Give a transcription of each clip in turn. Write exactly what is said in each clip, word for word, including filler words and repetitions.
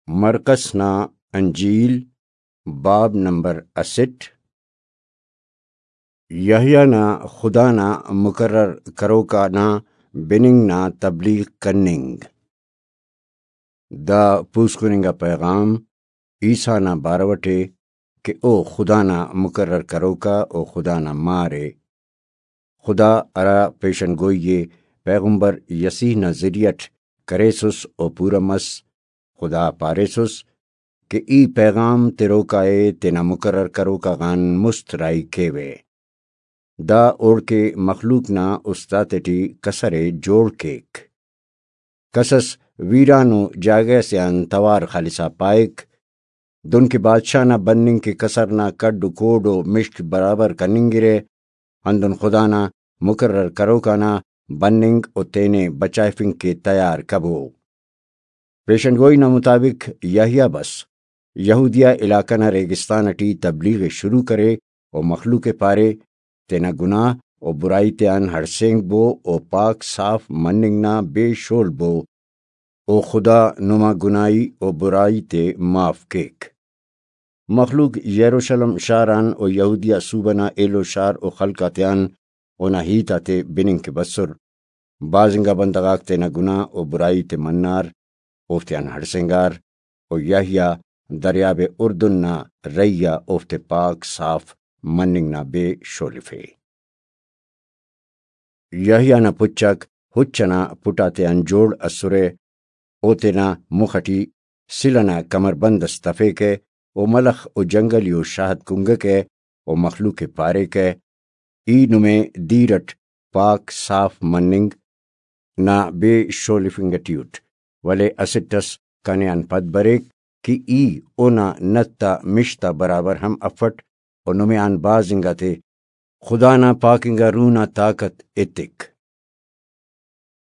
مرقس نا انجیل، باب نمبر اسٹ۔ یحییٰ نا خدا نا مقرر کروک آنا بننگ نا تبلیغ کننگ۔ دا پوسکن انگا پیغام عیسیٰ نا بارو ٹی کہ او خدا نا مقرر کروکا او خدا نا مار ءِ۔ خدا ہرا پیشن گوئی ءِ پیغمبر یسیح نا ذریعہ اٹ کریسس او پورا مس۔ خدا پاریسس کہ ای پیغام تروکا ءِ تینا مقرر کروکا غان مست راہی کیوہ۔ دا اوڑکہ مخلوق نا است آتیٹی کسر ءِ جوڑ کیک۔ کسس ویرانو جاگہ سے آن توار خلسا پائک، دنکہ بادشاہ نا بننگ کہ کسر نا کڈ و کوڈ و مشک برابر کننگرہ، ہندن خدا نا مقرر کروکانا بننگ و تینے بچائفنگ کہ تیار کبو۔ پیشن گوئی نا مطابق یحییٰ بس یہودیہ علاقہ نا ریگستان اٹی تبلیغ ءِ شروع کرے و مخلوق ءِ پارے، تینا گناہ و برائی تیان ہڑسینگ بو و پاک صاف مننگ نا بے شول بو، و خدا نما گناہی و برائی تے معاف کیک۔ مخلوق یروشلم شار آن و یہودیہ صوبہ نا ایلو شار و خلق آتیان اونا ہیت آتے بننگ کہ بسر۔ بھاز انگا بندغ آک تینا گناہ و برائی تے منار، اوفتیان ہڑسینگار، و یحییٰ دریاب اردن نا رہی آ اوفتے پاک صاف مننگ نا بے شولفے۔ یحییٰ نا پچ آک ہچ ئنا پٹ آتیان جوڑ ئسرہ۔ او تینا مخ ئٹی سل ئنا کمربند ئس تفیکہ، او ملخ و جنگلی و شہد کنگکہ، او مخلوق ءِ پاریکہ، ای نمے دیر ئٹ پاک صاف مننگ نا بے شولفنگ ئٹی اٹ، ولے اسٹ ئس کنے آن پد بریک کہ ای اونا نت آ مش تا برابر ہم افٹ، و نمے آن بھاز انگا تے خدا نا پاک انگا روح نا طاقت ایتک۔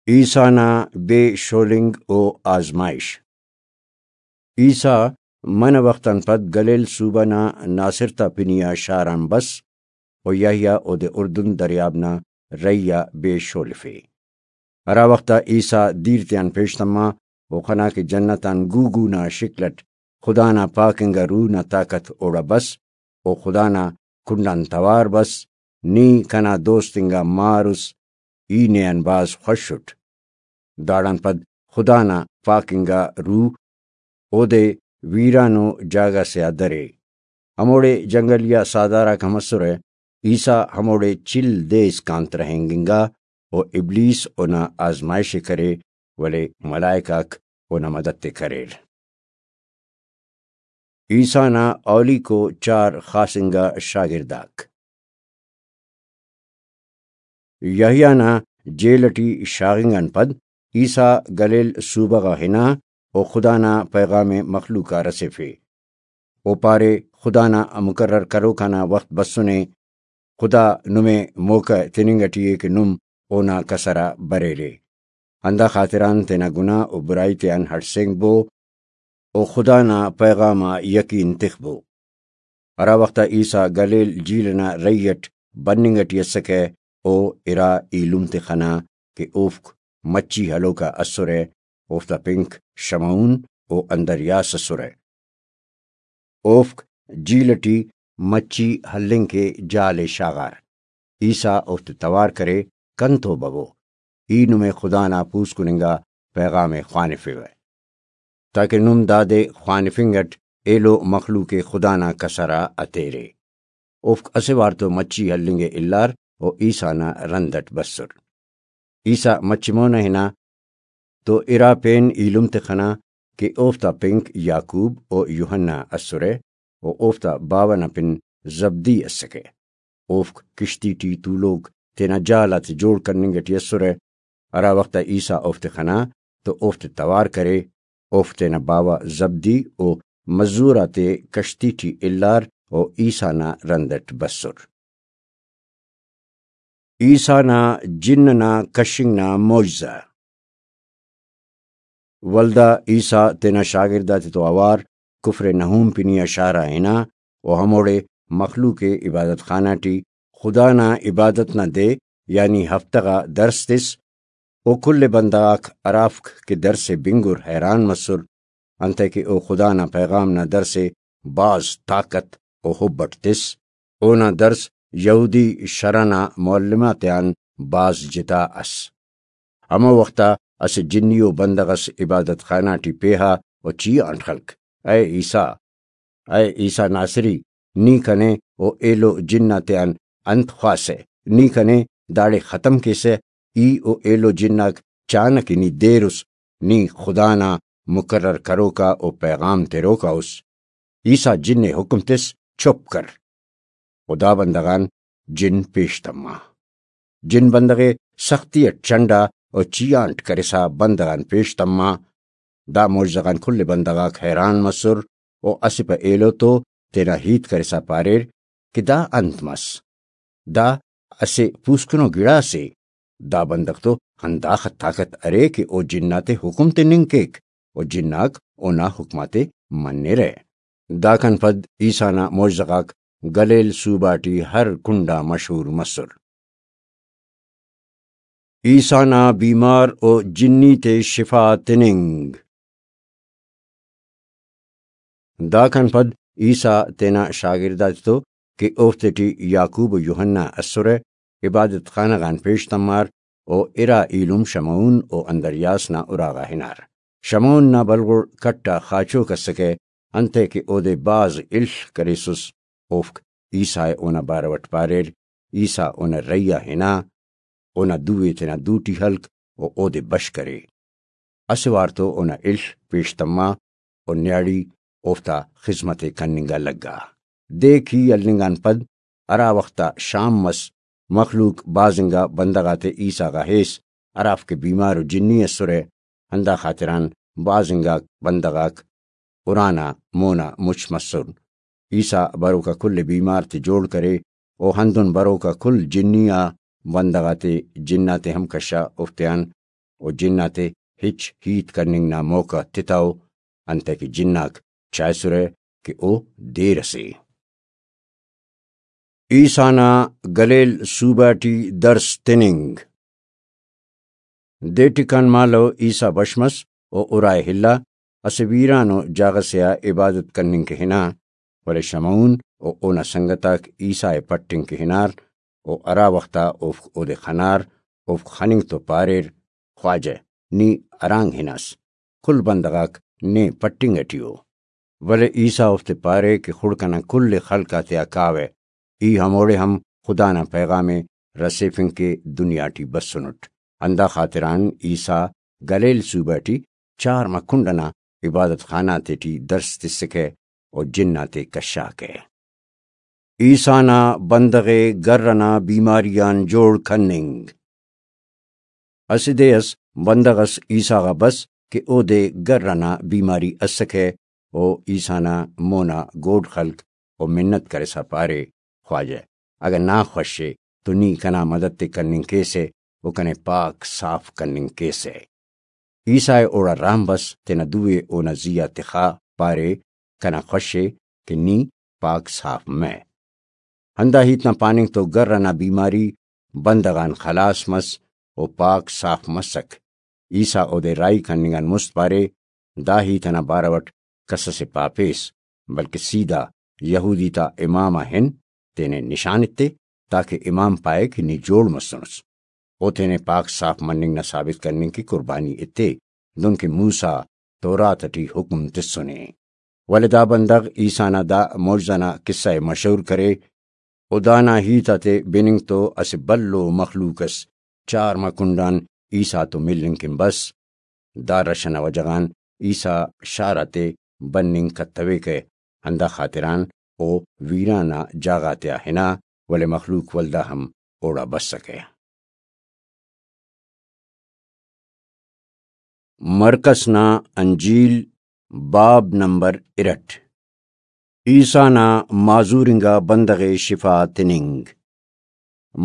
عیسیٰ نا بے شولنگ و آزمائش۔ عیسیٰ منہ وخت آن پد گلیل صوبہ نا ناصرت آ پنی آ شار آن بس، و یحییٰ اودے اردن دریاب نا رہی آ بے شولفے۔ ہرا وخت آ عیسیٰ دیر تیان پیش تما، و خنا کہ جنت آن گوگو نا شکل اٹ خدا نا پاک انگا روح نا طاقت اوڑا بس، و خدا نا کنڈ آن توار بس، نی کنا دوست انگا مار اس، ای نے آن بھاز خوش اٹ۔ داڑان پد خدا نا پاک انگا روح اودے ویرانو جاگہ سے آ درے۔ ہموڑے جنگلی آ ساہدار آک ہم اسرہ۔ عیسیٰ ہموڑے چل دے اسکان ترہینگنگا و ابلیس اونا آزمائش ءِ کرے، ولے ملائک آک اونا مدد ءِ کریر۔ عیسیٰ نا اولیکو چار خاص انگا شاگرداک۔ یحییٰ نا جیل ٹی شاغنگ آن پد عیسیٰ گلیل صوبہ غا ہنا و خدا نا پیغام ءِ مخلوق آ رسیفے۔ او پارے، خدا نا مقرر کروکا نا وخت بسنے۔ خدا نمے موقع تننگ ٹی ءِ کہ نم اونا کسر آ بریرے۔ ہندا خاطران تینا گناہ و برائی تیان ہڑسینگ بو و خدا نا پیغام آ یقین تخبو۔ ہرا وخت آ عیسیٰ گلیل جھیل ئنا رہی ئٹ بننگ ئٹی اسکہ، او ارا ایلم تے خنا کہ اوفک مچھی ہلوکا اسرہ، اوفتا پنک شمعون و اندریاس اسرہ۔ اوفک جھیل ئٹی مچھی ہلنگ کہ جال ئے شاغار۔ عیسیٰ اوفتے توار کرے، کنتو ببو، ای نمے خدا نا پوسکن انگا پیغام ئے خوانفیوہ، تاکہ نم دادے خوانفنگ اٹ ایلو مخلوق ئے خدا نا کسر آ ہتیرے۔ اوفک اسہ وار تو مچھی ہلنگ ئے الار و عیسیٰ نا رند اٹ بسر۔ عیسیٰ مچہ مون آ ہنا تو ارا پین ایلم تخنا کہ اوفتا پنک یعقوب و یوحنا اسرہ و اوفتا باوہ نا پن زبدی اسکہ۔ اوفک کشتی ٹی تولوک تینا جال آتے جوڑ کننگ ٹی اسرہ۔ ہرا وخت آ عیسیٰ اوفتے خنا تو اوفتے توار کرے۔ اوفک تینا باوہ زبدی و مزور آتے کشتی ٹی الار و عیسیٰ نا رند اٹ بسر۔ عیسیٰ نا جن ئنا کشنگ نا معجزہ۔ ولدا عیسیٰ تینا شاگرد آتتو اوار کفر نحوم پنی آ شار آ ہنا و ہموڑے مخلوق ئے عبادت خانہ ٹی خدا نا عبادت نا دے یعنی ہفتہ غا درس تس و کل بندغ آک ہرافک کہ درس ئے بنگر حیران مسر۔ انتئے کہ او خدا نا پیغام نا درس ءِ بھاز طاقت و حب اٹ تس۔ اونا درس یہودی شرع نا معلم آتیان بھاز جتا ئس۔ ہمو وخت آ اسہ جنی و بندغ ئس عبادت خانہ ٹی پیہا و چیہانٹ خلک، "اے عیسیٰ، اے عیسیٰ ناصری، نی کنے و ایلو جن آتیان انت خواہسہ؟ نی کنے داڑے ختم کیسہ؟ ای و ایلو جن آک چانہ کہ نی دیر اس، نی خدا نا مقرر کروکا و پیغام تروکا اس۔" عیسیٰ جن ءِ حکم تس، "چپ کر۔" و دا بندغ آن جن پیش تما۔ جن بندغ ءِ سختی اٹ چنڈا و چیہانٹ کرسا بندغ آن پیش تما۔ دا معجزہ غان کل بندغ آک حیران مسر و اسہ پہ ایلو تو تینا ہیت کرسا پاریر کہ دا انت مس؟ دا اسہ پوسکنو گڑاسے۔ دا بندغ تو ہنداخہ طاقت ارے کہ او جن آتے حکم تننگ کیک و جن آک اونا حکم آتے منرہ۔ داکان پد عیسیٰ نا معجزہ غاک گلیل صوبہ ٹی ہر کنڈا مشہور مسر۔ عیسیٰ نا بیمار و جنی تے شفا تننگ۔ داکان پد عیسیٰ تینا شاگرد آتتو کہ اوفتے ٹی یعقوب و یوحنا اسرہ، عبادت خانہ غان پیش تمار و ارا ایلم شمعون و اندریاس نا اراغا ہنار۔ شمعون نا بلغڑ کٹ آ خاچوک اسکہ، انتئے کہ اودے بھاز الخ کریسس۔ اوفک عیسیٰ ءِ اونا بارو اٹ پاریر۔ عیسیٰ اونا رہی آ ہنا، اونا دو ءِ تینا دوٹی ہلک و اودے بش کرے۔ اسہ وار تو اونا الخ پیش تما و نیاڑی اوفتا خذمت ءِ کننگ آ لگا۔ دیک ہی ہلنگ آن پد ہرا وخت آ شام مس، مخلوق بھاز انگا بندغ آتے عیسیٰ غا ہیس، ہرافک بیمار و جنی اسرہ، ہندا خاطران بھاز انگا بندغ آک ارانا مونا مچ مسر۔ عیسیٰ بروکا کل بیمار تے جوڑ کرے و ہندن بروکا کل جنی آ بندغ آتے جن آتے ہم کشا اوفتیان و جن آتے ہچ ہیت کننگ نا موقع تتو، انتئے کہ جن آک چائسرہ کہ او دیر اسے۔ عیسیٰ نا گلیل صوبہ ٹی درس تننگ۔ دے ٹکان مالو عیسیٰ بش مس و ارائے ہلا، اسہ ویرانو جاگہ سے آ عبادت کننگ کہ ہنا، ولے شمعون و اونا سنگت آک عیسیٰ ءِ پٹنگ کہ ہنار و ہرا وخت آ اوفک اودے خنار، اوفک خننگ تو پاریر، "خواجہ، نی ہرانگ ہناس؟ کل بندغ آک نے پٹنگ ٹی ءُ۔" ولے عیسیٰ اوفتے پارے کہ خڑک ئنا کل ءِ خلق آتیا کاوہ، ای ہموڑے ہم خدا نا پیغام ءِ رسیفنگ کہ دنیا ٹی بسنٹ۔ ہندا خاطران عیسیٰ گلیل صوبہ ٹی چارمہ کنڈ ئنا عبادت خانہ آتیٹی درس تسکہ و جن آتے کشاکہ۔ عیسیٰ نا بندغ ءِ گر ئنا بیماری آن جوڑ کننگ۔ اسہ دے ئس بندغ ئس عیسیٰ غا بس کہ اودے گر ئنا بیماری اسکہ، و عیسیٰ نا مونا گوڈ خلک و منت کرسا پارے، "خواجہ، اگہ نا خوش ءِ تو نی کنا مدد ءِ کننگ کیسہ و کنے پاک صاف کننگ کیسہ۔" عیسیٰ ءِ اوڑا رام بس، تینا دو ءِ اونا زی آ تخا پارے، "کنا خوش ءِ کہ نی پاک صاف مہ۔" ہندا ہیت نا پاننگ تو گر ئنا بیماری بندغ آن خلاس مس و پاک صاف مسک۔ عیسیٰ اودے راہی کننگ آن مست پارے، "دا ہیت ئنا بارو اٹ کس ئسے پاپیس، بلکہ سیدھا یہودی تا امام آ ہن، تینے نشان ایتے، تاکہ امام پائے کہ نی جوڑ مسنس۔ او تینے پاک صاف مننگ نا ثابت کننگ کہ قربانی ایتے، دنکہ موسیٰ تورات ٹی حکم تسنے۔" ولے دا بندغ عیسیٰ نا دا معجزہ نا قصہ ءِ مشہور کرے، و دانا ہیت آتے بننگ تو اسہ بھلو مخلوق ئس چارمہ کنڈان عیسیٰ تو ملنگ کن بس۔ دا رش ئنا وجہ غان عیسیٰ شار آتے بننگ کتویکہ، ہندا خاطران او ویران آ جاگہ آتیا ہنا، ولے مخلوق ولدا ہم اوڑا بسکہ۔ مرقس نا انجیل، باب نمبر ارٹ۔ عیسیٰ نا معذور انگا بندغ ءِ شفا تننگ۔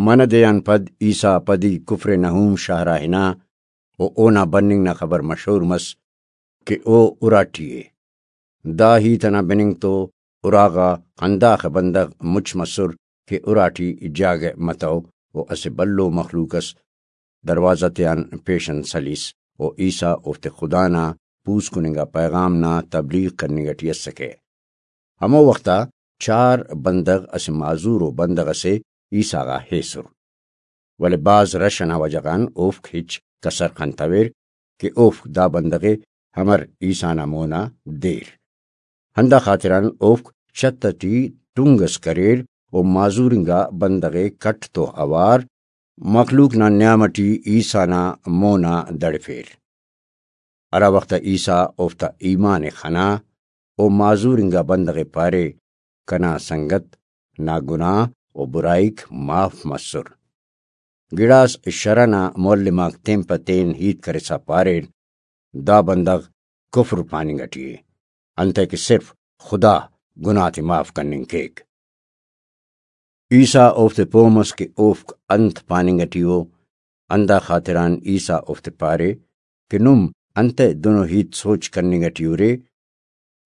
منہ دے آن پد عیسیٰ پدی کفر نحوم شہر آ ہنا و اونا بننگ نا خبر مشہور مس کہ او اراٹی ءِ۔ دا ہیت ئنا بننگ تو اراغا ہنداخہ بندغ مچ مسر کہ اراٹی جاگہ متو و اسہ بھلو مخلوق ئس دروازہ تیان پیشن سلیس و عیسیٰ اوفتے خدا نا پوسکننگ آ پیغام نا تبلیغ کننگ ٹی اسکہ۔ ہمو وخت آ چار بندغ اسہ معذورو بندغ ئسے عیسیٰ غا ہیسر، ولے بھاز رش ئنا وجہ غان اوفک ہچ کسر خنتویر کہ اوفک دا بندغ ءِ امر عیسیٰ نا مونا دیر۔ ہندا خاطران اوفک چھت ئٹی ٹنگ ئس کریر و معذور انگا بندغ ءِ کٹ تو اوار مخلوق نا نیام ئٹی عیسیٰ نا مونا دڑفیر۔ ہرا وخت عیسیٰ اوفتا ایمان ءِ خنا، او معذور انگا بندغ ءِ پارے، کنا سنگت نا گناہ و برائیک معاف مسر۔ گڑاس شرع نا معلم آک تین پہ تین ہیت کرسا پاریر، دا بندغ کفر پاننگ ٹی ءِ، انتئے کہ صرف خدا گناہ تے معاف کننگ کیک۔ عیسیٰ اوفتے پہہ مس کہ اوفک انت پاننگ ٹی ءُ، ہندا خاطران عیسیٰ اوفتے پارے کہ نم انتئے دنو ہیت سوچ کننگ ٹی ارے؟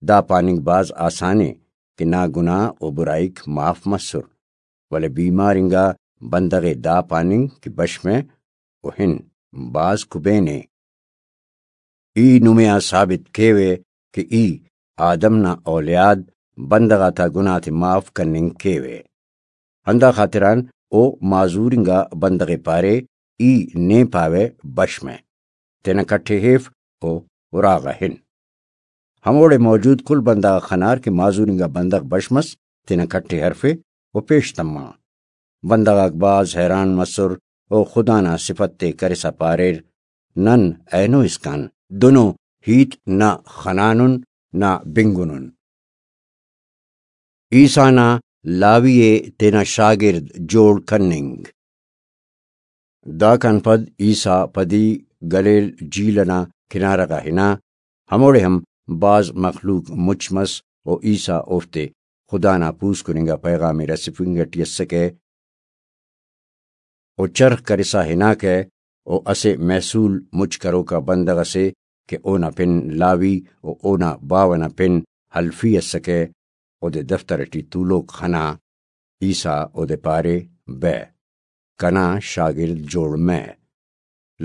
دا پاننگ بھاز آسان ءِ کہ نا گناہ و برائیک معاف مسر، ولے بیمار انگا بندغ ءِ دا پاننگ کہ بش مہ و ہن بھاز کبین ءِ۔ ای نمے آ ثابت کیوہ کہ ای آدم نا اولیاد بندغ آتا گناہ تے معاف کننگ کیوہ۔ ہندا خاطران او معذور انگا بندغ ءِ پارے، ای نے پاوہ بش مہ، تینا کٹھ ءِ ہیف و اراغا ہن۔ ہموڑے موجود کل بندغ آک خنار کہ معذور انگا بندغ بش مس، تینا کٹھ ءِ ہرفے و پیش تما۔ بندغ آک بھاز حیران مسر و خدا نا صفت تے کرسا پاریر، نن اینو اسکان دنو ہیت نہ خنانن نہ بنگنن۔ عیسیٰ نا لاوی ءِ تینا شاگرد جوڑ کننگ۔ داکان پد عیسیٰ پدی گلیل جھیل ئنا کنارہ غا ہنا، ہموڑے ہم بھاز مخلوق مچ مس و عیسیٰ اوفتے خدا نا پوسکن انگا پیغام ءِ رسیفنگ ٹی اسکہ۔ و چرخ کرسا ہناکہ و اسہ محصول مچ کروکا بندغ ئسے کہ اونا پن لاوی و اونا باوہ نا پن حلفی اسکہ، اودے دفتر ٹی تولوک خنا۔ عیسیٰ اودے پارے، بہ، کنا شاگرد جوڑ مہ۔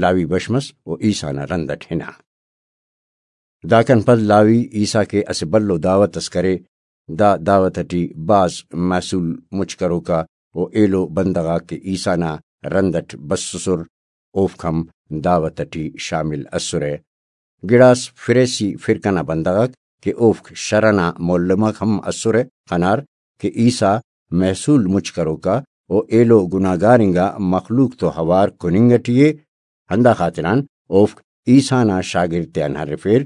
لاوی بش مس و عیسیٰ نا رند ئٹ ہنا۔ داکان پد لاوی عیسیٰ کے اسہ بھلو دعوت ئس کرے۔ دا دعوت ئٹی بھاز محصول مچ کروکا و ایلو بندغ آک کہ عیسیٰ نا رند ئٹ بسسر، اوفک ہم دعوت ئٹی شامل ئسرہ۔ گڑاس فریسی فرقہ نا بندغ آک کہ اوفک شرع نا معلم آک ہم ئسرہ، خنار کہ عیسیٰ محصول مچ کروکا و ایلو گناہگار انگا مخلوق تو اوار کننگ ئٹی ءِ، ہندا خاطران اوفک عیسیٰ نا شاگرد تیان ہرفیر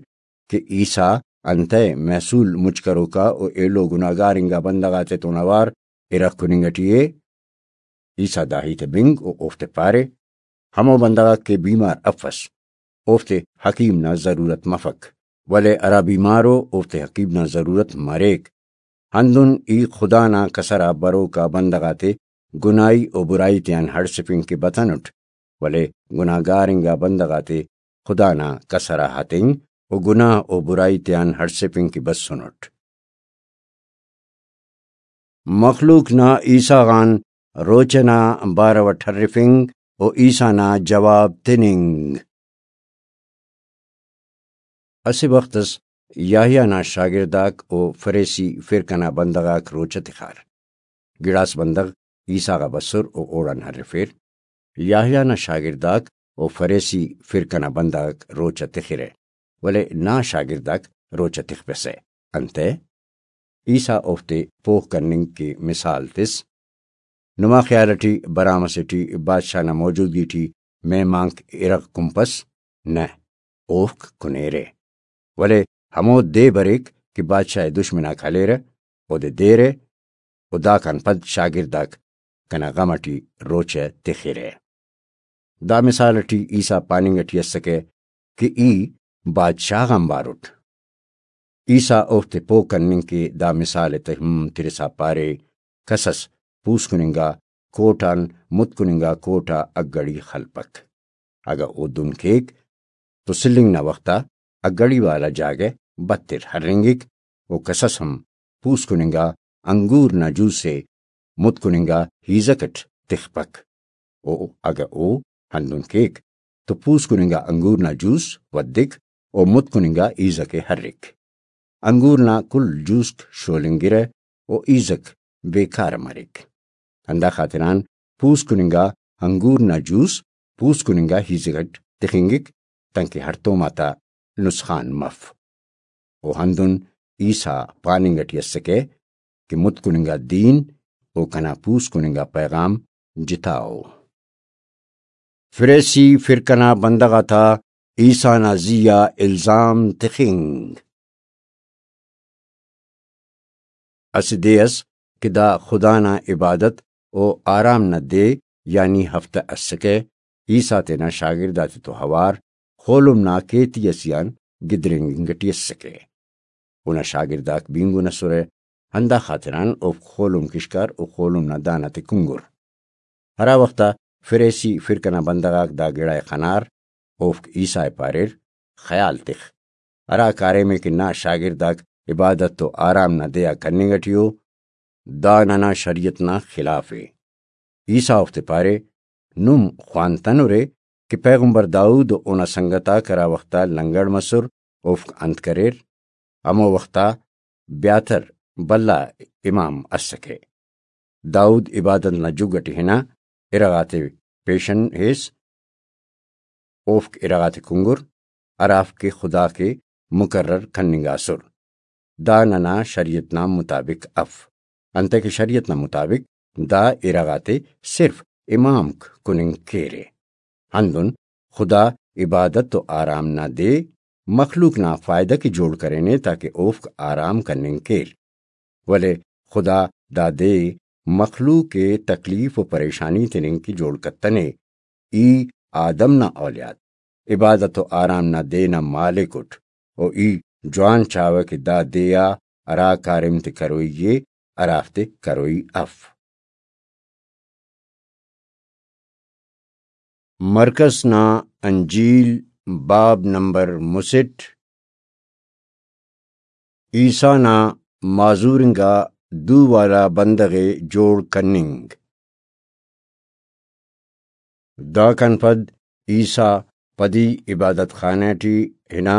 کہ عیسیٰ انتئے محصول مچ کروکا و ایلو گناہگار انگا بندغ آتتون اوار ارغ کننگ ئٹی ءِ۔ عیسیٰ دا ہیت ءِ بنگ و اوفتے پارے، ہمو بندغ آک کہ بیمار افس، اوفتے حکیم نا ضرورت مفک، ولے ہرا بیمار ءُ اوفتے حکیم نا ضرورت مریک۔ ہندن ای خدا نا کسر آ بروکا بندغ آتے گناہی و برائی تیان ہڑسفنگ کہ بتنٹ، ولے گناہگار انگا بندغ آتے خدا نا کسر آ ہتنگ و گناہ و برائی تیان ہڑسفنگ کہ بسنٹ۔ مخلوق نا عیسیٰ غان روچہ نا بارو اٹ ہرفنگ و عیسیٰ نا جواب تننگ۔ اسہ وخت اس یحییٰ نا شاگرداک و فریسی فرقہ نا بندغ آک روچہ تخار۔ گڑاس بندغ عیسیٰ غا بسر و اوڑان ہرفیر۔ یحییٰ نا شاگرداک و فریسی فرقہ نا بندغ آک روچہ تخرہ، ولے نا شاگرداک روچہ تخپسہ۔ انتئے؟ عیسیٰ اوفتے پوہ کننگ کہ مثال تس، نما خیال ٹی برام اسے ٹی بادشاہ نا موجودگی ٹی مہمانک ارغ کنپس؟ نہ، اوفک کنیرہ۔ ولے ہمو دے بریک کہ بادشاہ ءِ دشمن آک ہلیرہ، اودے دیرہ، و داکان پد شاگرداک کنا غم ٹی روچہ تخرہ۔ دا مثال ٹی عیسیٰ پاننگ ٹی اسکہ کہ ای بادشاہ غان بارٹ۔ عیسیٰ اوفتے پوہ کننگ کہ دا مثال ءِ تہم ترسا پارے، کس اس پوسکن انگا کوٹ آن متکن انگا کوٹ آ اگڑی خلپک۔ اگہ او دن کیک تو سلنگ نا وخت آ اگڑی والا جاگہ بتر ہرنگک و کس اس ہم پوسکن انگا انگور نا جوس ءِ متکن انگا ہیزک اٹ تخپک۔ و اگہ او ہندن کیک تو پوسکن انگا انگور نا جوس ودک و متکن انگا ایزک ءِ ہرک۔ انگور نا کل جوسک شولنگرہ و ایزک بیکار مریک۔ ہندا خاطران پوسکن انگا انگور نا جوس پوسکن انگا ایزک اٹ تخنگک، تانکہ ہڑتوم آتا نسخان مف۔ و ہندن عیسیٰ پاننگ اٹی اسکہ کہ متکن انگا دین و کنا پوسکن انگا پیغام جتا ءُ۔ فریسی فرقہ نا بندغ آتا عیسیٰ نا زی آ الزام تخنگ۔ اسہ دے ئس کہ دا خدا نا عبادت و آرام نا دے یعنی ہفتہ اسکہ، عیسیٰ تینا شاگرد آتتو اوار خولم نا کیتی ئسے آن گدرینگ انگ ٹی اسکہ۔ اونا شاگرداک بینگن ئسرہ، ہندا خاطران اوفک خولم کشکار و خولم نا دانہ تے کنگر۔ ہرا وخت آ فریسی فرقہ نا بندغ آک دا گڑا ءِ خنار، اوفک عیسیٰ ءِ پاریر، خیال تخ، ہرا کاریم ءِ کہ نا شاگرداک عبادت و آرام نا دے آ کننگ ٹی ءُ، دا ننا شریعت نا خلاف ءِ۔ عیسیٰ اوفتے پارے، نم خوانتنرے کہ پیغمبر داؤد و اونا سنگت آک ہرا وخت آ لنگڑ مسر، اوفک انت کریر؟ ہمو وخت آ بیاتر بھلا امام اسکہ۔ داؤد عبادت نا جگ اٹی ہنا، ارغ آتے پیشن ہیس، اوفک ارغ آتے کنگر، ہرافک کہ خدا کے مقرر کننگاسر۔ دا ننا شریعت نا مطابق اف، انتئے کہ شریعت نا مطابق دا ارغ آتے صرف امامک کننگ کیرے۔ ہندن خدا عبادت و آرام نا دے مخلوق نا فائدہ کہ جوڑ کرینے تاکہ اوفک آرام کننگ کیر، ولے خدا دا دے مخلوق ءِ تکلیف و پریشانی تننگ کہ جوڑ کتنے۔ ای آدم نا اولیاد، عبادت و آرام نا دے نا مالک اٹ، و ای جوان چاوہ کہ دا دے آ ہرا کاریم تے کروئی ءِ، ہرافتے کروئی اف۔ مرکس نا انجیل، باب نمبر مسٹ۔ عیسیٰ نا معذور انگا دو والا بندغ ءِ جوڑ کننگ۔ داکان پد عیسیٰ پدی عبادت خانہ ٹی ہنا،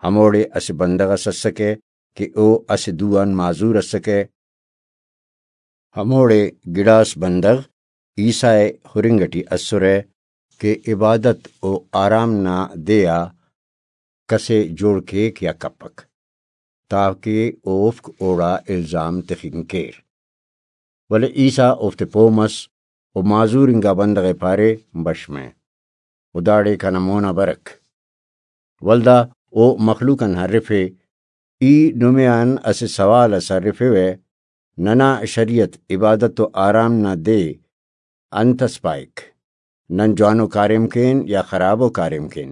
ہموڑے اسہ بندغ اس اسکہ کہ او اسہ دو آن معذور اسکہ۔ ہموڑے گڑاس بندغ عیسیٰ ءِ ہرنگ ٹی اسرہ کہ عبادت و آرام نا دے آ کسے جوڑ کیک یا کپک، تاکہ اوفک اوڑا الزام تخنگ کیر۔ ولے عیسیٰ اوفتے پہہ مس و معذور انگا بندغ ءِ پارے، بش مہ، و داڑے کنا مونا برک۔ ولدا او مخلوق آن ہرفے، ای نمے آن اسہ سوال اس ہرفیوہ، ننا شریعت عبادت و آرام نا دے انت اس پائک؟ نن جوانو کاریم کین یا خرابو کاریم کین؟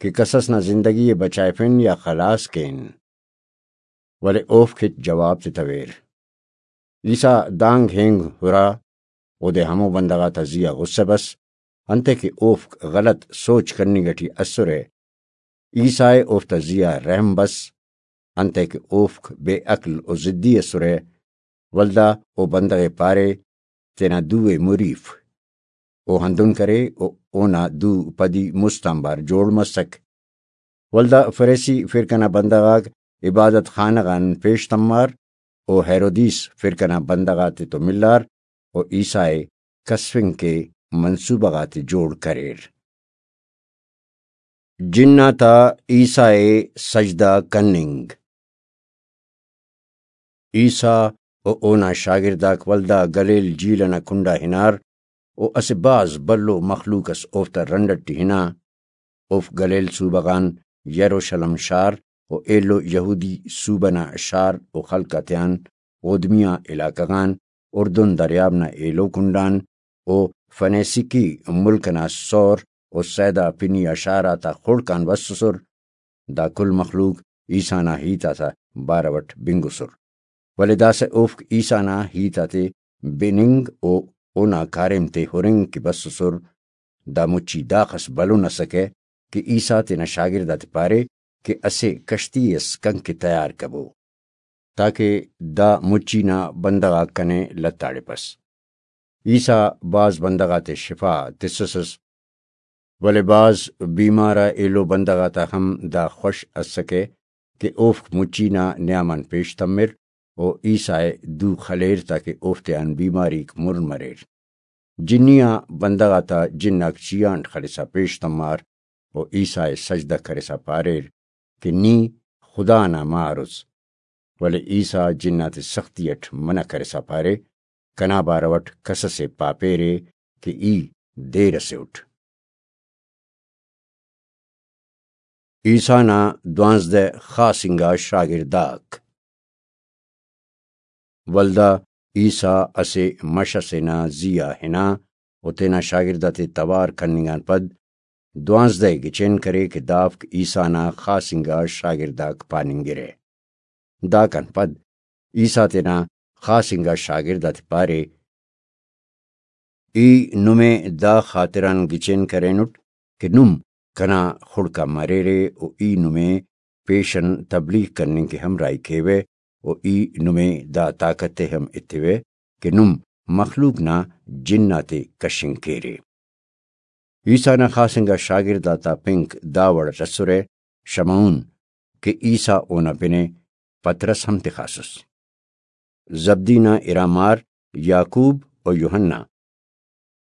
کہ کسس نا زندگی ءِ بچائفن یا خلاس کین؟ ولے اوفک ہچ جواب تتویر۔ عیسیٰ دانگ ہینگ ہرا، اودے ہمو بندغ آتا زی آ غصہ بس، انتئے کہ اوفک غلط سوچ کننگ ٹی اسرہ۔ عیسیٰ ءِ اوفتا زی آ رحم بس، انتئے کہ اوفک بے عقل و ضدی اسرہ۔ ولدا او بندغ ءِ پارے، تینا دو ءِ مریف۔ او ہندن کرے و اونا دو پدی مست آنبار جوڑ مسک۔ ولدا فریسی فرقہ نا بندغ آک عبادت خانہ غان پیش تمار و ہیرودیس فرقہ نا بندغ آتے تو ملار و عیسیٰ ءِ کسفنگ کے منصوبہ غاتے جوڑ کریر۔ جن آتا عیسیٰ ءِ سجدہ کننگ۔ عیسیٰ و اونا شاگرداک ولدا گلیل جھیل ئنا کنڈا ہنار و اسہ بھاز بھلو مخلوق ئس اوفتا رنڈ ئٹی ہنا۔ اوفک گلیل صوبہ غان یروشلم شار و ایلو یہودی صوبہ نا شار و خلق آتیان اودمیہ علاقہ غان، اردن دریاب نا ایلو کنڈان و فنیسیکی ملک ئنا سور و سیدا پنی آ شار آتا خڑک آن بسسر۔ دا کل مخلوق عیسیٰ نا ہیت آتا بارو ئٹ بنگسر، ولے داسہ اوفک عیسیٰ نا ہیت آتے بننگ و اونا کاریم تے ہرنگ کہ بسسر۔ دا مچی داخس بھلن اسکہ کہ عیسیٰ تینا شاگرد آتے پارے کہ اسہ کشتی اس کن کہ تیار کبو، تاکہ دا مچی نا بندغ آک کنے لتاڑپس۔ عیسیٰ بھاز بندغ آتے شفا تسسس۔ ولے بھاز بیمار آ ایلو بندغ آتا ہم دا خوش ئسکہ کہ اوفک مچی نا نیام آن پیش تمر و عیسیٰ ءِ دو خلیر تاکہ اوفتیان بیماریک مر مریر۔ جنی آ بندغ آتا جن آک چیہانٹ خلسا پیش تمار و عیسیٰ ءِ سجدہ کرسا پاریر کہ نی خدا نا مار اس۔ ولے عیسیٰ جن آتے سختی اٹ منع کرسا پارے، کنا بارو اٹ کس اسے پاپیرے کہ ای دیر اسے اٹ۔ عیسیٰ نا دوانزدہ خاص انگا شاگرداک۔ ولدا عیسیٰ اسہ مش اسے نا زی آ ہنا و تینا شاگرد آتے توار کننگ آن پد دوانزدہ ءِ گچین کرے کہ دافک عیسیٰ نا خاص انگا شاگرداک پاننگرہ۔ داکان پد عیسیٰ تینا خاص انگا شاگرد آتے پارے، ای نمے دا خاطران گچین کرینٹ کہ نم کنا خڑک آ مریرے و ای نمے پیشن تبلیغ کننگ کہ ہمراہی کیوہ و ای نمے دا طاقت ءِ ہم ایتیوہ کہ نم مخلوق نا جن آتے کشنگ کیرے۔ عیسیٰ نا خاص انگا شاگرد آتا پنک دا وڑ اٹ اسرہ، شمعون، کہ عیسیٰ اونا پن ءِ، پطرس ہم تخاسس۔ زبدی نا ارا مار یعقوب و یوحنا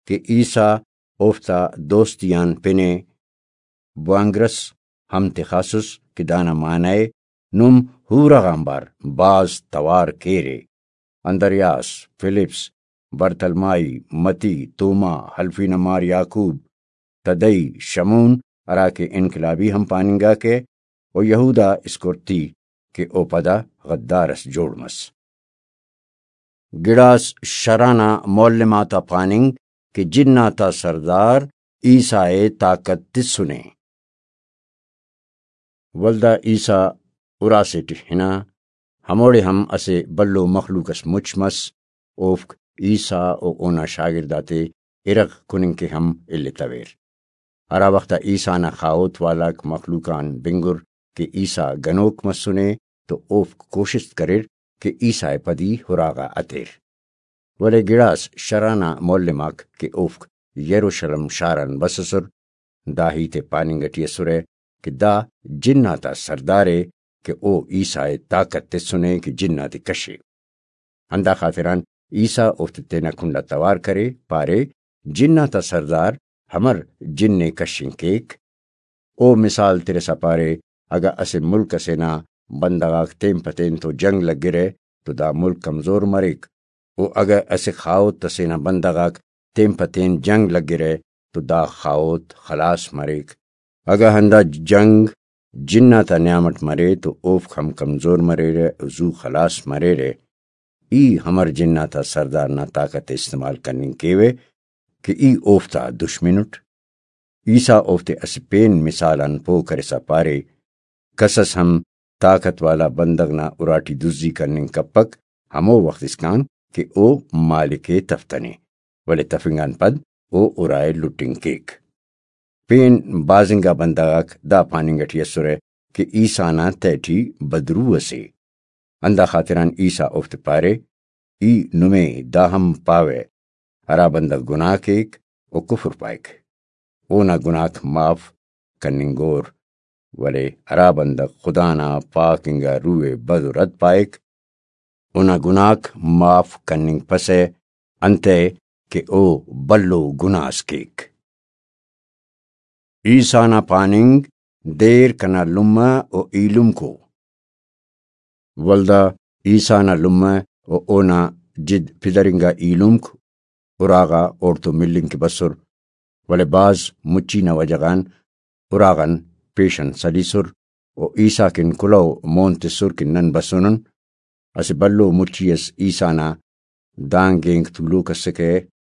کہ عیسیٰ اوفتا دوستی آن پن ءِ، بوانگرس ہم تخاسس کہ دانا معنی ءِ نم حورہ غانبار بھاز توار کیرے۔ اندریاس، فلپس، برتلمائی، متی، توما، حلفی نا مار یعقوب، تدئی، شمعون ہراکہ انقلابی ہم پاننگاکہ، و یہودا اسکرتی کہ او پدا غدار اس جوڑ مس۔ گڑاس شرع نا معلم آتا پاننگ کہ جن آتا سردار عیسیٰ ءِ طاقت تسنے۔ ولدا عیسیٰ اراسے ٹی ہنا، ہموڑے ہم اسہ بھلو مخلوق اس مچ مس، اوفک عیسیٰ و اونا شاگرد آتے ارغ کننگ کہ ہم الیتویر۔ ہرا وخت آ عیسیٰ نا خاہوت والاک مخلوق آن بنگر کہ عیسیٰ گنوک مسنے تو اوفک کوشست کریر کہ عیسیٰ ءِ پدی ہراغا ہتیر۔ ولے گڑاس شرع نا معلم آک کہ اوفک یروشلم شار آن بسسر، دا ہیت ءِ پاننگ ٹی اسرہ کہ دا جن آتا سردار ءِ کہ او عیسیٰ ءِ طاقت تسنے کہ جن آتے کشے۔ ہندا خاطران عیسیٰ اوفتے تینا کنڈا توار کرے، پارے، جن آتا سردار ہمر جن ءِ کشنگ کیک؟ او مثال ترسا پارے، اگہ اسہ ملک اسے نا بندغ آک تین پہ تین تو جنگ لگرہ تو دا ملک کمزور مریک، و اگہ اسہ خاہوت اسے نا بندغ آک تین پہ تین جنگ لگرہ تو دا خاہوت خلاس مریک۔ اگہ ہندا جنگ جن آتا نیام اٹ مرے تو اوفک ہم کمزور مریرہ و زو خلاس مریرہ۔ ای ہمر جن آتا سردار نا طاقت ءِ استعمال کننگ کیوہ کہ ای اوفتا دشمن اٹ؟ عیسیٰ اوفتے اسہ پین مثال آن پہہ کرسا پارے، کس اس ہم طاقت والا بندغ نا اراٹی دزی کننگ کپک، ہمو وخت اسکان کہ او مالک ءِ تفتنے، ولے تفنگ آن پد او ارائے لٹنگ کیک۔ پین بھاز انگا بندغ آک دا پاننگ ٹی اسرہ کہ عیسیٰ نا تہٹی بدروح اسے۔ ہندا خاطران عیسیٰ اوفتے پارے، ای نمے دا ہم پاوہ، ہرا بندغ گناہ کیک، او کفر پائک، اونا گناہک معاف کننگور، ولے ہرا بندغ خدا نا پاک انگا روح ءِ بد و رد پائک، اونا گناہک معاف کننگپسہ، انتئے کہ او بھلو گناہ اس کیک۔ عیسیٰ نا پاننگ، دیر کنا لمہ و ایلمکو۔ ولدا عیسیٰ نا لمہ و اونا جد پدرنگا ایلمک اراغا اوڑتون ملنگ کہ بسر، ولے بھاز مچی نا وجہ غان اراغان پیشن سلیسر و عیسیٰ کن کلہو مون تسر کہ نن بسونن۔ اسہ بھلو مچی اس عیسیٰ نا دانگ اینگ تولوک اسکہ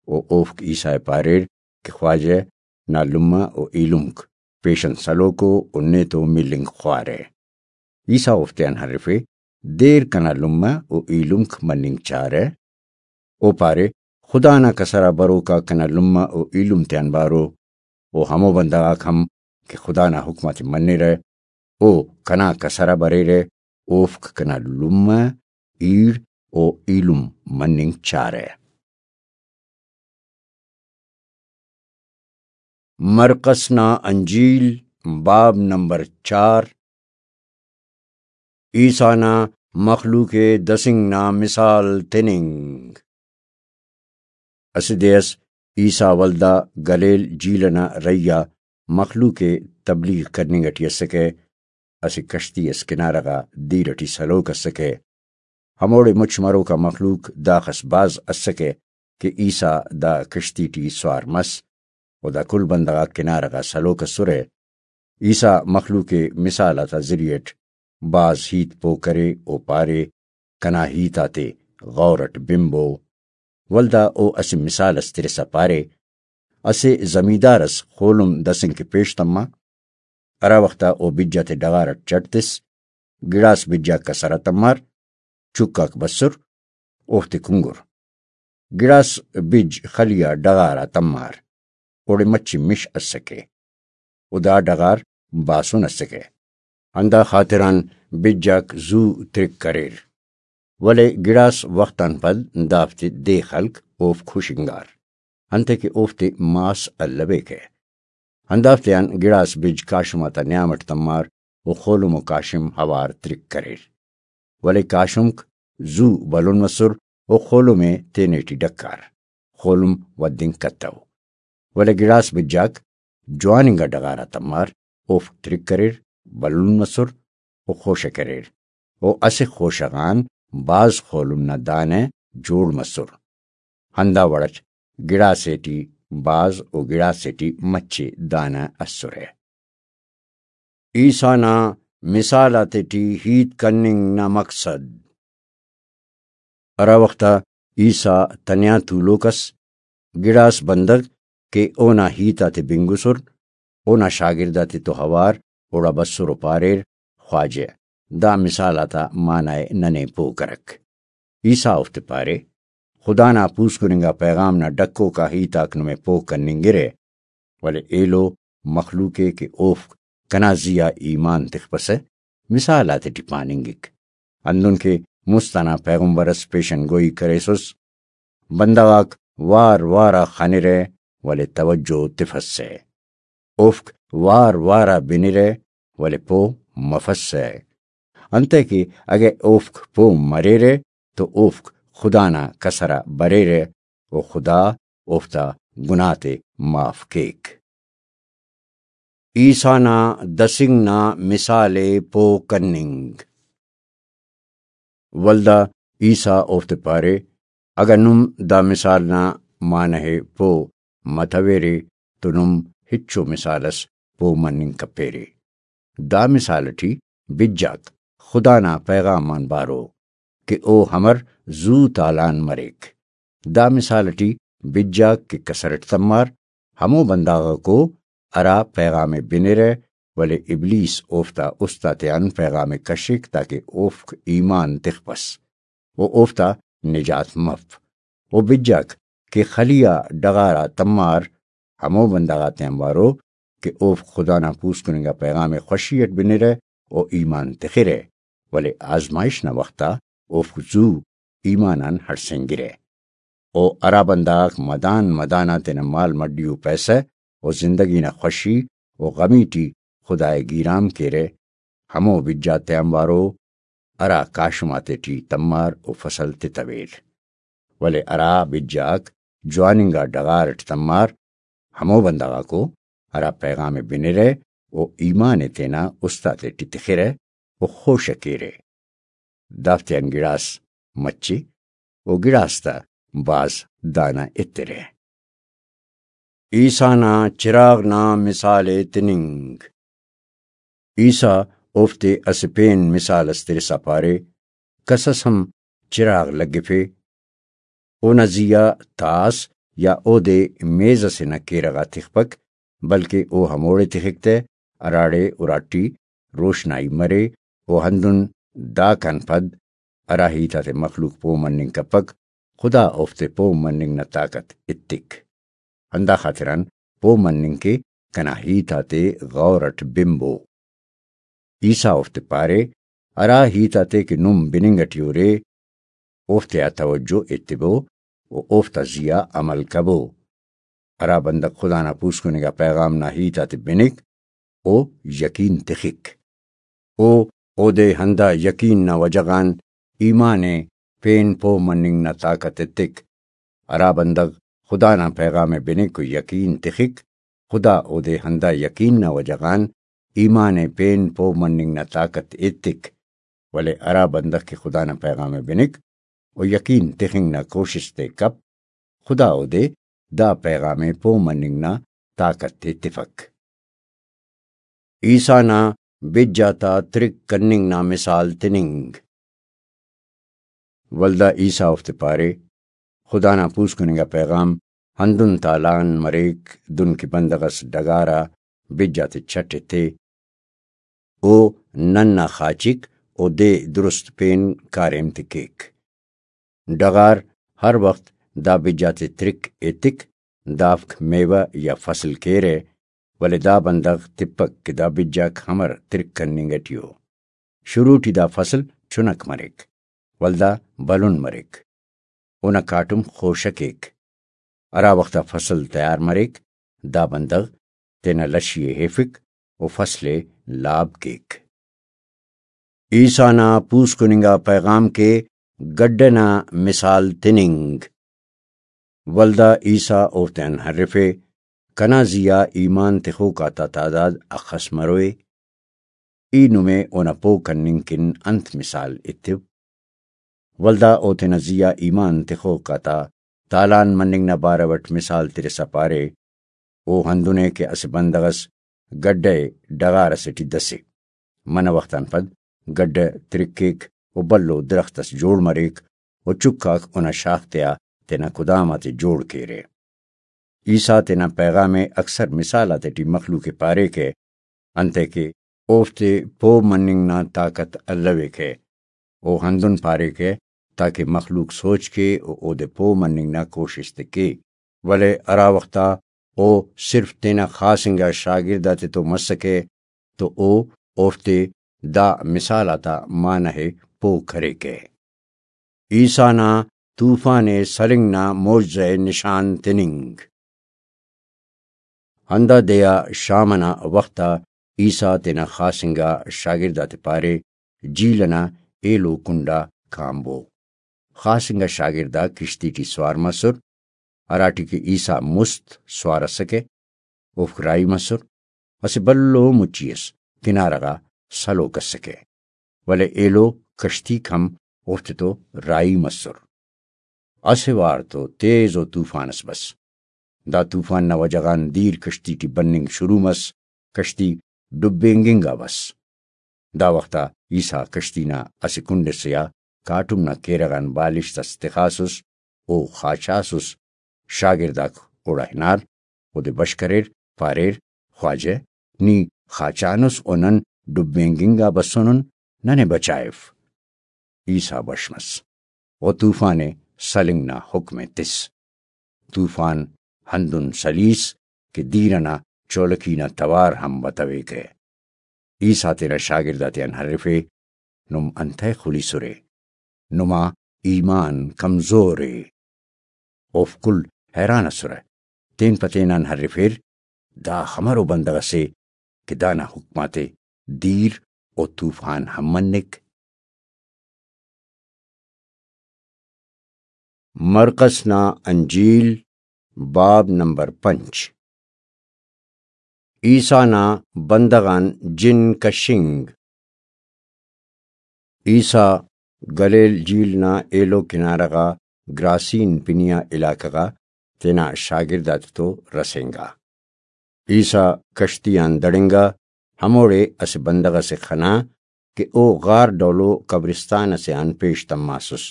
و اوفک عیسیٰ ءِ پاریر کہ خواجہ نا لمہ و ایلمک پیشن سلوکو و نیتو ملنگ خوارہ۔ عیسیٰ اوفتیان ہرفے، دیر کنا لمہ و ایلمک مننگ چارہ۔ او پارے، خدا نا کسر آ بروکا کنا لمہ و ایلم تیان بارو، و ہمو بندغ آک ہم کہ خدا نا حکم آتے منرہ، او کنا کسر آ بریرہ، اوفک کنا لمہ، ایڑ و ایلم مننگ چارہ۔ مرقس نا انجیل، باب نمبر چار۔ عیسیٰ نا مخلوق ءِ دسنگ نا مثال تننگ۔ اسہ دے اس عیسیٰ ولدا گلیل جھیل ئنا رہی آ مخلوق ءِ تبلیغ کننگ ئٹی اسکہ، اسہ کشتی اس کنارہ غا دیر ئٹی سلوک اسکہ۔ ہموڑے مچ مروکا مخلوق داخس بھاز اسکہ کہ عیسیٰ دا کشتی ٹی سوار مس، و دا کل بندغ آک کنارہ غا سلوک اسرہ۔ عیسیٰ مخلوق ءِ مثال آتا ذریعہ ئٹ بھاز ہیت پوہ کرے و پارے، کنا ہیت آتے غور ئٹ بنبو۔ ولدا او اسہ مثال اس ترسا پارے، اسہ زمیندار اس خولم دسنگ کہ پیش تما، ہرا وخت آ او بج آتے ڈغار ئٹ چٹ تس، گڑاس بج آک کسر آ تمار، چک آک بسر، اوفتے کنگر۔ گڑاس بج خلی آ ڈغار آ تمار، اوڑے مچے مش اسکہ، و دا ڈغار باسن اسکہ، ہندا خاطران بج آک زو ترک کریر۔ ولے گڑاس وخت آن پد دافتے دے خلک اوفک ہشنگار، انتئے کہ اوفتے ماس الویکہ۔ ہندافتیان گڑاس بج کاشم آتا نیام اٹ تمار و خولم و کاشم اوار ترک کریر۔ ولے کاشمک زو بھلن مسر و خولم ءِ تینے ٹی ڈکار، خولم ودنگ کتو۔ ولے گڑاس بجاک جوان انگا ڈغار آ تمار، اوفک ترک کریر، بھلن مسر و خوشہ کریر، و اسہ خوشہ غان بھاز خولم نا دانہ جوڑ مسر۔ ہندا وڑ اٹ گڑاسے ٹی بھاز و گڑاسے ٹی مچے دانہ اسرہ۔ عیسیٰ نا مثال آتیٹی ہیت کننگ نا مقصد۔ ہرا وخت آ عیسیٰ تنیا تولوک ئس، گڑاس بندغ کہ اونا ہیت آتے بنگسر، اونا شاگرد آتے تو اوار اوڑا بسر و پاریر، خواجہ، دا مثال آتا معنی ءِ ننے پوہ کرک۔ عیسیٰ اوفتے پارے، خدا نا پوسکن انگا پیغام نا ڈکوک آ ہیت آک نمے پوہ کننگرہ، ولے ایلو مخلوق ءِ کہ اوفک کنا زی آ ایمان تخپسہ، مثال آتیٹی پاننگک۔ ہندن کہ مست ئنا پیغمبر ئس پیشن گوئی کریسس، بندغ آک وار وار آ خنرہ، ولے توجہ تفسہ۔ اوفک وار وار آ بنرہ، ولے پہہ مفسہ۔ انتئے کہ اگہ اوفک پہہ مریرہ تو اوفک خدا نا کسر آ بریرہ و خدا اوفتا گناہ تے معاف کیک۔ عیسیٰ نا دسنگ نا مثال ءِ پہہ کننگ۔ ولدا عیسیٰ اوفتے پارے، اگہ نم دا مثال نا معنہ ءِ پہہ متویرے تو نم ہچو مثال اس پہہ مننگ کپیرے۔ دا مثال ٹی بجاک خدا نا پیغام آن بارو کہ او امر زو تالان مریک۔ دا مثال ٹی بجاک کہ کسر اٹ تمار، ہمو بندغاکو ہرا پیغام ءِ بنرہ، ولے ابلیس اوفتا است آتیان پیغام ءِ کشک تاکہ اوفک ایمان تخپس و اوفتا نجات مف۔ و بجاک کہ خلی آ ڈغار آ تمار، ہمو بندغ آتیان بارو کہ اوفک خدا نا پوسکن انگا پیغام ءِ خوشی اٹ بنرہ و ایمان تخرہ، ولے آزمائش نا وخت آ اوفک زو ایمان آن ہڑسینگرہ۔ و ہرا بندغ آک مدان مدان آ تینا مال مڈی و پیسہ و زندگی نا خوشی و غمی ٹی خدا ءِ گیرام کیرہ، ہمو بجا تیانبارو ہرا کاشم آتیٹی تمار و فصل تتویر۔ ولے ہرا بجاک جوان انگا ڈغار اٹ تمار، ہمو بندغ آکو ہرا پیغام ءِ بنرہ و ایمان ءِ تینا است آتیٹی تخرہ و خوش ءِ کیرہ۔ دافتیان گڑاس مچے و گڑاس تا بھاز دانہ ایترہ۔ عیسیٰ نا چراغ نا مثال ءِ تننگ۔ عیسیٰ اوفتے اسہ پین مثال اس ترسا پارے، کس اس ہم چراغ لگفے، اونا زی آ تاس یا اودے میز ئسے نا کیرغ آ تخپک، بلکہ او ہموڑے تخک تہ، ہراڑے اراٹی روشنائی مرے، و ہندن داکان پد ہرا ہیت آتے مخلوق پہہ مننگ کپک، خدا اوفتے پہہ مننگ نا طاقت ایتک۔ ہندا خاطران پہہ مننگ کہ کنا ہیت آتے غور اٹ بنبو۔ عیسیٰ اوفتے پارے، ہرا ہیت آتے کہ نم بننگ اٹی ارے، اوفتیا توجہ ایتبو و اوفتا زی آ عمل کبو۔ ہرا بندغ خدا نا پوسکننگا پیغام نا ہیت آتے بنک، او یقین تخک۔ او اودے ہندا یقین نا وجہ غان ایمان ءِ پین پہہ مننگ نا طاقت ایتک۔ ہرا بندغ خدا نا پیغام ءِ بنک و یقین تخک، خدا اودے ہندا یقین نا وجہ غان ایمان ءِ پین پہہ مننگ نا طاقت ایتک۔ ولے ہرا بندغ کہ خدا نا پیغام ءِ بنک و یقین تخنگ نا کوشست ءِ کپ، خدا اودے دا پیغام ءِ پہہ مننگ نا طاقت ءِ تفک۔ عیسیٰ نا بج آتا ترک کننگ نا مثال تننگ۔ ولدا عیسیٰ اوفتے پارے، خدا نا پوسکننگا پیغام ہندن تالان مریک، دن کہ بندغ اس ڈغار آ بج آتے چٹ ایتے، او نن نا خاچک و دے درست پین کاریم تے کیک۔ ڈغار ہر وخت دا بج آتے ترک ایتک، دافک میوہ یا فصل کیرہ، ولے دا بندغ تپک کہ دا بج آک ہمر ترک کننگ ٹی ءُ۔ شروع ٹی دا فصل چنک مریک، ولدا بھلن مریک۔ اونا کاٹم خوشہ کیک۔ ہرا وخت آ فصل تیار مریک، دا بندغ تینا لشی ءِ ہیفک و فصل ءِ لاب کیک۔ عیسیٰ نا پوسکننگا پیغام کے گڈہ نا مثال تننگ۔ ولدا عیسیٰ اوفتیان ہرفے، کنا زیہا ایمان تخوک آتا تعداد اخس مروئے؟ ای نمے اونا پہہ کننگ کن انت مثال ایتو؟ ولدا او تینا زیہا ایمان تخوک آتا تالان مننگ نا بارو اٹ مثال ترسا پارے، او ہندن ءِ کہ اسہ بندغ اس گڈہ ءِ ڈغار اسے ٹی دسے۔ منہ وخت آن پد گڈہ ترک کیک و بھلو درخت اس جوڑ مریک و چکاک اونا شاخ تیا تینا کدام آتے جوڑ کیرہ۔ عیسیٰ تینا پیغام ءِ اکثر مثال آتیٹی مخلوق ءِ پاریکہ، انتئے کہ اوفتے پہہ مننگ نا طاقت الویکہ۔ او ہندن پاریکہ تاکہ مخلوق سوچ کے و اودے پہہ مننگ نا کوشست ءِ کے۔ ولے ہرا وخت آ او صرف تینا خاص انگا شاگرد آتتو مسکہ تو او اوفتے دا مثال آتا معنہ ءِ پہہ کریکہ۔ عیسیٰ نا طوفان ءِ سلنگ نا معجزہ ءِ نشان تننگ۔ ہندا دے آ شام ئنا وخت آ عیسیٰ تینا خاص انگا شاگرد آتے پارے، جھیل ئنا ایلو کنڈ آ کانبو۔ خاص انگا شاگرد آک کشتی ٹی سوار مسر، ہراٹی کہ عیسیٰ مست سوار ئسکہ، اوفک راہی مسر۔ اسہ بھلو مچی ئس کنارہ غا سلوک ئسکہ، ولے ایلو کشتیک ہم اوفتتو راہی مسر۔ اسہ وار تو تیز و طوفان ئس بس۔ دا طوفان نا وجہ غان دیر کشتی ٹی بننگ شروع مس، کشتی ڈبینگنگا بس۔ دا وخت آ عیسیٰ کشتی نا اسہ کنڈ ئسے آ کاٹم نا کیرغ آن بالشت اس تخاسس، او خاچاسس۔ شاگرداک اوڑا ہنار، اودے بش کریر، پاریر، خواجہ، نی خاچانس و نن ڈبینگنگا بسونن، ننے بچائف۔ عیسیٰ بش مس و طوفان ءِ سلنگ نا حکم ءِ تس۔ طوفان ہندن سلیس کہ دیر ئنا چولکی نا توار ہم بتویکہ۔ عیسیٰ تینا شاگرد آتیان ہرفے، نم انتئے خلیسرے؟ نما ایمان کمزور ءِ۔ اوفک کل حیران ئسرہ، تین پہ تینان ہرفیر، دا خمرو بندغ ئسے کہ دانا حکم آتے دیر و طوفان ہم منک۔ مرقس نا انجیل، باب نمبر پنچ۔ عیسیٰ نا بندغ آن جن کشنگ۔ عیسیٰ گلیل جھیل نا ایلو کنارہ غا گراسین پنی آ علاقہ غا تینا شاگرد آتتو رسینگا۔ عیسیٰ کشتی آن دڑنگا، ہموڑے اسہ بندغ ئسے خنا کہ او غار ڈولو قبرستان ئسے آن پیش تماسس۔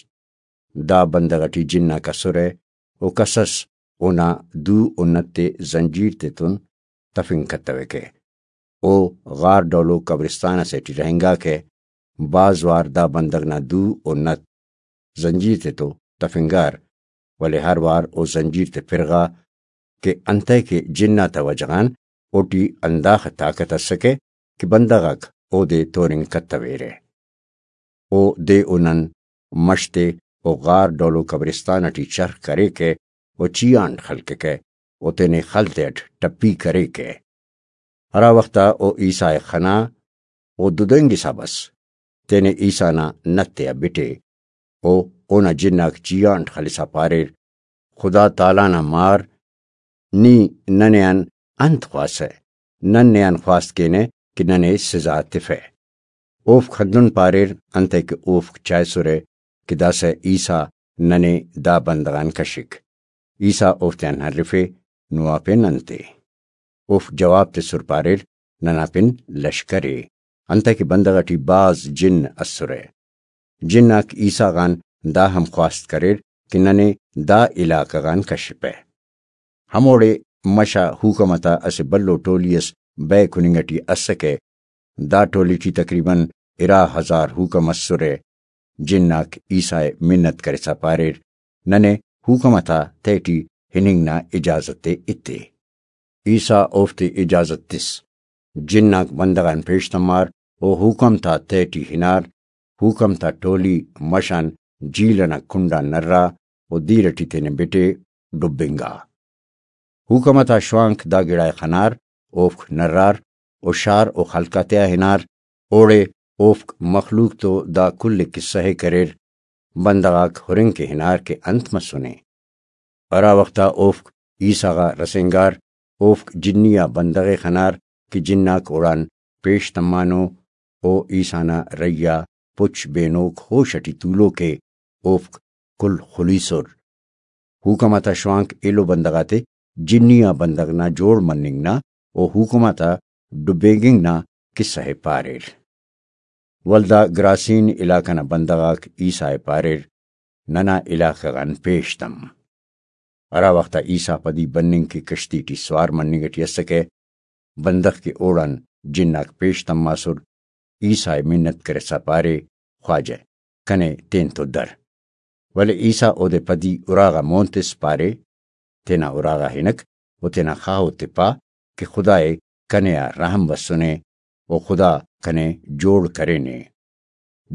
دا بندغ ئٹی جناک ئسرہ و کس ئس اونا دو و نت ءِ زنجیر تیتون تفنگ کتویکہ۔ او غار ڈولو قبرستان ئسے ٹی رہینگاکہ۔ بھاز وار دا بندغ نا دو و نت زنجیر تیتو تفنگار، ولے ہر وار او زنجیر تے پرغا کہ انتئے کہ جناتا وجہ غان اوٹی ہنداخہ طاقت ئسکہ کہ بندغ آک اودے تورنگ کتویرہ۔ او دے و نن مش تے و غار ڈولو قبرستان ئٹی چرخ کریکہ و چیہانٹ خلککہ و تینے خل تیٹ ٹپی کریکہ۔ ہرا وخت آ او عیسیٰ ءِ خنا، او ددینگسا بس، تینے عیسیٰ نا نت تیا بٹے۔ او اونا جناک جیانٹ خلسا پاریر، خدا تعالیٰ نا مار، نی ننے آن انت خواسہ؟ نن نے آن خواست کینہ کہ ننے سزا تفہ۔ اوفک ہندن پاریر، انتئے کہ اوفک چائسرہ کہ داسہ عیسیٰ ننے دا بندغ آن کشک۔ عیسیٰ اوفتیان ہرفے، نما پن انت ءِ؟ اوفک جواب تسر پاریر، ننا پن لشکر ءِ، انتئے کہ بندغ ئٹی بھاز جن اسرہ۔ جناک عیسیٰ غان دا ہم خواست کریر کہ ننے دا علاقہ غان کشپہ۔ ہموڑے مش آ حکم تا اسہ بھلو ٹولی اس بئے کننگ ٹی اسکہ۔ دا ٹولی ٹی تقریباً ارا ہزار حکم اسرہ۔ جناک عیسیٰ ءِ منت کرسا پاریر، ننے حکم تا تہٹی ہننگ نا اجازت ءِ ایتے۔ عیسیٰ اوفتے اجازت تس۔ جناک بندغ آن پیش تمار و حکم تا تہٹی ہنار۔ حکم تا ٹولی مش آن جھیل ئنا کنڈ آن نرا و دیر ٹی تینے بٹے ڈبنگا۔ حکم تا شوانک دا گڑا ءِ خنار، اوفک نرار و شار و خلق آتیا ہنار۔ اوڑے اوفک مخلوق تو دا کل قصہ ءِ کریر۔ بندغ آک ہرنگ کہ ہنار کہ انت مسنے۔ ہرا وخت آ اوفک عیسیٰ غا رسینگار، اوفک جنی آ بندغ ءِ خنار کہ جناک اوڑان پیش تمانو۔ او عیسیٰ نا رہی آ پچ بینوک ہوش ٹی تولوک ءِ، اوفک کل خلیسر۔ حکم آتا شوانک ایلو بندغ آتے جنی آ بندغ نا جوڑ مننگ نا و حکم آتا ڈبینگنگ نا قصہ ءِ پاریر۔ ولدا گراسین علاقہ نا بندغ آک عیسیٰ ءِ پاریر، ننا علاقہ غان پیش تم۔ ہرا وخت آ عیسیٰ پدی بننگ کہ کشتی ٹی سوار مننگ ٹی اسکہ، بندغ کہ اوڑان جناک پیش تماسر، عیسیٰ ءِ منت کرسا پارے، خواجہ، کنے تینتو در۔ ولے عیسیٰ اودے پدی اراغا مون تس پارے، تینا اراغا ہنک و تینا خاہوت ءِ پا کہ خدائے کنے آ رحم بسنے و خدا کنے جوڑ کرینے۔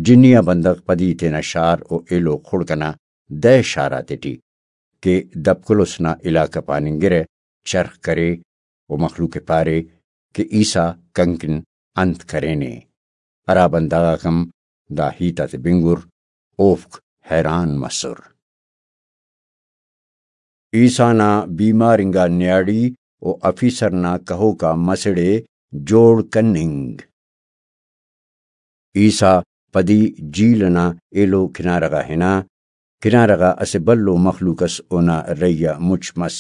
جنی آ بندغ پدی تینا شار و ایلو خڑک ئنا دہ شار آتیٹی کہ دپکلس نا علاقہ پاننگرہ چرخ کرے و مخلوق ءِ پارے کہ عیسیٰ کنکن انت کرینے۔ ہرا بندغ آک ہم دا ہیت آتے بنگر، اوفک حیران مسر۔ عیسیٰ نا بیمار انگا نیاڑی و آفیسر نا کہوکا مسڑ ءِ جوڑ کننگ۔ عیسیٰ پدی جھیل ئنا ایلو کنارہ غا ہنا۔ کنارہ غا اسہ بھلو مخلوق ئس اونا رہی آ مچ مس۔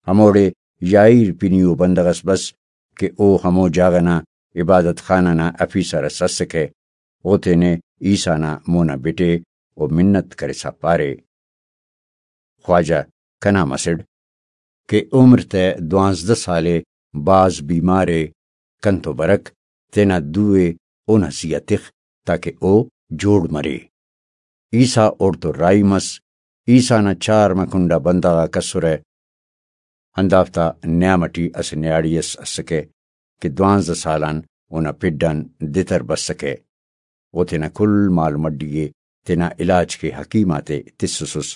ہموڑے یائیر پنی او بندغ ئس بس کہ او ہمو جاگہ نا عبادت خانہ نا آفیسر ئس اسکہ۔ او تینے عیسیٰ نا مونا بٹے و منت کرسا پارے، خواجہ، کنا مسڑ کہ عمر تہ دوانزدہ سال ءِ، بھاز بیمار ءِ، کنتو برک، تینا دو ءِ اونا زی آ تخ تاکہ او جوڑ مرے۔ عیسیٰ اوڑتون راہی مس۔ عیسیٰ نا چارمہ کنڈا بندغ آک اسرہ۔ ہندافتا نیام ٹی اسہ نیاڑی اس اسکہ کہ دوانزدہ سال آن اونا پڈ آن دتر بسکہ۔ او تینا کل مال مڈی ءِ تینا علاج کہ حکیم آتے تسسس،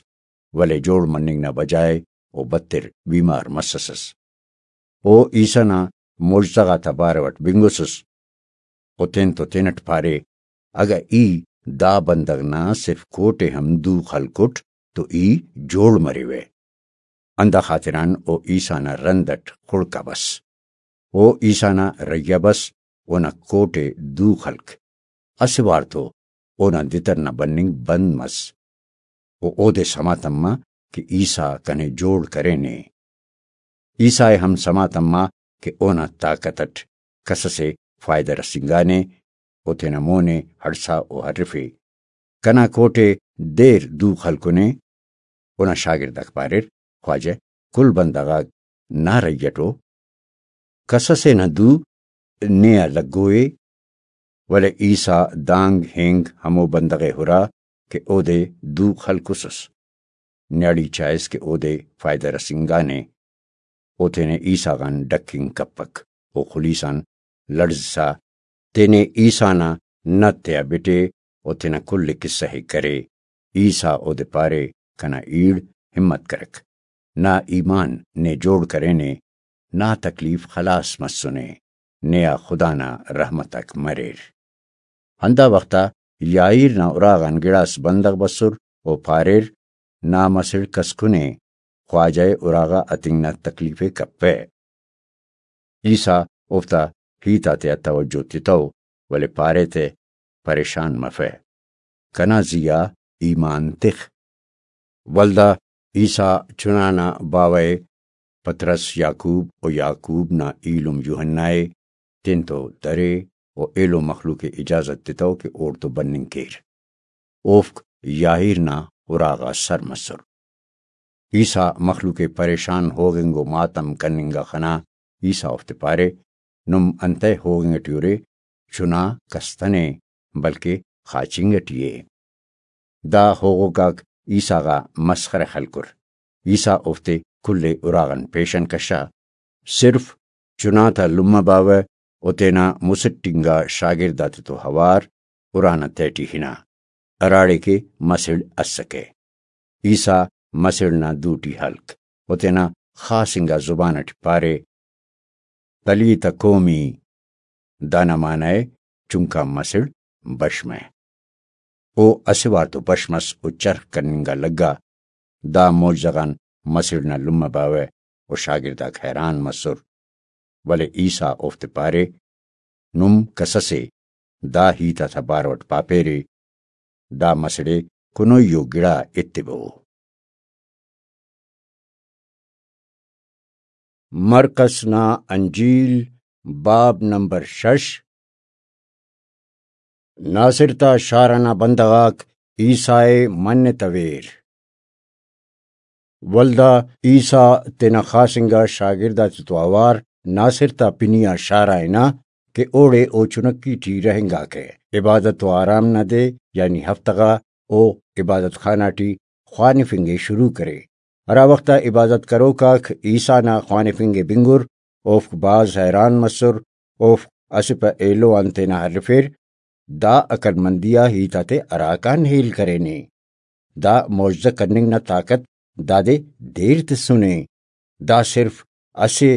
ولے جوڑ مننگ نا بجائے او بدتر بیمار مسسس۔ او عیسیٰ نا معجزہ غاتا بارو اٹ بنگسس۔ او تین تو تینٹ پارے، اگہ ای دا بندغ نا صرف کوٹے ہم دو خلکٹ تو ای جوڑ مریوہ۔ ہندا خاطران او عیسیٰ نا رند اٹ خڑکا بس۔ او عیسیٰ نا رہی آ بس، اونا کوٹے دو خلک۔ اسہ وار تو اونا دتر نا بننگ بند مس۔ و اودے سما تما کہ عیسیٰ کنے جوڑ کرینے۔ عیسیٰ ءِ ہم سما تما کہ اونا طاقت اٹ کسس ءِ فائدہ رسینگانے و تینا مون ءِ ہڑسا و ہرفے، کنا کوٹے دیر دو خلکنے۔ اونا شاگرد آک پاریر، خواجہ، کل بندغ آک نا رہی اٹ ءُ، کسس ءِ نا دو نے آ لگو ءِ۔ ولے عیسیٰ دانگ ہنگ ہمو بندغ ءِ ہرا کہ اودے دو خلکسس۔ نیاڑی چائس کہ اودے فائدہ رسینگانے۔ او تینے عیسیٰ غان ڈکنگ کپک۔ او خلیس آن لڑزسا تینے عیسیٰ نا نت تیا بٹے و تینا کل قصہ ءِ کرے۔ عیسیٰ اودے پارے، کنا ایڑ ہمت کرک۔ نا ایمان نے جوڑ کرینے، نا تکلیف خلاص مسنے، نے آ خدا نا رحمت آک مریر۔ ہندا وخت آ یائیر نا اراغان گڑاس بندغ بسر و پاریر، نا مسڑ کسکنے، خواجہ ءِ اراغا اتنگ نا تکلیف ءِ کپہ۔ عیسیٰ اوفتا ہیت آتیا توجہ تتو، ولے پارے تہ، پریشان مفہ، کنا زی آ ایمان تخ۔ ولدا عیسیٰ چنا نا باوہ ءِ، پطرس، یعقوب و یعقوب نا ایلم یوحنا ءِ، تینتو درے و ایلو مخلوق ءِ اجازت تتو کہ اوڑتو بننگ کیر۔ اوفک یائیر نا اراغا سر مسر۔ عیسیٰ مخلوق ءِ پریشان ہوغنگ و ماتم کننگ آ خنا۔ عیسیٰ اوفتے پارے، نم انتئے ہوغنگ ٹی ارے؟ چنا کستنے، بلکہ خاچنگ ٹی ءِ۔ دا ہوغوک آک عیسیٰ غا مسخرہ خلکر۔ عیسیٰ اوفتے کل ءِ اراغان پیشن کشا۔ صرف چنا تا لمہ باوہ و تینا مسٹ انگا شاگرد آتتو اوار ارانا تہٹی ہنا، ہراڑے کہ مسڑ اسکہ۔ عیسیٰ مسڑ نا دوٹی ہلک و تینا خاص انگا زبان اٹی پارے، تلیتہ کومی، دانا معنی ءِ، چنکا مسڑ بش مہ۔ او اسہ وار تو بش مس و چرخ کننگ آ لگا۔ دا معجزہ غان مسڑ نا لمہ باوہ و شاگرداک حیران مسر۔ ولے عیسیٰ اوفتے پارے، نم کسسے دا ہیت آتا بارو اٹ پاپیرے، دا مسڑے کنوئی ءُ گڑا ایتبو۔ مرقس نا انجیل، باب نمبر شش۔ ناصر تا شار ئنا بندغ آک عیسیٰ ءِ منتویر۔ ولدا عیسیٰ تینا خاص انگا شاگرد آتتو اوار ناصر تا پنی آ شار آ ہنا کہ اوڑے او چنکی ٹی رہینگاکہ، عبادت و آرام نا دے یعنی ہفتہ غا او عبادت خانہ ٹی خوانفنگ ءِ شروع کرے۔ ہرا وخت آ عبادت کروک آک عیسیٰ نا خوانفنگ ءِ بنگر، اوفک بھاز حیران مسر، اوفک اسہ پہ ایلو آن تینا ہرفیر، دا عقلمندی آ ہیت آتے ہراکان ہیل کرینے؟ دا معجزہ کننگ نا طاقت دادے دیر تسنے۔ دا صرف اسہ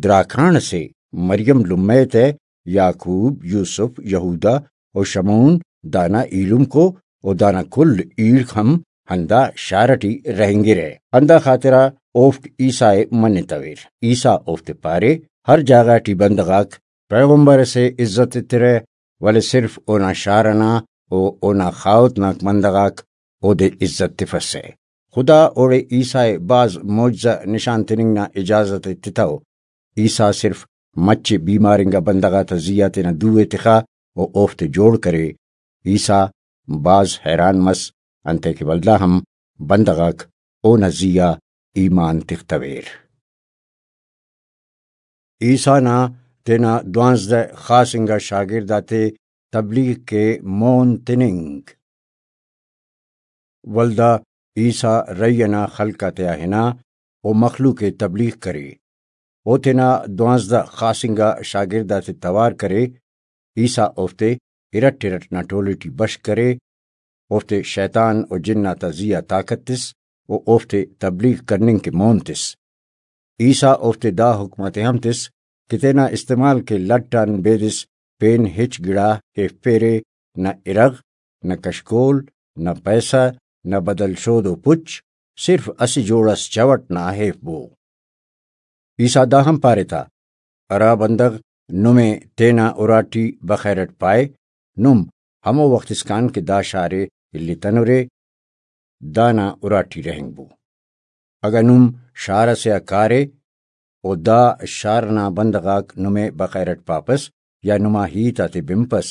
دراکان ئسے، مریم لمہ ءِ تہ یعقوب، یوسف، یہودا و شمعون دانا ایلمکو و دانا کل ایڑک ہم ہندا شار ئٹی رہینگرہ، ہندا خاطرا اوفک عیسیٰ ءِ منتویر۔ عیسیٰ اوفتے پارے، ہر جاگہ ٹی بندغ آک پیغمبر ئسے عزت ایترہ، ولے صرف اونا شار ئنا و اونا خاہوت نا بندغ آک اودے عزت تفسہ۔ خدا اوڑے عیسیٰ ءِ بھاز معجزہ نشان تننگ نا اجازت ءِ تتو۔ عیسیٰ صرف مچے بیمار انگا بندغ آتا زی آ تینا دو ءِ تخا و اوفتے جوڑ کرے۔ عیسیٰ بھاز حیران مس، انتئے کہ ولدا ہم بندغ آک اونا زی آ ایمان تختویر۔ عیسیٰ نا تینا دوانزدہ خاص انگا شاگرد آتے تبلیغ کے مون تننگ۔ ولدا عیسیٰ رہی ئنا خلق آتیا ہنا و مخلوق ءِ تبلیغ کرے۔ او تینا دوانزدہ خاص انگا شاگرد آتے توار کرے۔ عیسیٰ اوفتے ارٹ ارٹ نا ٹولہ ٹی بشخ کرے، اوفتے شیطان و جن آتا زی آ طاقت تس و اوفتے تبلیغ کننگ کہ مون تس۔ عیسیٰ اوفتے دا حکم آتے ہم تس کہ تینا استعمال کے لٹ آن بیدس پین ہچ گڑا ہیفپیرے، نہ ارغ، نہ کشکول، نہ پیسہ، نہ بدل شودو پچ، صرف اسہ جوڑ اس چوٹ نا ہیفبو۔ عیسیٰ دا ہم پارے تا، ہرا بندغ نمے تینا اراٹی بخیر اٹ پائے، نم ہمو وخت اسکان کہ دا شار ءِ الیتنرے، دانا اراٹی رہینگبو۔ اگہ نم شار ئسے آ کارے و دا شار نا بندغ آک نمے بخیر اٹ پاپس یا نما ہیت آتے بنپس،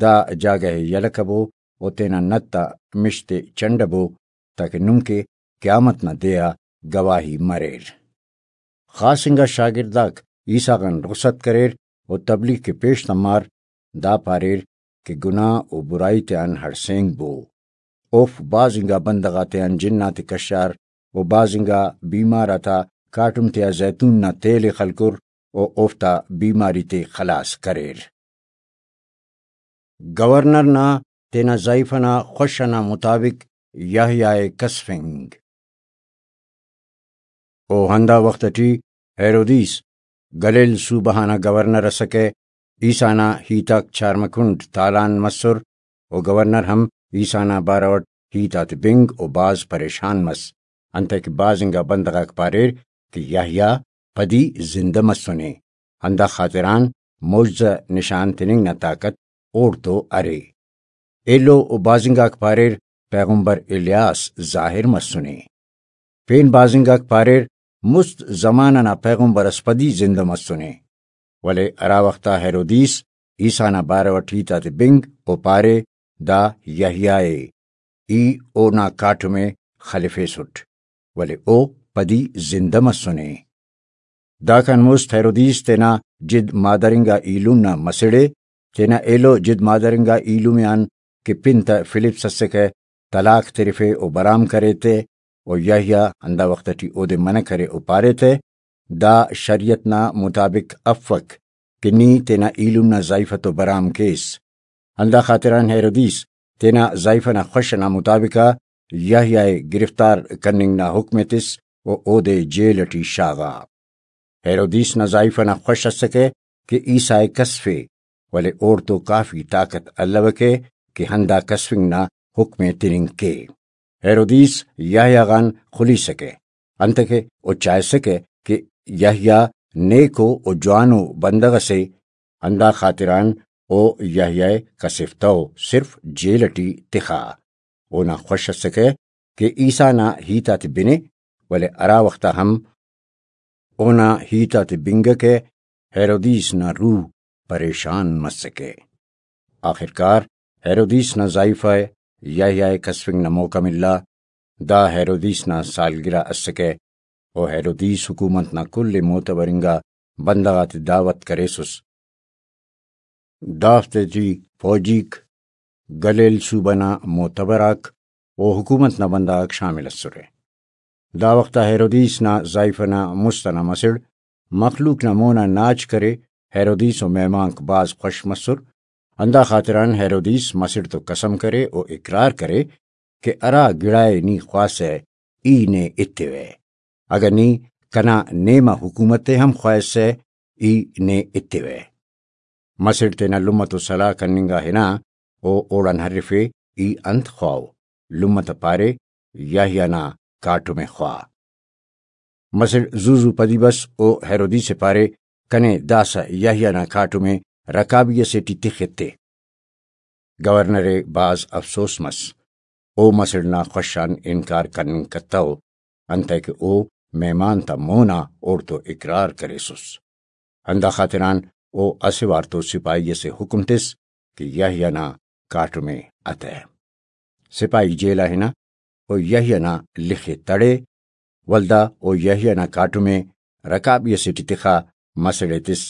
دا جاگہ ءِ یلہ کبو و تینا نت آ مش تے چنڈبو، تاکہ نم کہ قیامت نا دے آ گواہی مریر۔ خاص انگا شاگرد آک عیسیٰ غان رخصت کریر و تبلیغ کہ پیش تمار، دا پاریر کہ گناہ و برائی تیان ہڑسینگ بو۔ اوفک بھاز انگا بندغ آتیان جن آتے کشار و بھاز انگا بیمار آتا کاٹم تیا زیتون نا تیل ءِ خلکر و اوفتا بیماری تے خلاص کریر۔ گورنر نا تینا زائیفہ نا خوش ئنا مطابق یحییٰ ءِ کسفنگ۔ و ہندا وخت ٹی ہیرودیس گلیل صوبہ غانا گورنر ئسکہ۔ عیسیٰ نا ہیت آک چارمہ کنڈ تالان مسر، و گورنر ہم عیسیٰ نا بارو ئٹ ہیت آتے بنگ و بھاز پریشان مس، انتئے کہ بھاز انگا بندغ آک پاریر کہ یحییٰ پدی زندہ مسنے، ہندا خاطران معجزہ نشان تننگ نا طاقت اوڑتو ارے۔ ایلو و بھاز انگاک پاریر پیغمبر الیاس ظاہر مسنے۔ پین بھاز انگاک پاریر مست زمانہ نا پیغمبر اس پدی زندہ مسنے۔ ولے ہرا وخت آ ہیرودیس عیسیٰ نا بارو ئٹ ہیت آتے بنگ و پارے، دا یحییٰ ءِ، ای اونا کاٹم ءِ خلفیسٹ، ولے او پدی زندہ مسنے۔ داکان مست ہیرودیس تینا جد مادر انگا ایلم نا مسڑ ءِ، تینا ایلو جد مادر انگا ایلم آن کہ پن تہ فلپس اسکہ، طلاق ترفے و برام کرے تہ، و یحییٰ ہندا وخت ٹی اودے منع کرے و پارے تہ، دا شریعت نا مطابق افک کہ نی تینا ایلم نا زائیفہ تو برام کیس۔ ہندا خاطران ہیرودیس تینا زائیفہ نا خوش ئنا مطابق آ یحییٰ ءِ گرفتار کننگ نا حکم ءِ تس و اودے جیل ٹی شاغا۔ ہیرودیس نا زائیفہ نا خوش اسکہ کہ عیسیٰ ءِ کسفے، ولے اوڑتو کافی طاقت الوکہ کہ ہندا کسفنگ نا حکم ءِ تننگ کے۔ ہیرودیس یحییٰ غان خلیسکہ، انتکہ او چائسکہ کہ یحییٰ نیکو و جوانو بندغ ئسے، ہندا خاطران او یحییٰ ءِ کسفتو، صرف جیل ٹی تخا۔ اونا خوش اسکہ کہ عیسیٰ نا ہیت آتے بنے، ولے ہرا وخت آ ہم اونا ہیت آتے بنگکہ، ہیرودیس نا روح پریشان مسکہ۔ آخرکار ہیرودیس نا زائیفہ ءِ یحییٰ ءِ کسفنگ نا موقع ملا۔ دا ہیرودیس نا سالگرہ اسکہ، و ہیرودیس حکومت نا کل معتبر انگا بندغ آتے دعوت کریسس۔ دافتے ٹی فوجیک، گلیل صوبہ نا معتبر آک و حکومت نا بندغ آک شامل اسرہ۔ دا وخت آ ہیرودیس نا زائیفہ نا مست ئنا مسڑ مخلوق نا مون آ ناچ کرے، ہیرودیس و مہمانک بھاز خوش مسر۔ ہندا خاطران ہیرودیس مسڑ تو قسم کرے و اقرار کرے کہ ہرا گڑائے نی خواسہ، ای نے ایتیوہ۔ اگہ نی کنا نیم آ حکومت ءِ ہم خواہسہ، ای نے ایتیوہ۔ مسڑ تینا لمہ تو سلاہ کننگ آ ہنا، او اوڑان ہرفے، ای انت خواہو؟ لمہ تا پارے، یحییٰ نا کاٹم ءِ خواہ۔ مسڑ زو زو پدی بس، او ہیرودیس ءِ پارے، کنے داسہ یحییٰ نا کاٹم ءِ رکابی ئسے ٹی تخ ایتے۔ گورنر ءِ بھاز افسوس مس۔ او مسڑ نا خوش آن انکار کننگ کتو، انتئے کہ او مہمان تا مون آ اوڑتو اقرار کریسس۔ ہندا خاطران او اسہ وار تو سپاہی ئسے حکم تس کہ یحییٰ نا کاٹم ءِ اتہ۔ سپاہی جیل آ ہنا و یحییٰ نا لخ ءِ تڑے، ولدا او یحییٰ نا کاٹم ءِ رکابی ئسے ٹی تخا، مسڑ ءِ تس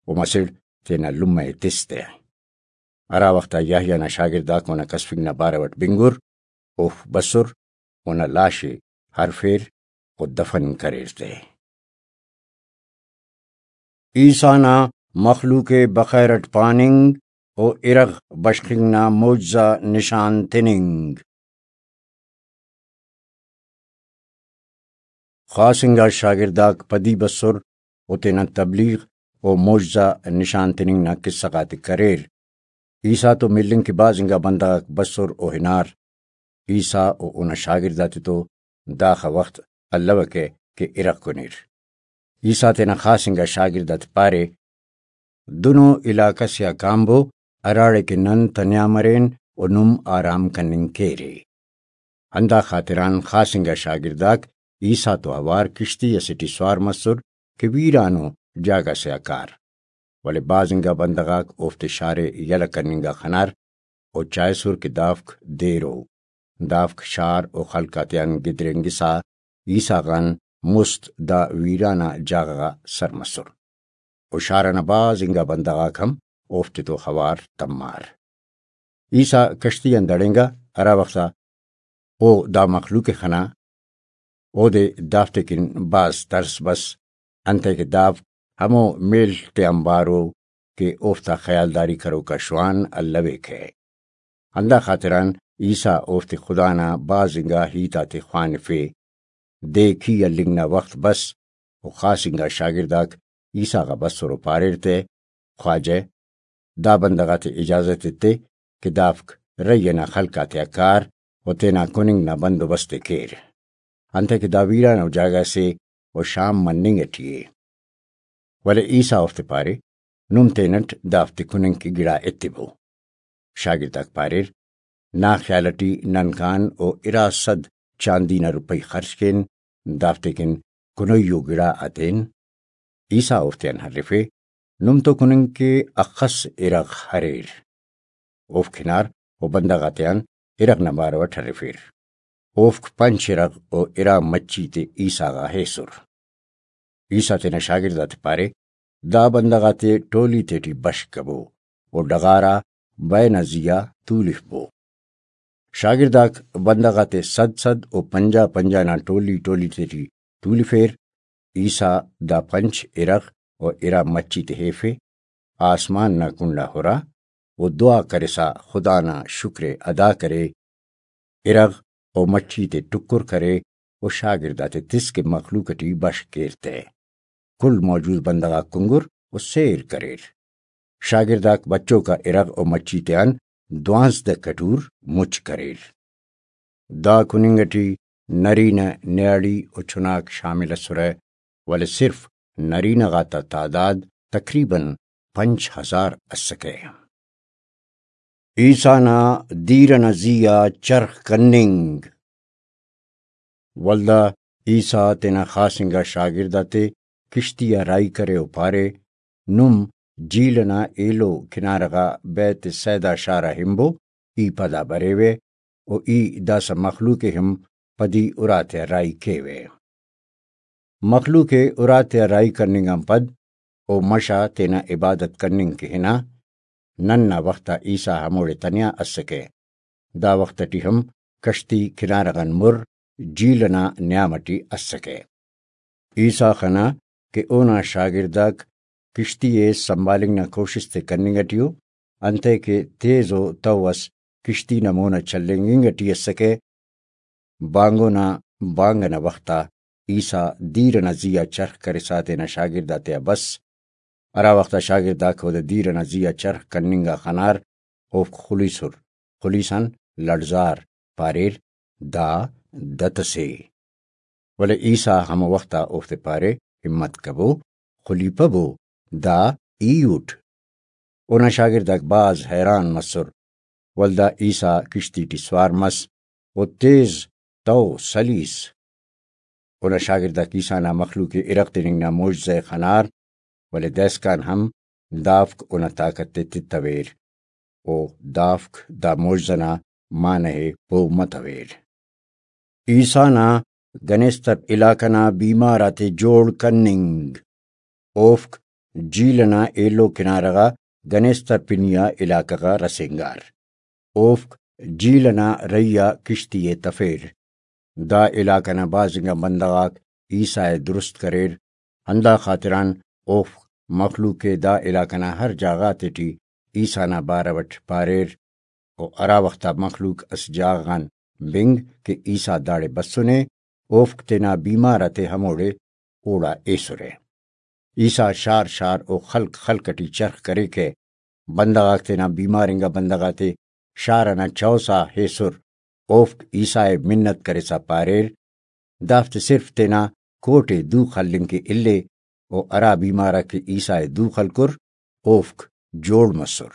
و مسڑ تینا لمہ ءِ تس تہ۔ ہرا وخت آ یحییٰ نا شاگرداک اونا کسفنگ نا بارو ئٹ بنگر، اوفک بسر، اونا لاش ءِ ہرفیر و دفن کریر تہ۔ عیسیٰ نا مخلوق ءِ بخیر ئٹ پاننگ و ارغ بشخنگ نا معجزہ نشان تننگ۔ خاص انگا شاگرداک پدی بسر و تینا تبلیغ و معجزہ نشان تننگ نا قصہ غاتے کریر۔ عیسیٰ تو ملنگ کہ بھاز انگا بندغاک بسر و ہنار۔ عیسیٰ و اونا شاگرداتے تو داخہ وخت الوکہ کہ ارغ کنیر۔ عیسیٰ تینا خاص انگا شاگرد آتے پارے، دنو علاقہ سے آ کانبو، ہراڑے کہ نن تنیا مرین و نم آرام کننگ کیرے۔ ہندا خاطران خاص انگا شاگرداک عیسیٰ تو اوار کشتی اسے ٹی سوار مسر کہ ویرانو جاگہ سے آ کار۔ ولے بھاز انگا بندغ آک اوفتے شار ءِ یلہ کننگ آ خنار و چائسر کہ دافک دیر ءُ۔ دافک شار و خلق آتیان گدرینگسا عیسیٰ غان مست دا ویران آ جاگہ غا سر مسر و شار ئنا بھاز انگا بندغ آک ہم اوفتے تو اوار تمار۔ عیسیٰ کشتی آن دڑینگا، ہرا وخت آ او دا مخلوق ءِ خنا، اودے دافتے کن بھاز ترس بس، انتئے کہ دافک ہمو میل تیانبار ءُ کہ اوفتا خیالداری کروکا شوان الویکہ۔ ہندا خاطران عیسیٰ اوفتے خدا نا بھاز انگا ہیت آتے خوانفے۔ دے کی ہلنگ نا وخت بس و خاص انگا شاگرداک عیسیٰ غا بسر و پاریر تہ، خواجہ، دا بندغ آتے اجازت ایتے کہ دافک رہی ئنا خلق آتیا کار و تینا کننگ نا بندوبست ءِ کیر، انتئے کہ دا ویرانو جاگہ سے و شام مننگ ٹی ءِ۔ ولے عیسیٰ اوفتے پارے، نم تینٹ دافتے کننگ کہ گڑا ایتبو۔ شاگرداک پاریر، نا خیال ٹی ننکان او ارا سد چاندی نا روپئی خرچ کین، دافتے کن کنوئی و گڑا ہتین۔ عیسیٰ اوفتیان ہرفے، نم تو کننگ کہ اخس ارغ اریر۔ اوفک ہنار و بندغ آتیان ارغ نا بارو اٹ ہرفیر۔ اوفک پنچ ارغ و ارا مچھی تے عیسیٰ غا ایسر۔ عیسیٰ تینا شاگرد آتے پارے، دا بندغ آتے ٹولی تیٹی بشخبو و ڈغار آ بئے نا زی آ تولفبو۔ شاگرداک بندغ آتے سد سد و پنجاہ پنجاہ نا ٹولی ٹولی تیٹی تولفیر۔ عیسیٰ دا پنچ ارغ و ارا مچھی تے ایفے، آسمان نا کنڈا ہرا و دعا کرسا خدا نا شکر ءِ ادا کرے، ارغ و مچھی تے ٹکر کرے و شاگرد آتے تس کہ مخلوق ٹی بشخ کیر تہ۔ کل موجود بندغ آک کنگر و سیر کریر۔ شاگرداک بچوکا ارغ و مچھی تیان دوانزدہ کٹور مچ کریر۔ دا کننگ ٹی نرینہ نیاڑی و چناک شامل ئسرہ، ولے صرف نرینہ غاتا تعداد تقریباً پنچ ہزار ئسکہ۔ عیسیٰ نا دیر ئنا زی آ چرخ کننگ۔ ولدا عیسیٰ تینا خاص انگا شاگرد آتے کشتی آ راہی کرے و پارے، نم جھیل ئنا ایلو کنارہ غا بیت صیدا شار آ ہنبو، ای پدا بریوہ و ای داسہ مخلوق ءِ ہم پدی اراتیا راہی کیوہ۔ مخلوق ءِ اراتیا راہی کننگ آن پد او مش آ تینا عبادت کننگ کہ ہنا۔ نن نا وخت آ عیسیٰ ہموڑے تنیا اسکہ۔ دا وخت ٹی ہم کشتی کنارہ غان مر جھیل ئنا نیام ٹی اسکہ۔ عیسیٰ خنا کہ اونا شاگرداک کشتی ءِ سنبھالنگ نا کوشست ءِ کننگ ٹی ءُ، انتئے کہ تیز ءُ تہو اس کشتی نا مون آ چلینگ انگ ٹی اسکہ۔ بانگو نا بانگ ئنا وخت آ عیسیٰ دیر ئنا زی آ چرخ کرسا تینا شاگرد آتیا بس۔ ہرا وخت آ شاگرد آک اودے دیر ئنا زی آ چرخ کننگ آ خنار، اوفک خلیسر، خلیسان لڑزار، پاریر، دا دت ئسے۔ ولے عیسیٰ ہمو وخت آ اوفتے پارے، ہمت کبو، خلیپبو، دا ای اٹ۔ اونا شاگرد آک بھاز حیران مسر۔ ولدا عیسیٰ کشتی ٹی سوار مس و تیز تہو سلیس۔ اونا شاگرد آک عیسیٰ نا مخلوق ءِ ارغ تننگ نا معجزہ ءِ خنار، ولے دائسکان ہم دافک اونا طاقت ءِ تتویر۔ او دافک دا معجزہ نا معنہ ءِ پہہ متویر۔ عیسیٰ نا گنیستپ علاقہ نا بیمار آتے جوڑ کننگ۔ اوفک جھیل ئنا ایلو کنارہ غا گنیستپ پنی آ علاقہ غا رسینگار۔ اوفک جھیل ئنا رہی آ کشتی ءِ تفیر۔ دا علاقہ نا بھاز انگا بندغ آک عیسیٰ ءِ درست کریر، ہندا خاطران اوفک مخلوق ءِ دا علاقہ نا ہر جاگہ غاتیٹی عیسیٰ نا بارو اٹ پاریر۔ و ہرا وخت آ مخلوق اسہ جاگہ غان بنگ کہ عیسیٰ داڑے بسنے، اوفک تینا بیمار آتے ہموڑے اوڑا ایسرہ۔ عیسیٰ شار شار و خلق خلق ٹی چرخ کریکہ۔ بندغ آک تینا بیمار انگا بندغ آتے شار ئنا چوسا ایسر۔ اوفک عیسیٰ ءِ منت کرسا پاریر، دافتے صرف تینا کوٹ ءِ دو خلنگ کہ اِلے، و ہرا بیمار آک کہ عیسیٰ ءِ دو خلکر، اوفک جوڑ مسر۔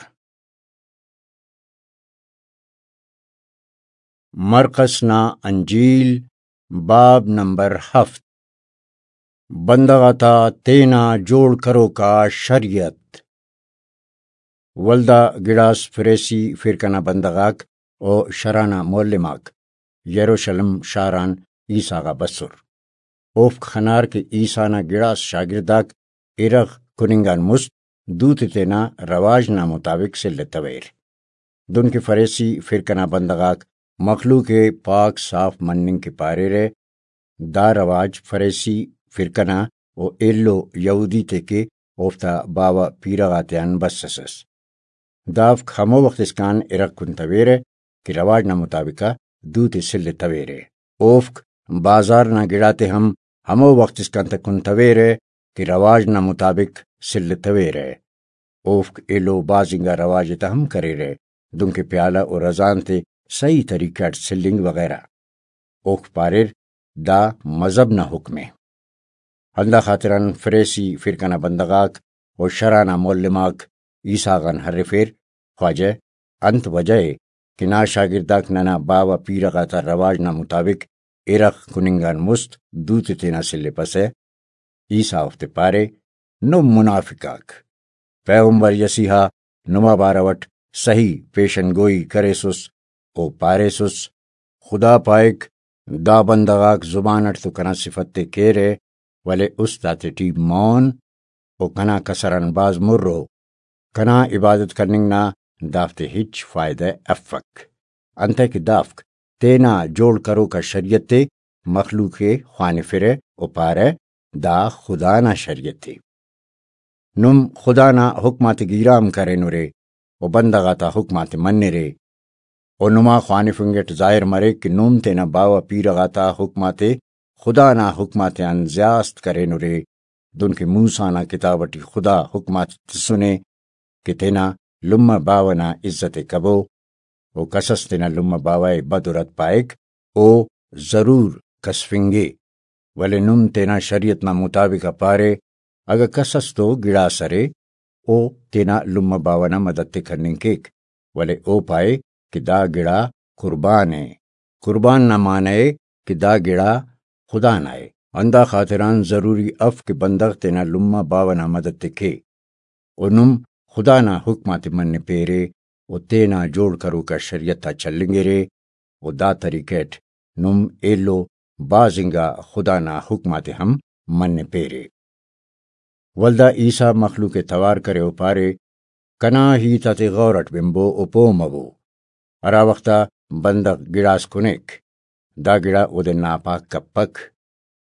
مرقس نا انجیل، باب نمبر ہفت۔ بندغ آتا تینا جوڑ کروکا شریعت۔ ولدا گڑاس فریسی فرقہ نا بندغ آک و شرع نا معلم آک یروشلم شار آن عیسیٰ غا بسر۔ اوفک خنار کہ عیسیٰ نا گڑاس شاگرد آک ارغ کننگ آن مست دوتے تینا رواج نا مطابق سلتویر۔ دنکہ فریسی فرقہ نا بندغ آک مخلوق ءِ پاک صاف مننگ کہ پاریرہ، دا رواج فریسی فرقہ نا و ایلو یہودی تے کہ اوفتا باوہ پیرہ غاتیان بس ئس۔ دافک ہمو وخت اسکان ارغ کنتویرہ کہ رواج نا مطابق آ دوتے سلتویرہ۔ اوفک بازار نا گڑاتے ہم ہمو وخت اسکان تہ کنتویرہ کہ رواج نا مطابق سلتویرہ۔ اوفک ایلو بھاز انگا رواج ءِ تہ ہم کریرہ، دنکہ پیالہ و رزان تے صحیح طریقہ اٹ سلنگ وغیرہ۔ اوفک پاریر، دا مذہب نا حکم ءِ۔ ہندا خاطران فریسی فرقہ نا بندغ آک و شرع نا معلم آک عیسیٰ غان ہرفیر، خواجہ، انت وجہ ءِ کہ نا شاگرد آک ننا باوہ پیرہ غاتا رواج نا مطابق ارغ کننگ آن مست دوتے تینا سلپسہ؟ عیسیٰ اوفتے پارے، نم منافق آک! پیغمبر یسیحا نما بارو اٹ صحیح پیشن گوئی کریسس و پاریسس، خدا پائک، دا بندغ آک زبان اٹ تو کنا صفت تے کیرہ، ولے است آتیٹی مون و کنا کسر آن بھاز مر ءُ۔ کنا عبادت کننگ نا دافتے ہچ فائدہ افک، انتئے کہ دافک تینا جوڑ کروکا شریعت ءِ مخلوق ءِ خوانفرہ و پارہ، دا خدا نا شریعت ءِ۔ نم خدا نا حکم آتے گیرام کرینرے و بندغ آتا حکم آتے منرے۔ و نما خوانفنگ اٹ ظاہر مریک کہ نم تینا باوہ پیرہ غاتا حکم آتے خدا نا حکم آتیان زیاست کرینرے، دنکہ موسیٰ نا کتاب اٹی خدا حکم آتے تسنے کہ تینا لمہ باوہ نا عزت ءِ کبو، و کسس تینا لمہ باوہ ءِ بد و رد پائک، او ضرور کسفنگے۔ ولے نم تینا شریعت نا مطابق آ پارے، اگہ کس اس تو گڑاس ارے، او تینا لمہ باوہ نا مدد تے کننگ کیک، ولے او پائے کہ دا گڑا قربان ءِ۔ قربان نا معنی ءِ کہ دا گڑا خدا نا ءِ۔ ہندا خاطران ضروری اف کہ بندغ تینا لمہ باوہ نا مدد تے کے۔ و نم خدا نا حکم آتے منپیرے و تینا جوڑ کروکا شریعت آ چلینگرے، و دا طریقہ اٹ نم ایلو بھاز انگا خدا نا حکم آتے ہم منپیرے۔ ولدا عیسیٰ مخلوق ءِ توار کرے و پارے، کنا ہیت آتے غور اٹ بنبو و پہہ مبو۔ ہرا وخت آ بندغ گڑاس کنیک، دا گڑا اودے ناپاک کپک،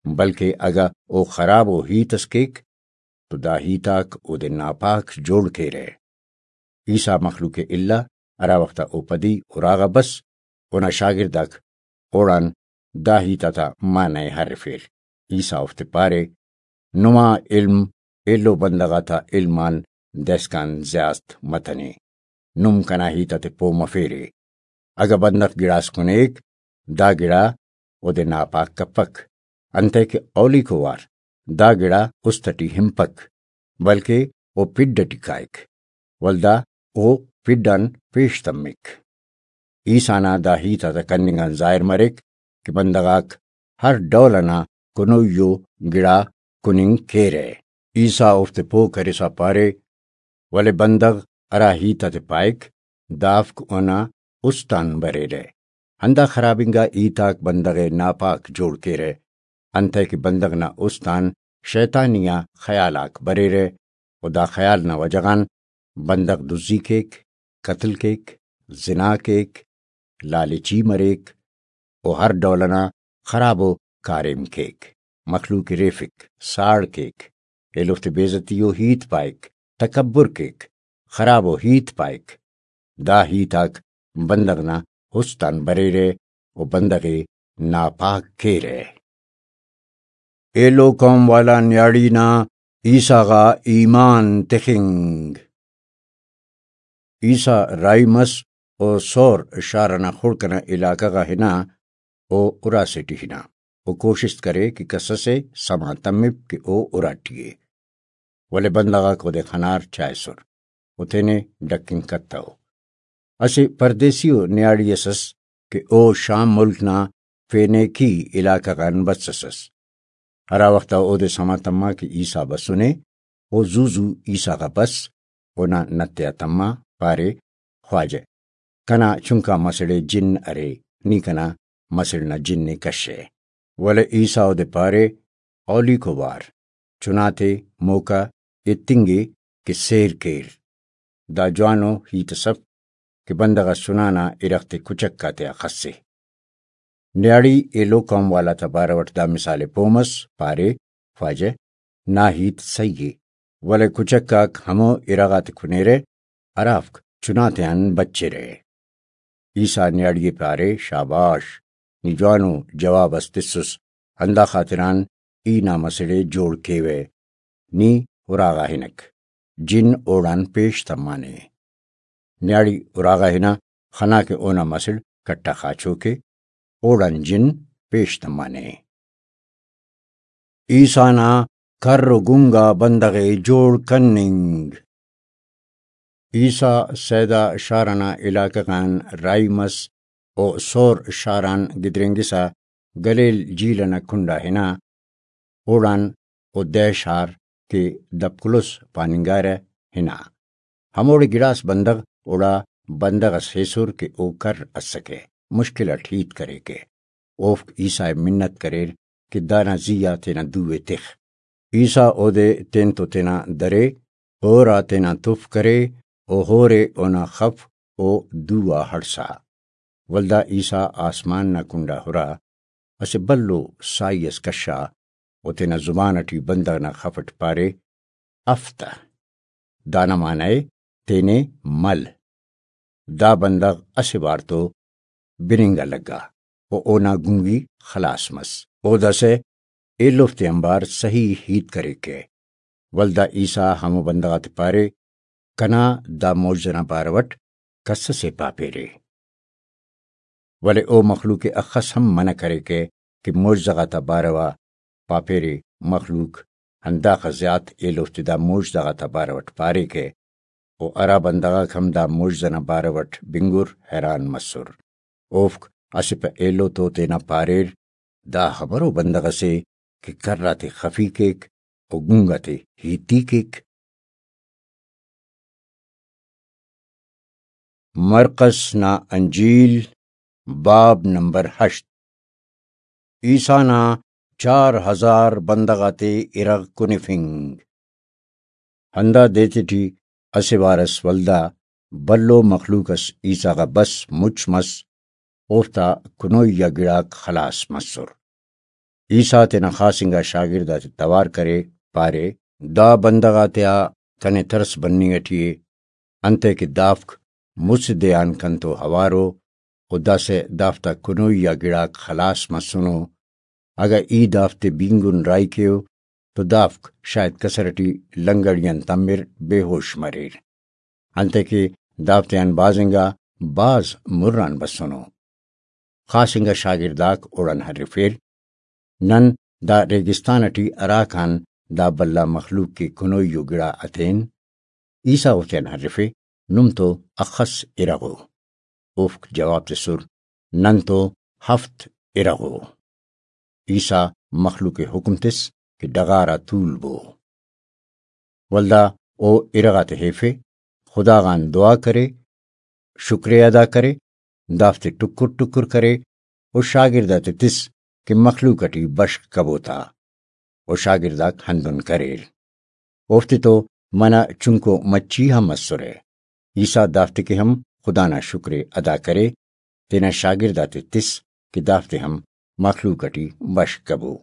بلکہ اگہ او خرابو ہیت اس کیک، تو دا ہیت آک اودے ناپاک جوڑ کیرہ۔ عیسیٰ مخلوق ءِ الا، ہرا وخت آ او پدی اراغا بس، اونا شاگرد آک اوڑان دا ہیت آتا معنی ءِ ہرفیر۔ عیسیٰ اوفتے پارے، نما علم ایلو بندغ آتا علم آن دائسکان زیات متنے۔ نم کنا ہیت آتے پہہ مفیرے۔ اگہ بندغ گڑاس کنیک، دا گڑا اودے ناپاک کپک، انتئے کہ اولیکو وار دا گڑا است اٹی ہنپک، بلکہ او پڈ اٹی کائک، ولدا او پڈ آن پیش تمک۔ عیسیٰ نا دا ہیت آتا کننگ آن ظاہر مریک کہ بندغ آک ہر ڈول انا کنوئی ءُ گڑا کننگ کیرہ۔ عیسیٰ اوفتے پہہ کرسا پارے، ولے بندغ ہرا ہیت آتے پائک، دافک اونا است آن بریرہ۔ ہندا خراب انگا ہیت آک بندغ ءِ ناپاک جوڑ کیرہ، انتئے کہ بندغ نا است آن شیطانی آ خیال آک بریرہ، و دا خیال نا وجہ غان بندغ دزی کیک، قتل کیک، زنا کیک، لالچی مریک، و ہر ڈول انا خرابو کاریم کیک، مخلوق ءِ ریفک، ساڑ کیک، ایلوفتے بے عزتی و ہیت پائک، تکبر کیک، خرابو ہیت پائک۔ دا ہیت آک بندغ نا است آن بریرہ و بندغ ءِ ناپاک کیرہ۔ ایلو قوم والا نیاڑی نا عیسیٰ غا ایمان تخنگ۔ عیسیٰ راہی مس و سور شار ئنا خڑک ئنا علاقہ غا ہنا، او اراس ئٹی ہنا، او کوشست کرے کہ کس ئسے سما تمپ کہ او اراٹی ءِ۔ ولے بندغ آک اودے خنار چائسر و تینے ڈکنگ کتو۔ اسہ پردیسی و نیاڑی اس ئس کہ او شام ملک نا فینیکی علاقہ غان بسس ئس۔ ہرا وخت آ اودے سما تما کہ عیسیٰ بسنے، او زو زو عیسیٰ غا بس، اونا نت ئے آ تما، پارے، خواجہ، کنا چنکا مسڑ ئے جن ارے، نی کنا مسڑ نا جن ئے کشہ۔ ولے عیسیٰ اودے پارے، اولیکو وار، چناتے موقع ایتنگے کہ سیر کیر۔ دا جوانو ہیت اس اف کہ بندغ اس چنا نا ارغ تے کچک آتیا خسے۔ نیاڑی ایلو قوم والا تا بارو اٹ دا مثال ءِ پہہ مس، پارے، خواجہ، نا ہیت سہی ءِ، ولے کچک آک ہمو ارغ آتے کنیرہ، ہرافک چنا تیان بچرہ۔ عیسیٰ نیاڑی ءِ پارے، شاباش، نی جوانو جواب اس تسس، ہندا خاطران ای نا مسڑ ءِ جوڑ کیوہ۔ نی اراغا ہنک، جن اوڑان پیش تمانے۔ نیاڑی اراغا ہنا، خنا کہ اونا مسڑ کٹا خاچوک ءِ، اوڑان جن پیش تمانے۔ عیسیٰ نا کر و گنگا بندغ ءِ جوڑ کننگ۔ عیسیٰ صیدا شار ئنا علاقہ غان راہی مس و سور شار آن گدرینگسا گلیل جھیل ئنا کنڈا ہنا، اوڑان او دہ شار کہ دپکلس پاننگارہ ہنا۔ ہموڑے گڑاس بندغ اوڑا بندغ ئس ایسر کہ او کر ئسکہ، مشکل ئٹ ہیت کریکہ۔ اوفک عیسیٰ ءِ منت کریر کہ دانا زی آ تینا دو ءِ تخ۔ عیسیٰ اودے تین تو تینا درے، ہور آ تینا تف کرے و ہور ءِ اونا خف و دو آ ہڑسا۔ ولدا عیسیٰ آسمان نا کنڈا ہرا، اسہ بھلو ساہی ئس کشا و تینا زبان ئٹی بندغ نا خف ئٹ پارے، اف تہ۔ دانا معنی ءِ تینے مل۔ دا بندغ اسہ وار تو بننگ آ لگا و اونا گنگی خلاص مس۔ او داسہ ایلوفتے آنبار سہی ہیت کریکہ۔ ولدا عیسیٰ ہمو بندغ آتے پارے، کنا دا معجزہ نا بارو ئٹ کس ئسے پاپیرے۔ ولے او مخلوق ءِ اخس ہم منع کریکہ کہ معجزہ غاتا باروا پاپیرے۔ مخلوق ہنداخہ زیات ایلوفتے دا معجزہ غاتا بارو ئٹ پاریکہ، و ہرا بندغ آک ہم دا معجزہ نا بارو ئٹ بنگر حیران مسر۔ اوفک اسہ پہ ایلو تو تینا پاریر، دا ہمرو بندغ ئسے کہ کر آتے خفی کیک و گنگ آتے ہیتی کیک۔ مرقس نا انجیل، باب نمبر ہشت۔ عیسیٰ نا چار ہزار بندغ آتے ارغ کنفنگ۔ ہندا دے تیٹی اسہ وار ئس ولدا بھلو مخلوق ئس عیسیٰ غا بس مچ مس، اوفتا کنوئی آ گڑاک خلاص مسر۔ عیسیٰ تینا خاص انگا شاگرد آتے توار کرے، پارے، دا بندغ آتیا کنے ترس بننگ ٹی ءِ، انتئے کہ دافک مسہ دے آن کنتو اوارو، و داسہ دافتا کنوئی آ گڑاک خلاص مسنو۔ اگہ ای دافتے بینگن راہی کیو تو دافک شاید کسر ٹی لنگڑی آن تمر، بے ہوش مریر۔ انتئے کہ دافتے آن بھاز انگا بھاز مر آن بسنو۔ خاص انگا شاگرد آک اوڑان ہرفیر، نن دا ریگستان ٹی ہراکان دا بھلا مخلوق کہ کنوئی و گڑا اتین؟ عیسیٰ اوفتیان ہرفے، نم تو اخس ارغ ءُ؟ اوفک جواب تسر، نن تو ہفت ارغ ءُ۔ عیسیٰ مخلوق ءِ حکم تس کہ ڈغار آ تولبو۔ ولدا او ارغ آتے ہیفے، خدا غان دعا کرے، شکر ءِ ادا کرے، دافتے ٹکر ٹکر کرے و شاگرد آتے تس کہ مخلوق ٹی بشخ کبو تا۔ و شاگرد آک ہندن کریر۔ اوفتے تو منہ چنکو مچھی ہم اسرہ۔ عیسیٰ دافتے کہ ہم خدا نا شکر ءِ ادا کرے، تینا شاگرد آتے تس کہ دافتے ہم مخلوق ٹی بشخ کبو۔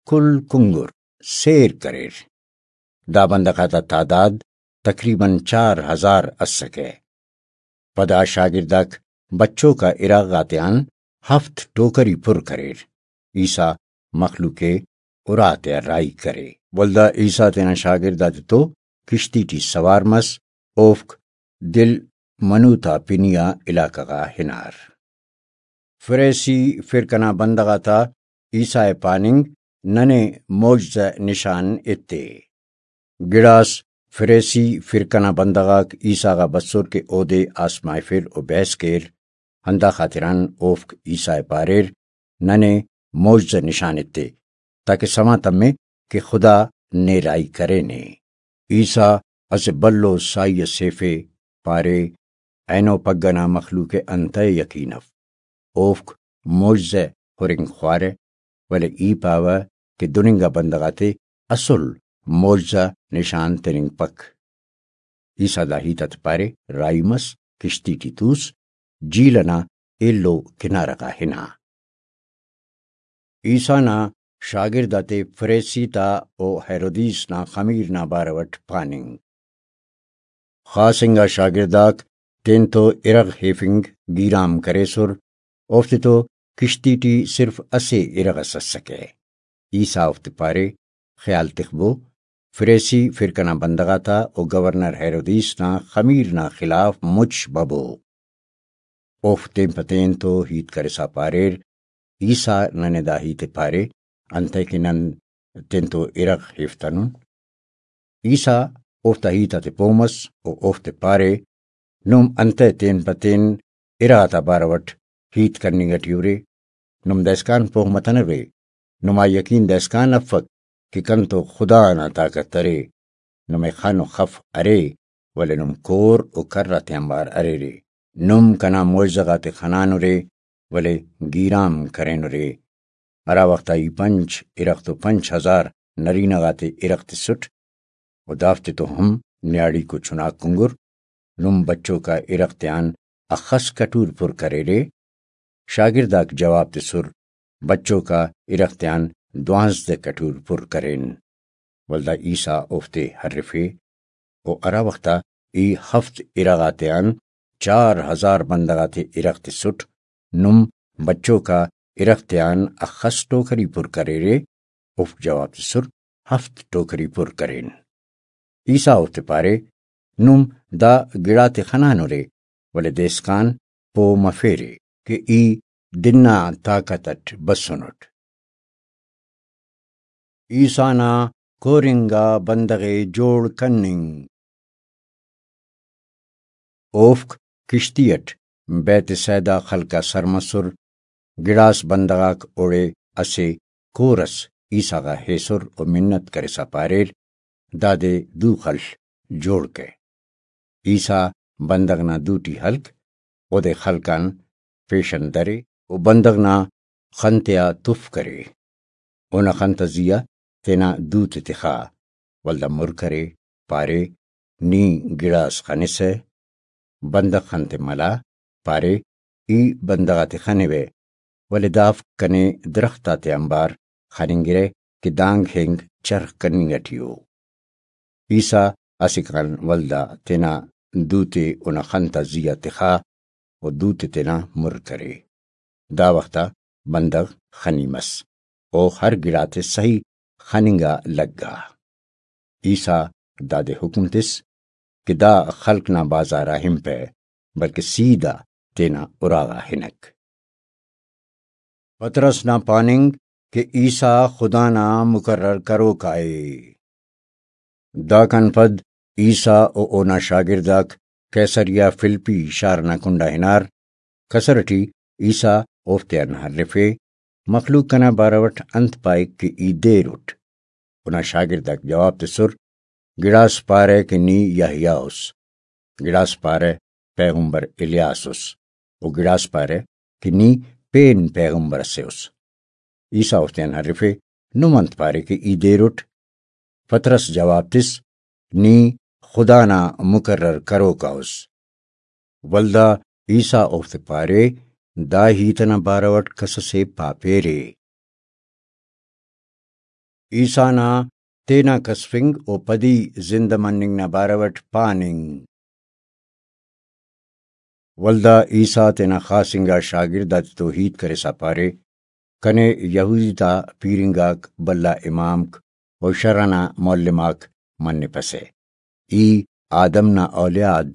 کل کنگر سیر کریر۔ دا بندغ آتا تعداد تقریباً چار ہزار اسکہ۔ پدا شاگرد آک بچوک آ ارغ آتیان ہفت ٹوکری پر کریر۔ عیسیٰ مخلوق ءِ اُرا تیا راہی کرے۔ ولدا عیسیٰ تینا شاگرد آتے تو کشتی ٹی سوار مس، اوفک دل منوتا پنی آ علاقہ غا ہنار۔ فریسی فرقہ نا بندغ آتا عیسیٰ ءِ پاننگ، ننے معجزہ نشان ایتے۔ گڑاس فریسی فرقہ نا بندغ آک عیسیٰ غا بسر کہ اودے آزمائفر و بحث کیر، ہندا خاطران اوفک عیسیٰ ءِ پاریر، ننے معجزہ نشان ایتے، تاکہ سما تمے کہ خدا نے راہی کرینے۔ عیسیٰ اسہ بھلو ساہی اس ہیفے، پارے، اینو پگہ نا مخلوق ءِ انتئے یقین اف؟ اوفک معجزہ ہرنگ خوارہ، ولے ای پاوہ کہ دن انگا بندغ آتے اسل معجزہ نشان تننگپک۔ عیسیٰ دا ہیت آتے پارے، راہی مس، کشتی ٹی توس، جھیل ئنا ایلو کنارہ غا ہنا۔ عیسیٰ نا شاگرد آتے فریسی تا و ہیرودیس نا خمیر نا بارو ئٹ پاننگ۔ خاص انگا شاگرد آک تینتو ارغ ہیفنگ گیرام کریسر، اوفتے تو کشتی ٹی صرف اسہ ارغ اس ئسکہ۔ عیسیٰ اوفتے پارے، خیال تخبو، فریسی فرقہ نا بندغ آتا و گورنر ہیرودیس نا خمیر نا خلاف مچ ببو۔ اوفک تین پہ تین تو ہیت کرسا پاریر، عیسیٰ ننے دا ہیت ءِ پارے، انتئے کہ نن تینتو ارغ ہیفتنن؟ عیسیٰ اوفتا ہیت آتے پہہ مس و اوفتے پارے، نم انتئے تین پہ تین ارغ آتا بارو اٹ ہیت کننگ ٹی ارے؟ نم دائسکان پہہ متنوے؟ نما یقین دائسکان افک کہ کنتو خدا نا طاقت ارے۔ نمے خن و خف ارے، ولے نم کور و کر آتیانبار اریرے۔ نم کنا معجزہ غاتے خنانرے، ولے گیرام کرینرے۔ ہرا وخت آ ای پنچ ارغ تو پنچ ہزار نرینہ غاتے ارغ تسٹ، و دافتے تو ہم نیاڑیکو چناک کنگر، نم بچوکا ارغ تیان اخس کٹور پر کریرے؟ شاگرداک جواب تسر، بچوکا ارغ تیان دوانزدہ کٹور پر کرین۔ ولدا عیسیٰ اوفتے ہرفے، و ہرا وخت آ ای ہفت ارغ آتیان چار ہزار بندغ آتے ارغ تسٹ، نم بچوکا ارغ تیان اخس ٹوکری پر کریرے؟ اوفک جواب تسر، ہفت ٹوکری پر کرین۔ عیسیٰ اوفتے پارے، نم دا گڑاتے خنانرے، ولے دائسکان پہہ مفیرے کہ ای دن نا طاقت اٹ بسنٹ۔ عیسیٰ نا کورنگا بندغ ءِ جوڑ کننگ۔ اوفک کشتی اٹ بیت صیدا خلق آ سر مسر، گڑاس بندغ آک اوڑے اسہ کور اس عیسیٰ غا ایسر و منت کرسا پاریر، دادے دو خل، جوڑ کہ۔ عیسیٰ بندغ نا دوٹی ہلک، اودے خلق آن پیشن درے و بندغ نا خن تیا تف کرے۔ اونا خن تا زی آ تینا دوتے تخا، ولدا مر کرے، پارے، نی گڑاس خنسہ۔ بندغ خن تے ملا، پارے، ای بندغ آتے خنوہ، ولے دافک کنے درخت آتے آنبار خننگرہ کہ دانگ ہنگ چرخ کننگ ٹی ءُ۔ عیسیٰ اسیکان ولدا تینا دوتے اونا خن تا زی آ تخا و دوتے تینا مر کرے۔ دا وخت آ بندغ خنی مس و ہر گڑاتے سہی خننگ آ لگا۔ عیسیٰ دادے حکم تس کہ دا خلق نا بازار آ ہنپہ، بلکہ سیدھا تینا اراغا ہنک۔ پطرس نا پاننگ کہ عیسیٰ خدا نا مقرر کروکا ءِ۔ داکان پد عیسیٰ و اونا شاگرداک قیصریہ فلپی شار نا کنڈا ہنار۔ قصر ٹی عیسیٰ اوفتیان ہرفے، مخلوق کنا بارو اٹ انت پائک کہ ای دیر اٹ؟ اونا شاگرداک جواب تسر، گڑاس پارہ کہ نی یحییٰ اُس، گڑاس پارہ پیغمبر الیاس اُس، و گڑاس پارہ کہ نی پین پیغمبر اسے اُس۔ عیسیٰ اوفتیان ہرفے، نم انت پارے کہ ای دیر اٹ؟ پطرس جواب تس، نی خدا نا مقرر کروکا اُس۔ ولدا عیسیٰ اوفتے پارے، دا ہیت ئنا بارو اٹ کسسے پاپیرے۔ عیسیٰ نا تینا کسفنگ و پدی زندہ مننگ نا بارو اٹ پاننگ۔ ولدا عیسیٰ تینا خاص انگا شاگرد آتتو ہیت کرسا پارے، کنے یہودی تا پیرنگاک، بھلا امامک و شرع نا معلم آک منپسہ۔ ای آدم نا اولیاد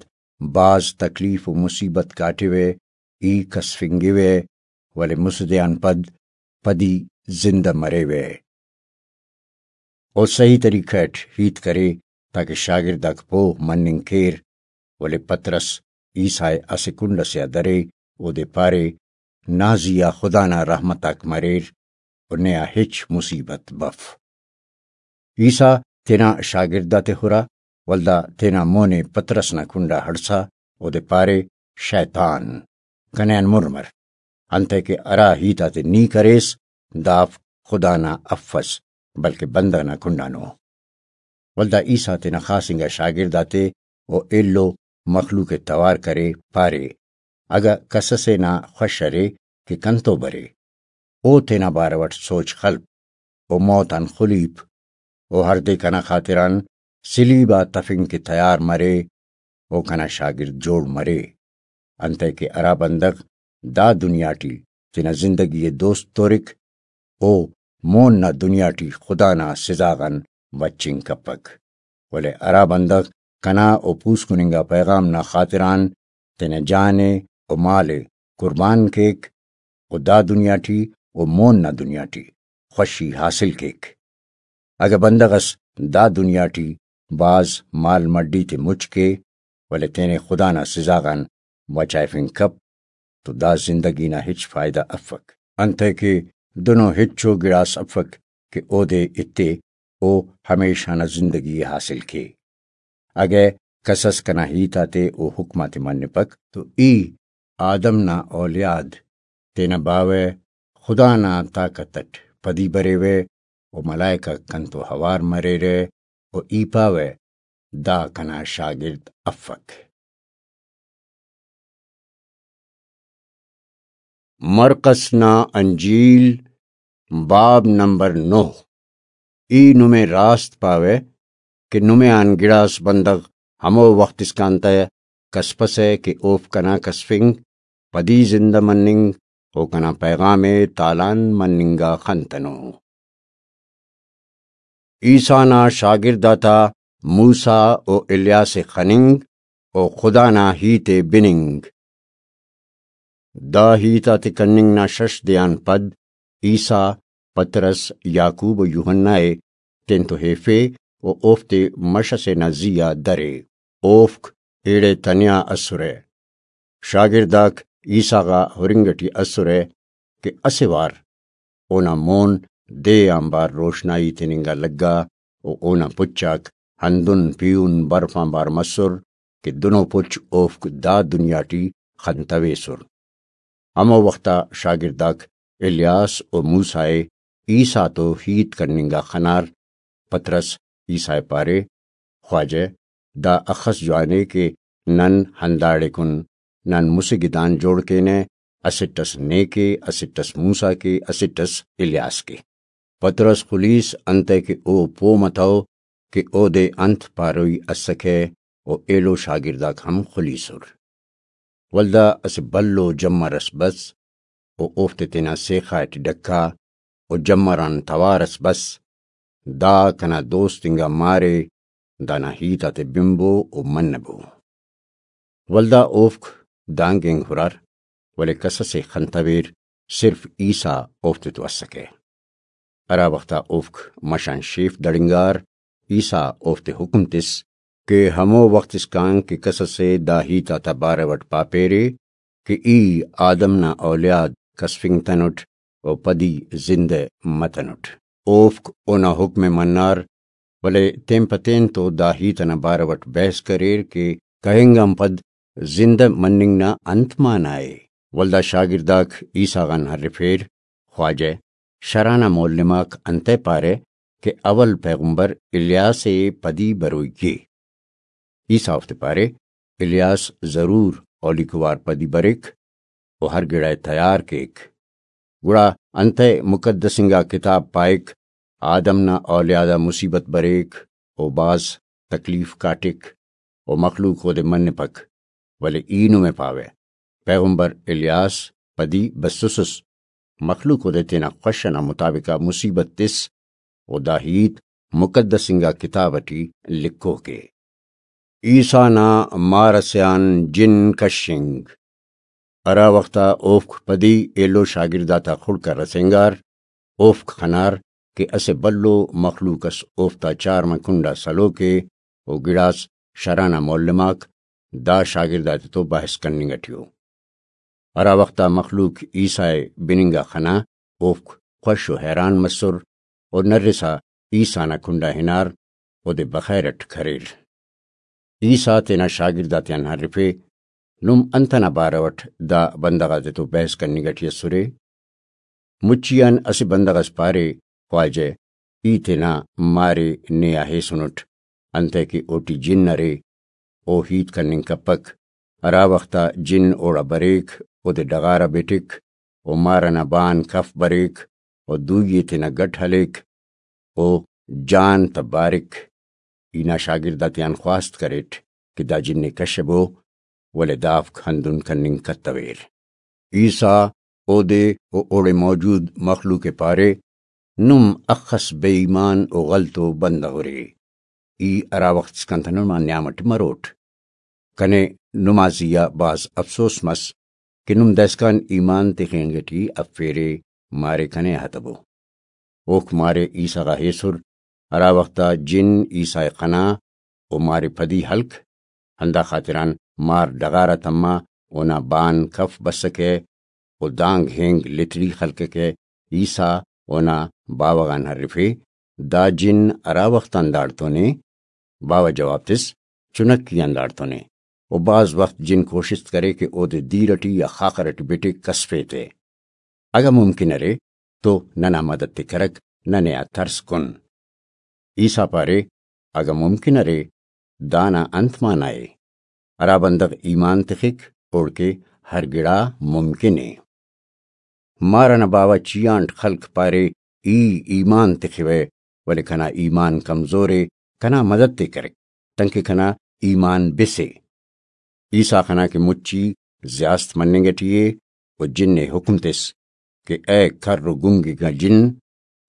بھاز تکلیف و مصیبت کاٹوہ، ای کسفنگوہ، ولے مسہ دے آن پد پدی زندہ مریوہ۔ او صحیح طریقہ اٹ ہیت کرے تاکہ شاگرداک پہہ مننگ کیر، ولے پطرس عیسیٰ ءِ اسہ کنڈ ئسے آ درے، اودے پارے، نا زی آ خدا نا رحمت آک مریر و نے آ ہچ مصیبت بف۔ عیسیٰ تینا شاگرد آتے ہرا، ولدا تینا مون ءِ پطرس نا کنڈا ہڑسا اودے پارے، شیطان، کنے آن مر مر، انتئے کہ ہرا ہیت آتے نی کریس، دافک خدا نا افس، بلکہ بندغ نا کنڈانو۔ ولدا عیسیٰ تینا خاص انگا شاگرد آتے و ایلو مخلوق ءِ توار کرے، پارے، اگہ کسسے نا خوش ارے کہ کنتو برے، او تینا بارو اٹ سوچ خلپ، او موت آن خلیپ، او ہردے کنا خاطران صلیب آ تفنگ کہ تیار مرے، او کنا شاگرد جوڑ مرے۔ انتئے کہ ہرا بندغ دا دنیا ٹی تینا زندگی ءِ دوست تورک، او مون نا دنیا ٹی خدا نا سزا غان بچنگ کپک۔ ولے ہرا بندغ کنا و پوسکن انگا پیغام نا خاطران تینا جان ءِ و مال ءِ قربان کیک، و دا دنیا ٹی و مون نا دنیا ٹی خوشی حاصل کیک۔ اگہ بندغ اس دا دنیا ٹی بھاز مال مڈی تے مچ کے، ولے تینے خدا نا سزا غان بچائفنگ کپ، تو دا زندگی نا ہچ فائدہ افک، انتئے کہ دنو ہچو گڑاس افک کہ اودے ایتے، او ہمیشہ نا زندگی ءِ حاصل کے۔ اگہ کس اس کنا ہیت آتے و حکم آتے منپک، تو ای آدم نا اولیاد تینا باوہ خدا نا طاقت اٹ پدی بریوہ، و ملائکہ کنتو ہوار مریرہ، و ای پاوہ، دا کنا شاگرد افک۔ مرقس نا انجیل، باب نمبر نُہ۔ ای نمے راست پاوہ کہ نمے آن گڑاس بندغ ہمو وخت اسکان تہ کسپسہ کہ اوفک کنا کسفنگ، پدی زندہ مننگ و کنا پیغام ءِ تالان مننگ آ خنتنو۔ عیسیٰ نا شاگرد آتا موسیٰ و الیاس ءِ خننگ و خدا نا ہیت ءِ بننگ۔ دا ہیت آتے کننگ نا شش دے آن پد عیسیٰ پطرس، یعقوب و یوحنا ءِ تینتو ہیفے و اوفتے مش ئسے نا زی آ درے۔ اوفک ایڑے تنیا ئسرہ۔ شاگرداک عیسیٰ غا ہرنگ ٹی ئسرہ کہ اسہ وار اونا مون دے آنبار روشنائی تننگا لگا و اونا پچ آک ہندن پیہن برف آنبار مسر کہ دنو پچ اوفک دا دنیا ٹی خنتویسر۔ ہمو وخت آ شاگرداک الیاس و موسیٰ ءِ عیسیٰ تو ہیت کننگا خنار۔ پطرس عیسیٰ ءِ پارے، خواجہ، دا اخس جوان ءِ کہ نن ہنداڑے کن نن مسہ گدان جوڑ کینہ، اسٹ اس نے کے، اسٹ اس موسیٰ کے، اسٹ اس الیاس کے۔ پطرس خلیس، انتئے کہ او پہہ متو کہ اودے انت پاروئی اسکہ، و ایلو شاگرداک ہم خلیسر۔ ولدا اسہ بھلو جمر اس بس، و اوفتے تینا سیخا ٹی ڈکا، و جمر آن توار اس بس، دا کنا دوست انگا مارے، دانا ہیت آتے بنبو و منبو۔ ولدا اوفک دانگ اینگ ہرار، ولے کس ئسے خنتویر، صرف عیسیٰ اوفتے تو اسکہ۔ ہرا وخت آ اوفک مش آن شیف دڑنگار، عیسیٰ اوفتے حکم تس کہ ہمو وخت اسکان کہ کس ئسے دا ہیت آتا بارو اٹ پاپیرے کہ ای آدم نا اولیاد کسفنگتنٹ و پدی زندہ متنٹ۔ اوفک اونا حکم ءِ منار، ولے تین پہ تین تو دا ہیت ئنا بارو اٹ بحث کریر کہ کہنگ آن پد زندہ مننگ نا انت معنی ءِ؟ ولدا شاگرداک عیسیٰ غان ہرفیر، خواجہ، شرح نا معلم آک انتئے پارہ کہ اول پیغمبر الیاس ءِ پدی بروئی کے؟ عیسیٰ اوفتے پارے، الیاس ضرور اولیکو وار پدی بریک و ہر گڑا ءِ تیار کیک۔ گڑا انتئے مقدس انگا کتاب پائک، آدم نا اولیاد آ مصیبت بریک و بھاز تکلیف کاٹک و مخلوق اودے منپک، ولے ای نمے پاوہ، پیغمبر الیاس پدی بسوسس، مخلوق اودے تینا خوش ئنا مطابق آ مصیبت تس، و دا ہیت مقدس انگا کتاب ٹی لکھوک ءِ۔ عیسیٰ نا مار ئسے آن جن کشنگ۔ ہرا وخت آ اوفک پدی ایلو شاگرد آتا خڑک آ رسینگار، اوفک خنار کہ اسہ بھلو مخلوق اس اوفتا چارمہ کنڈا سلوک ءِ، و گڑاس شرح نا معلم آک دا شاگرد آتتو بحث کننگ ٹی ءُ۔ ہرا وخت آ مخلوق عیسیٰ ءِ بننگ آ خنا، اوفک خوش و حیران مسر، و نرسا عیسیٰ نا کنڈا ہنار، اودے بخیر اٹ کریر۔ عیسیٰ تینا شاگرد آتیان ہرفے، نم انت ئنا بارو اٹ دا بندغ آتتو بحث کننگ ٹی اسرے؟ مچی آن اسہ بندغ اس پارے، خواجہ، ای تینا مارے نے آ ہیسنٹ، انتئے کہ اوٹی جن ارے، او ہیت کننگ کپک۔ ہرا وخت آ جن اوڑا بریک، اودے ڈغار آ بٹک، و مار ئنا بان کف بریک، و دوئی ءِ تینا گٹ ہلیک، او جان تہ بارک۔ ای نا شاگرد آتیان خواست کریٹ کہ دا جن ءِ کشبو، ولے دافک ہندن کننگ کتویر۔ عیسیٰ اودے و اوڑے موجود مخلوق ءِ پارے، نم اخس بے ایمان و غلطو بندغ ارے۔ ای ہرا وخت اسکان تہ نما نیام اٹی مروٹ۔ کنے نما زی آ بھاز افسوس مس کہ نم دائسکان ایمان تخنگ ٹی افیرے، مارے کنے آ تبو۔ اوفک مارے عیسیٰ غا ہیسر، ہرا وخت آ جن عیسیٰ ءِ خنا و مارے پدی ہلک، ہندا خاطران مار ڈغار آ تما، اونا بان کف بسکہ و دانگ ہینگ لتڑی خلککہ۔ عیسیٰ اونا باوہ غان ہرفے، دا جن ہرا وخت آن داڑتونے؟ باوہ جواب تس، چنکی آن داڑتونے، و بھاز وخت جن کوشست کرے کہ اودے دیر اٹی یا خاخر اٹی بٹے کسفے تے۔ اگہ ممکن ارے تو ننا مدد تے کرک، ننے آ ترس کن۔ عیسیٰ پارے، اگہ ممکن ارے، دانا انت معنی ءِ؟ ہرا بندغ ایمان تخک، اوڑکہ ہر گڑا ممکن ءِ۔ مار ئنا باوہ چیانٹ خلک پارے، ای ایمان تخوہ، ولے کنا ایمان کمزور ءِ، کنا مدد تے کرک، تنکہ کنا ایمان بسے۔ عیسیٰ خنا کہ مچی زیاست مننگ ٹی ءِ و جن ءِ حکم تس کہ اے کر و گنگنگا جن،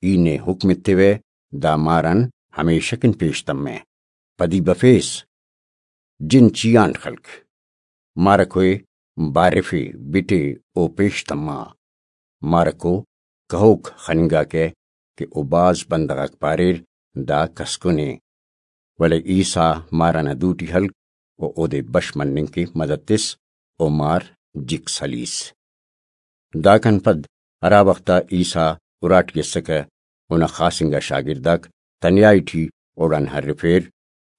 ای نے حکم ایتیوہ، دا مار آن ہمیشہ کن پیش تمہ۔ پدی بفیس، جن چیانٹ خلک۔ مارکو ءِ بارفے، بٹے او پیش تما۔ مارکو کہوک خننگاکہ کہ او بھاز بندغ آک پاریر، دا کسکن ءِ۔ ولے عیسیٰ مار ئنا دوٹی ہلک و اودے بش مننگ کہ مدد تس و مار جک سلیس۔ داکان پد ہرا وخت آ عیسیٰ اراٹی اسکہ، اونا خاص انگا شاگرداک تنیائی ٹی اوڑان ہرفیر،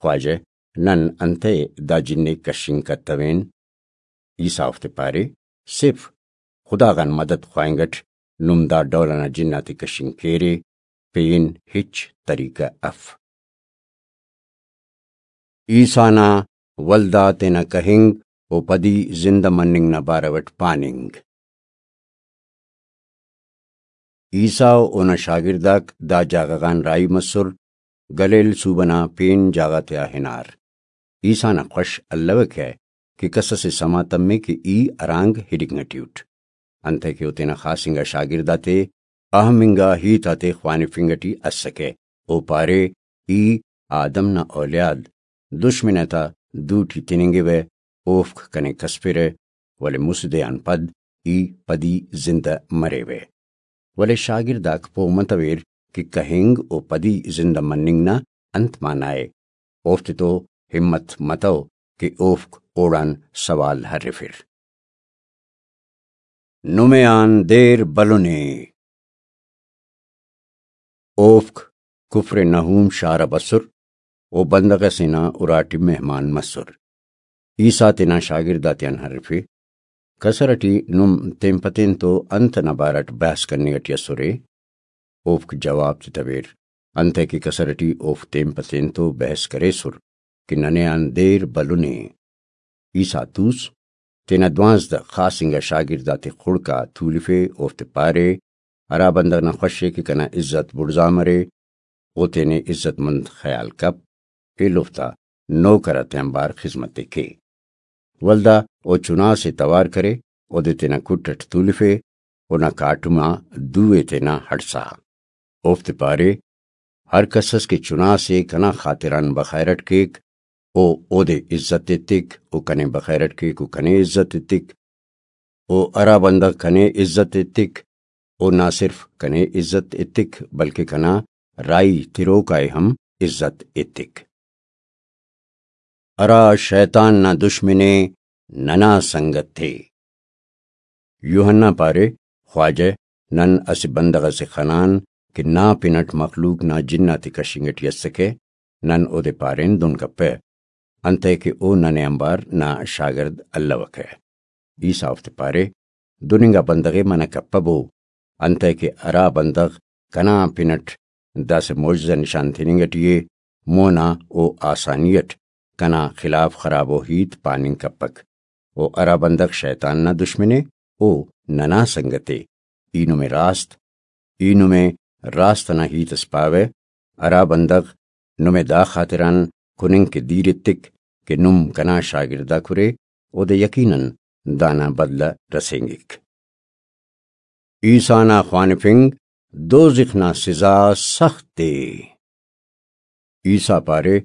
خواجہ، نن انتئے دا جن ءِ کشنگ کتوین؟ عیسیٰ اوفتے پارے، صرف خدا غان مدد خواہنگ اٹ نم دا ڈول ئنا جن آتے کشنگ کیرے، پین ہچ طریقہ اف۔ عیسیٰ نا ولدا تینا کہنگ و پدی زندہ مننگ نا بارو اٹ پاننگ۔ عیسیٰ و اونا شاگرداک دا جاگہ غان راہی مسر، گلیل صوبہ نا پین جاگہ تیا ہنار۔ عیسیٰ نا خوش الوکہ کہ کس اسے سما تمے کہ ای ہرانگ ہننگ ٹی اٹ، انتئے کہ او تینا خاص انگا شاگرد آتے اہم انگا ہیت آتے خوانفنگ ٹی اسکہ۔ او پارے، ای آدم نا اولیاد، دشمن آتا دو ٹی تننگوہ، اوفک کنے کسفرہ، ولے مسہ دے آن پد ای پدی زندہ مریوہ۔ ولے شاگرد آک پہہ متویر کہ کہنگ و پدی زندہ مننگ نا انت معنی ءِ؟ اوفتے تو ہمت متو کہ اوفک اوڑان سوال ہرفر۔ نمے آن دیر بلنے۔ اوفک کفر نحوم شار آ بسر و بندغ اسے نا اراٹی مہمان مسر۔ عیسیٰ تینا شاگرد آتیان ہرفے، کسر اٹی نم تین پہ تین تو انت ئنا بارہ اٹ بحث کننگ اٹی اسرے؟ اوفک جواب تتویر، انتئے کہ کسر اٹی اوفک تین پہ تین تو بحث کریسر کہ ننے آن دیر بلنے۔ عیسیٰ توس، تینا دوانزدہ خاص انگا شاگرد آتے خڑک آ تولفے، اوفتے پارے، ہرا بندغ نا خوش ءِ کہ کنا عزت بڑزا مرے، او تینے عزت مند خیال کپ، ایلوفتا نوکر آتیانبار خذمت ءِ کے۔ ولدا او چناس ءِ توار کرے، اودے تینا کٹ اٹ تولفے، اونا کاٹم آ دو ءِ تینا ہڑسا۔ اوفتے پارے، ہر کس اس کہ چناس ءِ کنا خاطران بخیر اٹ کیک، او اودے عزت ایتک، او کنے بخیر اٹ کیک، او کنے عزت ایتک۔ او ہرا بندغ کنے عزت ایتک، او نہ صرف کنے عزت ایتک، بلکہ کنا راہی تروکا ءِ ہم عزت ایتک۔ ہرا شیطان نا دشمن ءِ، ننا سنگت ءِ۔ یوحنا پارے، خواجہ، نن اسہ بندغ ئسے خنان کہ نا پن اٹ مخلوق نا جن آتے کشنگ ٹی اسکہ، نن اودے پارین دن کپہ، انتئے کہ او ننے آنبار نا شاگرد الوکہ۔ عیسیٰ اوفتے پارے، دن انگا بندغ ءِ منع کپبو، انتئے کہ ہرا بندغ کنا پن اٹ داسہ معجزہ نشان تننگ ٹی ءِ، مونا او آسانی اٹ کنا خلاف خرابو ہیت پاننگ کپک۔ او ہرا بندغ شیطان نا دشمن ءِ، او ننا سنگت ءِ۔ ای نمے راست، ای نمے راست ئنا ہیت اس پاوہ، ہرا بندغ نمے دا خاطران کننگ کہ دیر ایتک کہ نم کنا شاگرداک ارے، اودے یقیناً دانا بدلہ رسینگک۔ عیسیٰ نا خوانفنگ، دوزخ نا سزا سخت ءِ۔ عیسیٰ پارے،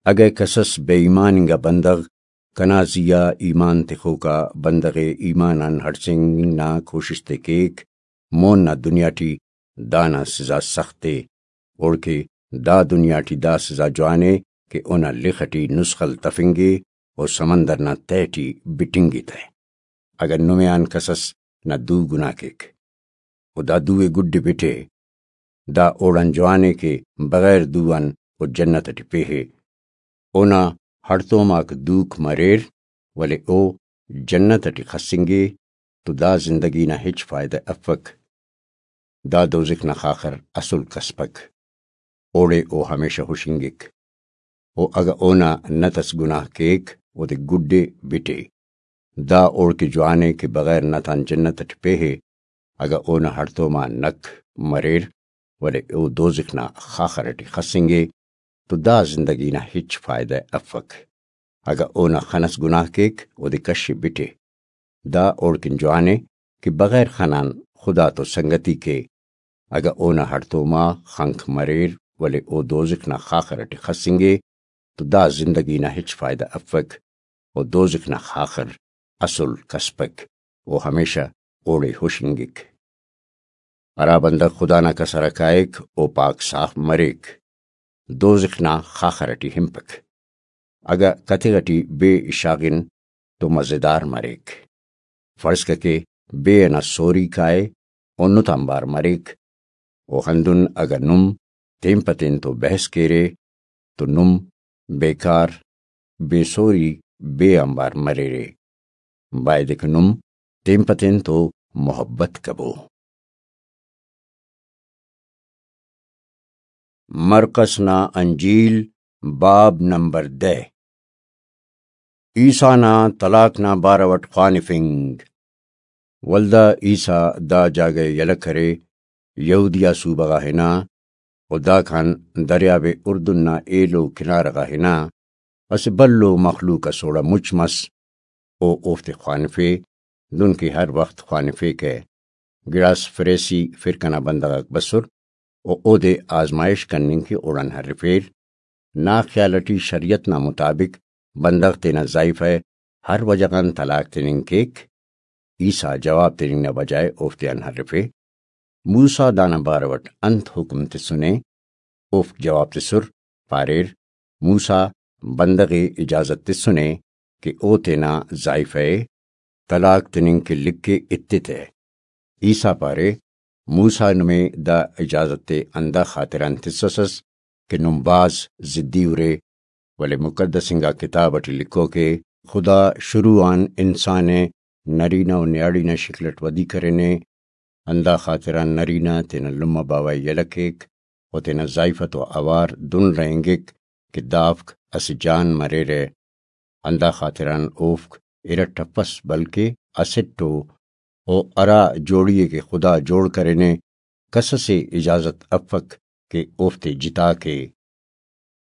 اگہ کسس بے ایمان انگا بندغ کنا زیہا ایمان تخوکا بندغ ءِ ایمان آن ہڑسینگ نا کوشست ءِ کیک، مون نا دنیا ٹی دانا سزا سخت ءِ، اوڑکہ دا دنیا ٹی دا سزا جوان ءِ کہ اونا لخ ٹی نسخل تفنگے و سمندر نا تہہ ٹی بٹنگے تہ۔ اگہ نمے آن کسس نا دو گناہ کیک، و دا دو ءِ گڈ ءِ بٹے، دا اوڑان جوان ءِ کہ بغیر دو آن او جنت ٹی پیہے۔ اونا ہڑتوم آک دوک مریر، ولے او جنت ٹی خسنگے تو دا زندگی نا ہچ فائدہ افک۔ دا دوزخ نا خاخر اسل کسپک، اوڑے او ہمیشہ ہشنگک۔ و اگہ اونا نت اس گناہ کیک، اودے گڈ ءِ بٹے۔ دا اوڑکہ جوان ءِ کہ بغیر نت آن جنت ٹی پیہے، اگہ اونا ہڑتوم آ نک مریر، ولے او دوزخ نا خاخر ٹی خسنگے، تو دا زندگی نا ہچ فائدہ افک۔ اگہ اونا خن اس گناہ کیک، اودے کش ءِ بٹے۔ دا اوڑکن جوان ءِ کہ بغیر خن آن خدا تو سنگتی کے۔ اگہ اونا ہڑتوم آ خنک مریر، ولے او دوزخ نا خاخر ٹی خسنگے، تو دا زندگی نا ہچ فائدہ افک، و دوزخ نا خاخر اسل کسپک، و ہمیشہ اوڑے ہشنگک۔ ہرا بندغ خدا نا کسر ءِ کائک، او پاک صاف مریک، دوزخ نا خاخر ٹی ہنپک۔ اگہ کتغ ٹی بے شاغن تو مزیدار مریک۔ فرض کر کہ بے ئنا سوری کائے، او نت آنبار مریک۔ او ہندن اگہ نم تین پہ تین تو بحث کیرے، تو نم بیکار، بے سوری، بے آنبار مریرے۔ بایدے کہ نم تین پہ تین تو محبت کبو۔ مرقس نا انجیل، باب نمبر دہ۔ عیسیٰ نا طلاق نا بارو اٹ خوانفنگ۔ ولدا عیسیٰ دا جاگہ ءِ یلہ کرے، یہودیہ صوبہ غا ہنا، و داکان دریاب اردن نا ایلو کنارہ غا ہنا۔ اسہ بھلو مخلوق اس اوڑا مچ مس، او اوفتے خوانفے، دنکہ ہر وخت خوانفیکہ۔ گڑاس فریسی فرقہ نا بندغ آک بسر، و اودے آزمائش کننگ کہ اوڑان ہرفیر۔ نا خیال ٹی شریعت نا مطابق بندغ تینا زائیفہ ءِ ہر وجہ غان طلاق تننگ کیک؟ عیسیٰ جواب تننگ نا بجائے اوفتیان ہرفے، موسیٰ دانا بارو اٹ انت حکم تسنے؟ اوفک جواب تسر، پاریر، موسیٰ بندغ ءِ اجازت تسنے کہ او تینا زائیفہ ءِ طلاق تننگ کہ لکھ ءِ ایتتہ۔ عیسیٰ پارے، موسیٰ نمے دا اجازت ءِ ہندا خاطران تسسس کہ نم بھاز ضدی ارے، ولے مقدس انگا کتاب ٹی لکھوک ءِ، خدا شروع آن انسان ءِ نرینہ و نیاڑی نا شکل اٹ ودی کرینے، ہندا خاطران نرینہ تینا لمہ باوہ ءِ یلہ کیک و تینا زائیفہ تو اوار دن رہینگک کہ دافک اسہ جان مریرہ۔ ہندا خاطران اوفک ارٹ افس، بلکہ اسٹ ءُ۔ او ہرا جوڑی ءِ کہ خدا جوڑ کرینے، کس ئسے اجازت افک کہ اوفتے جتا کے۔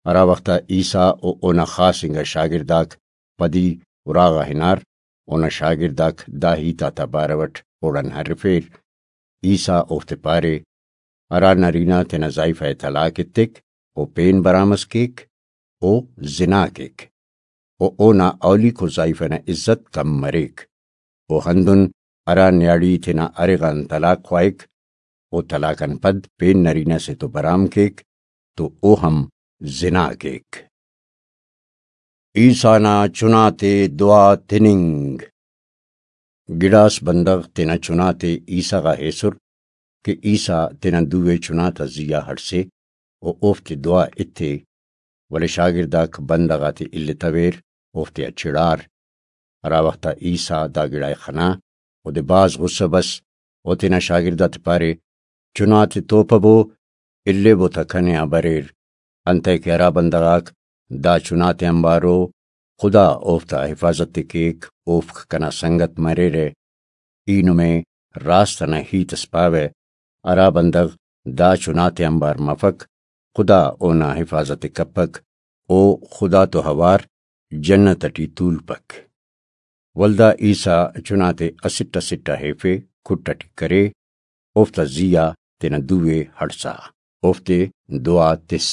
ہرا وخت آ عیسیٰ و اونا خاص انگا شاگرداک پدی اراغا ہنار، اونا شاگرداک دا ہیت آتا بارو اٹ اوڑان ہرفیر۔ عیسیٰ اوفتے پارے، ہرا نرینہ تینا زائیفہ ءِ طلاق ایتک، او پین برام ئس کیک، او زنا کیک، و اونا اولیکو زائیفہ نا عزت کم مریک۔ و ہندن ہرا نیاڑی تینا ارغ آن طلاق خواہک، و طلاق آن پد پین نرینہ سے تو برام کیک، تو او ہم زنا کیک۔ عیسیٰ نا چناتے دعا تننگ۔ گڑاس بندغ تینا چناتے عیسیٰ غا ایسر کہ عیسیٰ تینا دو ءِ چناتا زیہا ہڑسے و اوفتے دعا ایتے، ولے شاگرداک بندغ آتے التویر، اوفتیا چڑار۔ ہرا وخت آ عیسیٰ دا گڑا ءِ خنا، اودے بھاز غصہ بس، او تینا شاگرداتے پارے، چناتے توپبو، الیبو تا کنے آ بریر، انتئے کہ ہرا بندغ آک دا چناتے آنبارو، خدا اوفتا حفاظت ءِ کیک، اوفک کنا سنگت مریرہ۔ ای نمے راست ئنا ہیت ئس پاوہ، ہرا بندغ دا چناتے آنبار مفک، خدا اونا حفاظت ءِ کپک، او خدا تو اوار جنت ٹی تولپک۔ ولدا عیسیٰ چناتے اسٹ اسٹ آ ایفے، کٹ ٹی کرے، اوفتا زی آ تینا دو ءِ ہڑسا، اوفتے دعا تس۔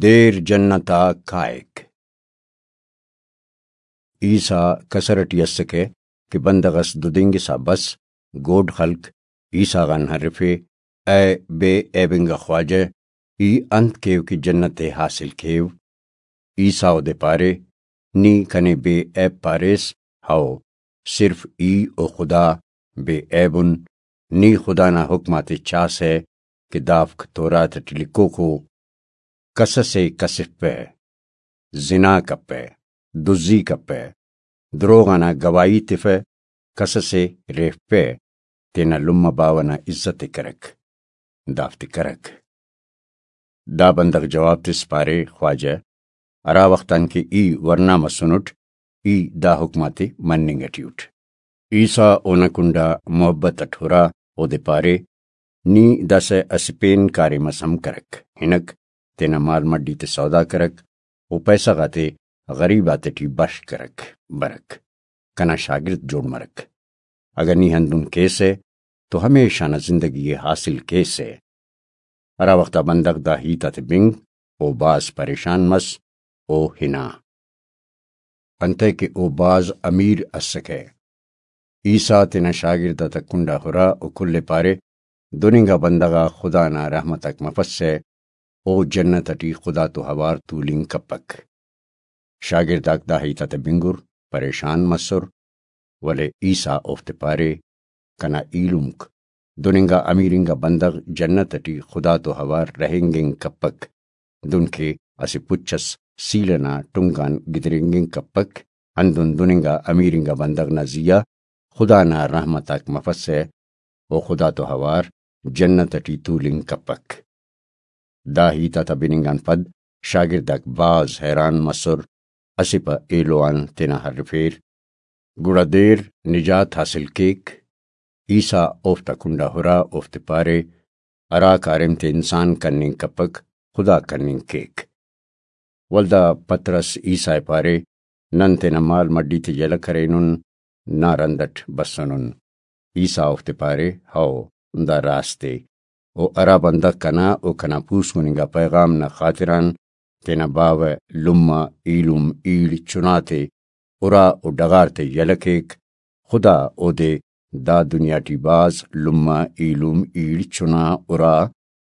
دیر جنت آ کائک۔ عیسیٰ کسر ٹی اسکہ کہ بندغ اس ددینگسا بس، گوڈ خلک عیسیٰ غان ہرفے، اے بے عیب انگا خواجہ، ای انت کیو کہ جنت ءِ حاصل کیو؟ عیسیٰ اودے پارے، نی کنے بے عیب پاریس؟ ہئو، صرف ای و خدا بے عیب ان۔ نی خدا نا حکم آتے چاسہ کہ دافک تورات ٹی لکھوک ءُ، کسس ءِ کسفپہ، زنا کپہ، دزی کپہ، دروغ انا گواہی تفہ، کسس ءِ ریفپہ، تینا لمہ باوہ نا عزت ءِ کرک، دافتے کرک۔ دا بندغ جواب تس پارے، خواجہ، ہرا وخت آن کہ ای ورنا مسنٹ، ای دا حکم آتے مننگ ٹی اٹ۔ عیسیٰ اونا کنڈا محبت اٹ ہرا، اودے پارے، نی داسہ اسہ پین کاریم اس ہم کرک، ہنک، تینا مال مڈی تے سودا کرک، و پیسہ غاتے غریب آتیٹی بش کرک، برک، کنا شاگرد جوڑ مرک۔ اگہ نی ہندن کیسہ تو ہمیشہ نا زندگی ءِ حاصل کیسہ۔ ہرا وخت آ بندغ دا ہیت آتے بنگ، او بھاز پریشان مس، او ہنا۔ انتئے کہ او بھاز امیر اسکہ۔ عیسیٰ تینا شاگرد آتا کنڈا ہرا و کل ءِ پارے، دن انگا بندغ آ خدا نا رحمت آک مفسہ، او جنت ٹی خدا تو اوار تولنگ کپک۔ شاگرد آک دا ہیت آتے بنگر، پریشان مسر، ولے عیسیٰ اوفتے پارے، کنا ایلمک، دن انگا امیر انگا بندغ جنت ٹی خدا تو اوار رہینگنگ کپک۔ دن کہ اسہ پچ اس سیل ئنا ٹنگ آن گدرینگنگ کپک، ہندن دن انگا امیر انگا بندغ نا زی آ خدا نا رحمت آک مفسہ و خدا تو اوار جنت ٹی تولنگ کپک۔ دا ہیت آتا بننگ آن پد شاگرد آک بھاز حیران مسر، اسہ پہ ایلو آن تینا ہرفیر۔ گڑا دیر نجات حاصل کیک۔ عیسیٰ اوفتا کنڈا ہرا، اوفتے پارے، ہرا کاریم تے انسان کننگ کپک، خدا کننگ کیک۔ ولدا پطرس عیسیٰ ءِ پارے، نن تینا مال مڈی تے یلہ کرینن، نا رند اٹ بسنن۔ عیسیٰ اوفتے پارے، ہئو، دا راست ءِ۔ و ہرا بندغ کنا و کنا پوسکن انگا پیغام نا خاطران تینا باوہ، لمہ، ایلم، ایڑ، چنا تے ارا و ڈغار تے یلہ کیک، خدا اودے دا دنیا ٹی بھاز لمہ، ایلم، ایڑ، چنا، ارا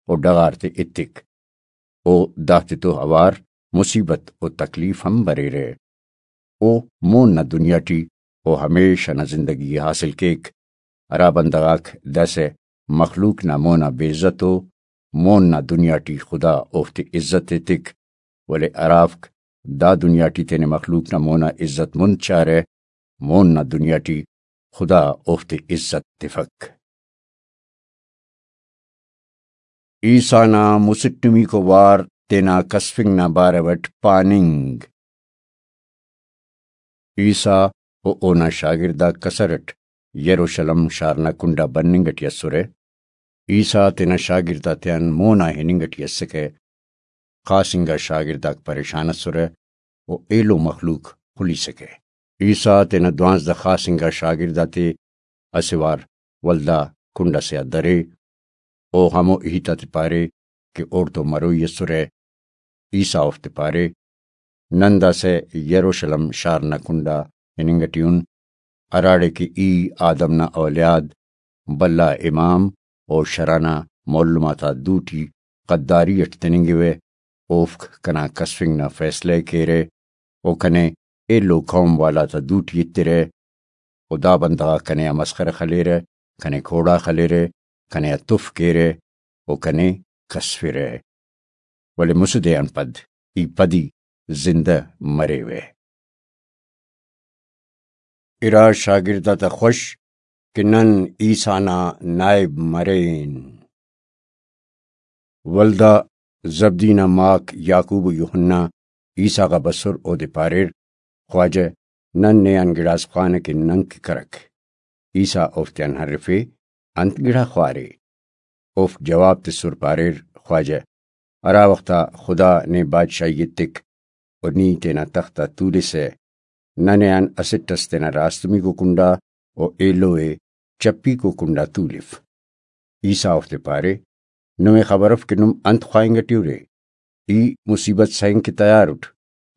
و ڈغار تے ایتک۔ او دافتے تو اوار مصیبت و تکلیف ہم بریرہ۔ او مون نا دنیا ٹی او ہمیشہ نا زندگی ءِ حاصل کیک۔ ہرا بندغ آک داسہ مخلوق نا مونا بے عزت ءُ، مون نا دنیا ٹی خدا اوفتے عزت ایتک، ولے ہرافک دا دنیا ٹی تینے مخلوق نا مونا عزت مند چارہ، مون نا دنیا ٹی خدا اوفتے عزت تفک۔ عیسیٰ نا مسٹمیکو وار تینا کسفنگ نا بارو اٹ پاننگ۔ عیسیٰ و اونا شاگرداک کسر اٹ یروشلم شار نا کنڈا بننگ اٹی اسرہ۔ عیسیٰ تینا شاگرد آتیان مون آ ہننگ اٹی اسکہ۔ خاص انگا شاگرداک پریشان اسرہ و ایلو مخلوق خلیسکہ۔ عیسیٰ تینا دوانزدہ خاص انگا شاگرد آتے اسہ وار ولدا کنڈ اسے آ درے۔ او ہمو ہیت آتے پارے کہ اوڑتون مروئی اسرہ۔ عیسیٰ اوفتے پارے، نن داسہ یروشلم شار نا کنڈا ہننگ اٹی ان، ہراڑے کہ ای آدم نا اولیاد، بھلا امام و شرع نا معلم آتا دوٹی غداری اٹ تننگوہ، اوفک کنا کسفنگ نا فیصلہ ءِ کیرہ و کنے ایلو قوم والا تا دوٹی ایترہ و دا بندغ آک کنے آ مسخرہ خلیرہ، کنے کوڑا خلیرہ، کنے آ تف کیرہ و کنے کسفرہ۔ ولے مسہ دے آن پد ای پدی زندہ مریوہ۔ ارا شاگرد آتا خوش کہ نن عیسیٰ نا نائب مرین۔ ولدا زبدی نا ماک یعقوب و یوحنا عیسیٰ غا بسر، اودے پاریر، خواجہ، نن نے آن گڑاس خوانہ کہ ننکہ کرک۔ عیسیٰ اوفتیان ہرفے، انت گڑا خوارے؟ اوفک جواب تسر پاریر، خواجہ، ہرا وخت آ خدا نے بادشاہی ایتک و نی تینا تخت آ تولسہ، ننے آن اسٹ اس تینا راستمیکو کنڈا و ایلو ءِ چپیکو کنڈا تولف۔ عیسیٰ اوفتے پارے، نمے خبر اف کہ نم انت خواہنگ ٹی ارے؟ ای مصیبت سہنگ کہ تیار اٹ،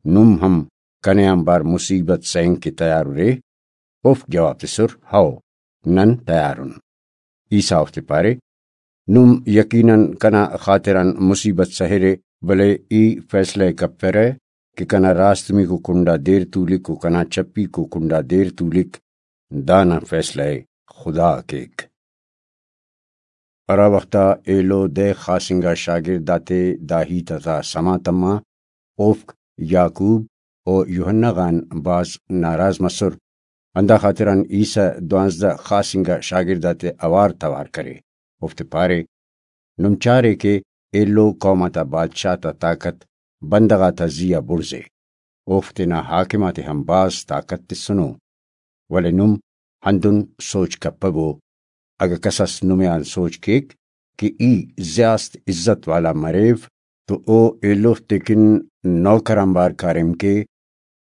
نم ہم کنے آنبار مصیبت سہنگ کہ تیار ارے؟ اوفک جواب تسر، ہئو، نن تیار ان۔ عیسیٰ اوفتے پارے، نم یقیناً کنا خاطران مصیبت سہرے، ولے ای فیصلہ ءِ کپرہ کہ کنا راستمیکو کنڈا دیر تولک و کنا چپیکو کنڈا دیر تولک، دانا فیصلہ ءِ خدا کیک۔ ہرا وخت آ ایلو دہ خاص انگا شاگرد آتے دا ہیت آتا سما تما، اوفک یعقوب و یوحنا غان بھاز ناراض مسر۔ ہندا خاطران عیسیٰ دوانزدہ خاص انگا شاگرد آتے اوار توار کرے، اوفتے پارے، نم چارے کہ ایلو قوم آتا بادشاہ تا طاقت بندغ آتا زی آ بڑزے، اوفک تینا حاکم آتے ہم بھاز طاقت تسنو، ولے نم ہندن سوچ کپبو۔ اگہ کس اس نمے آن سوچ کیک کہ ای زیاست عزت والا مریو تو او ایلوفتے کن نوکر آنبار کاریم کے،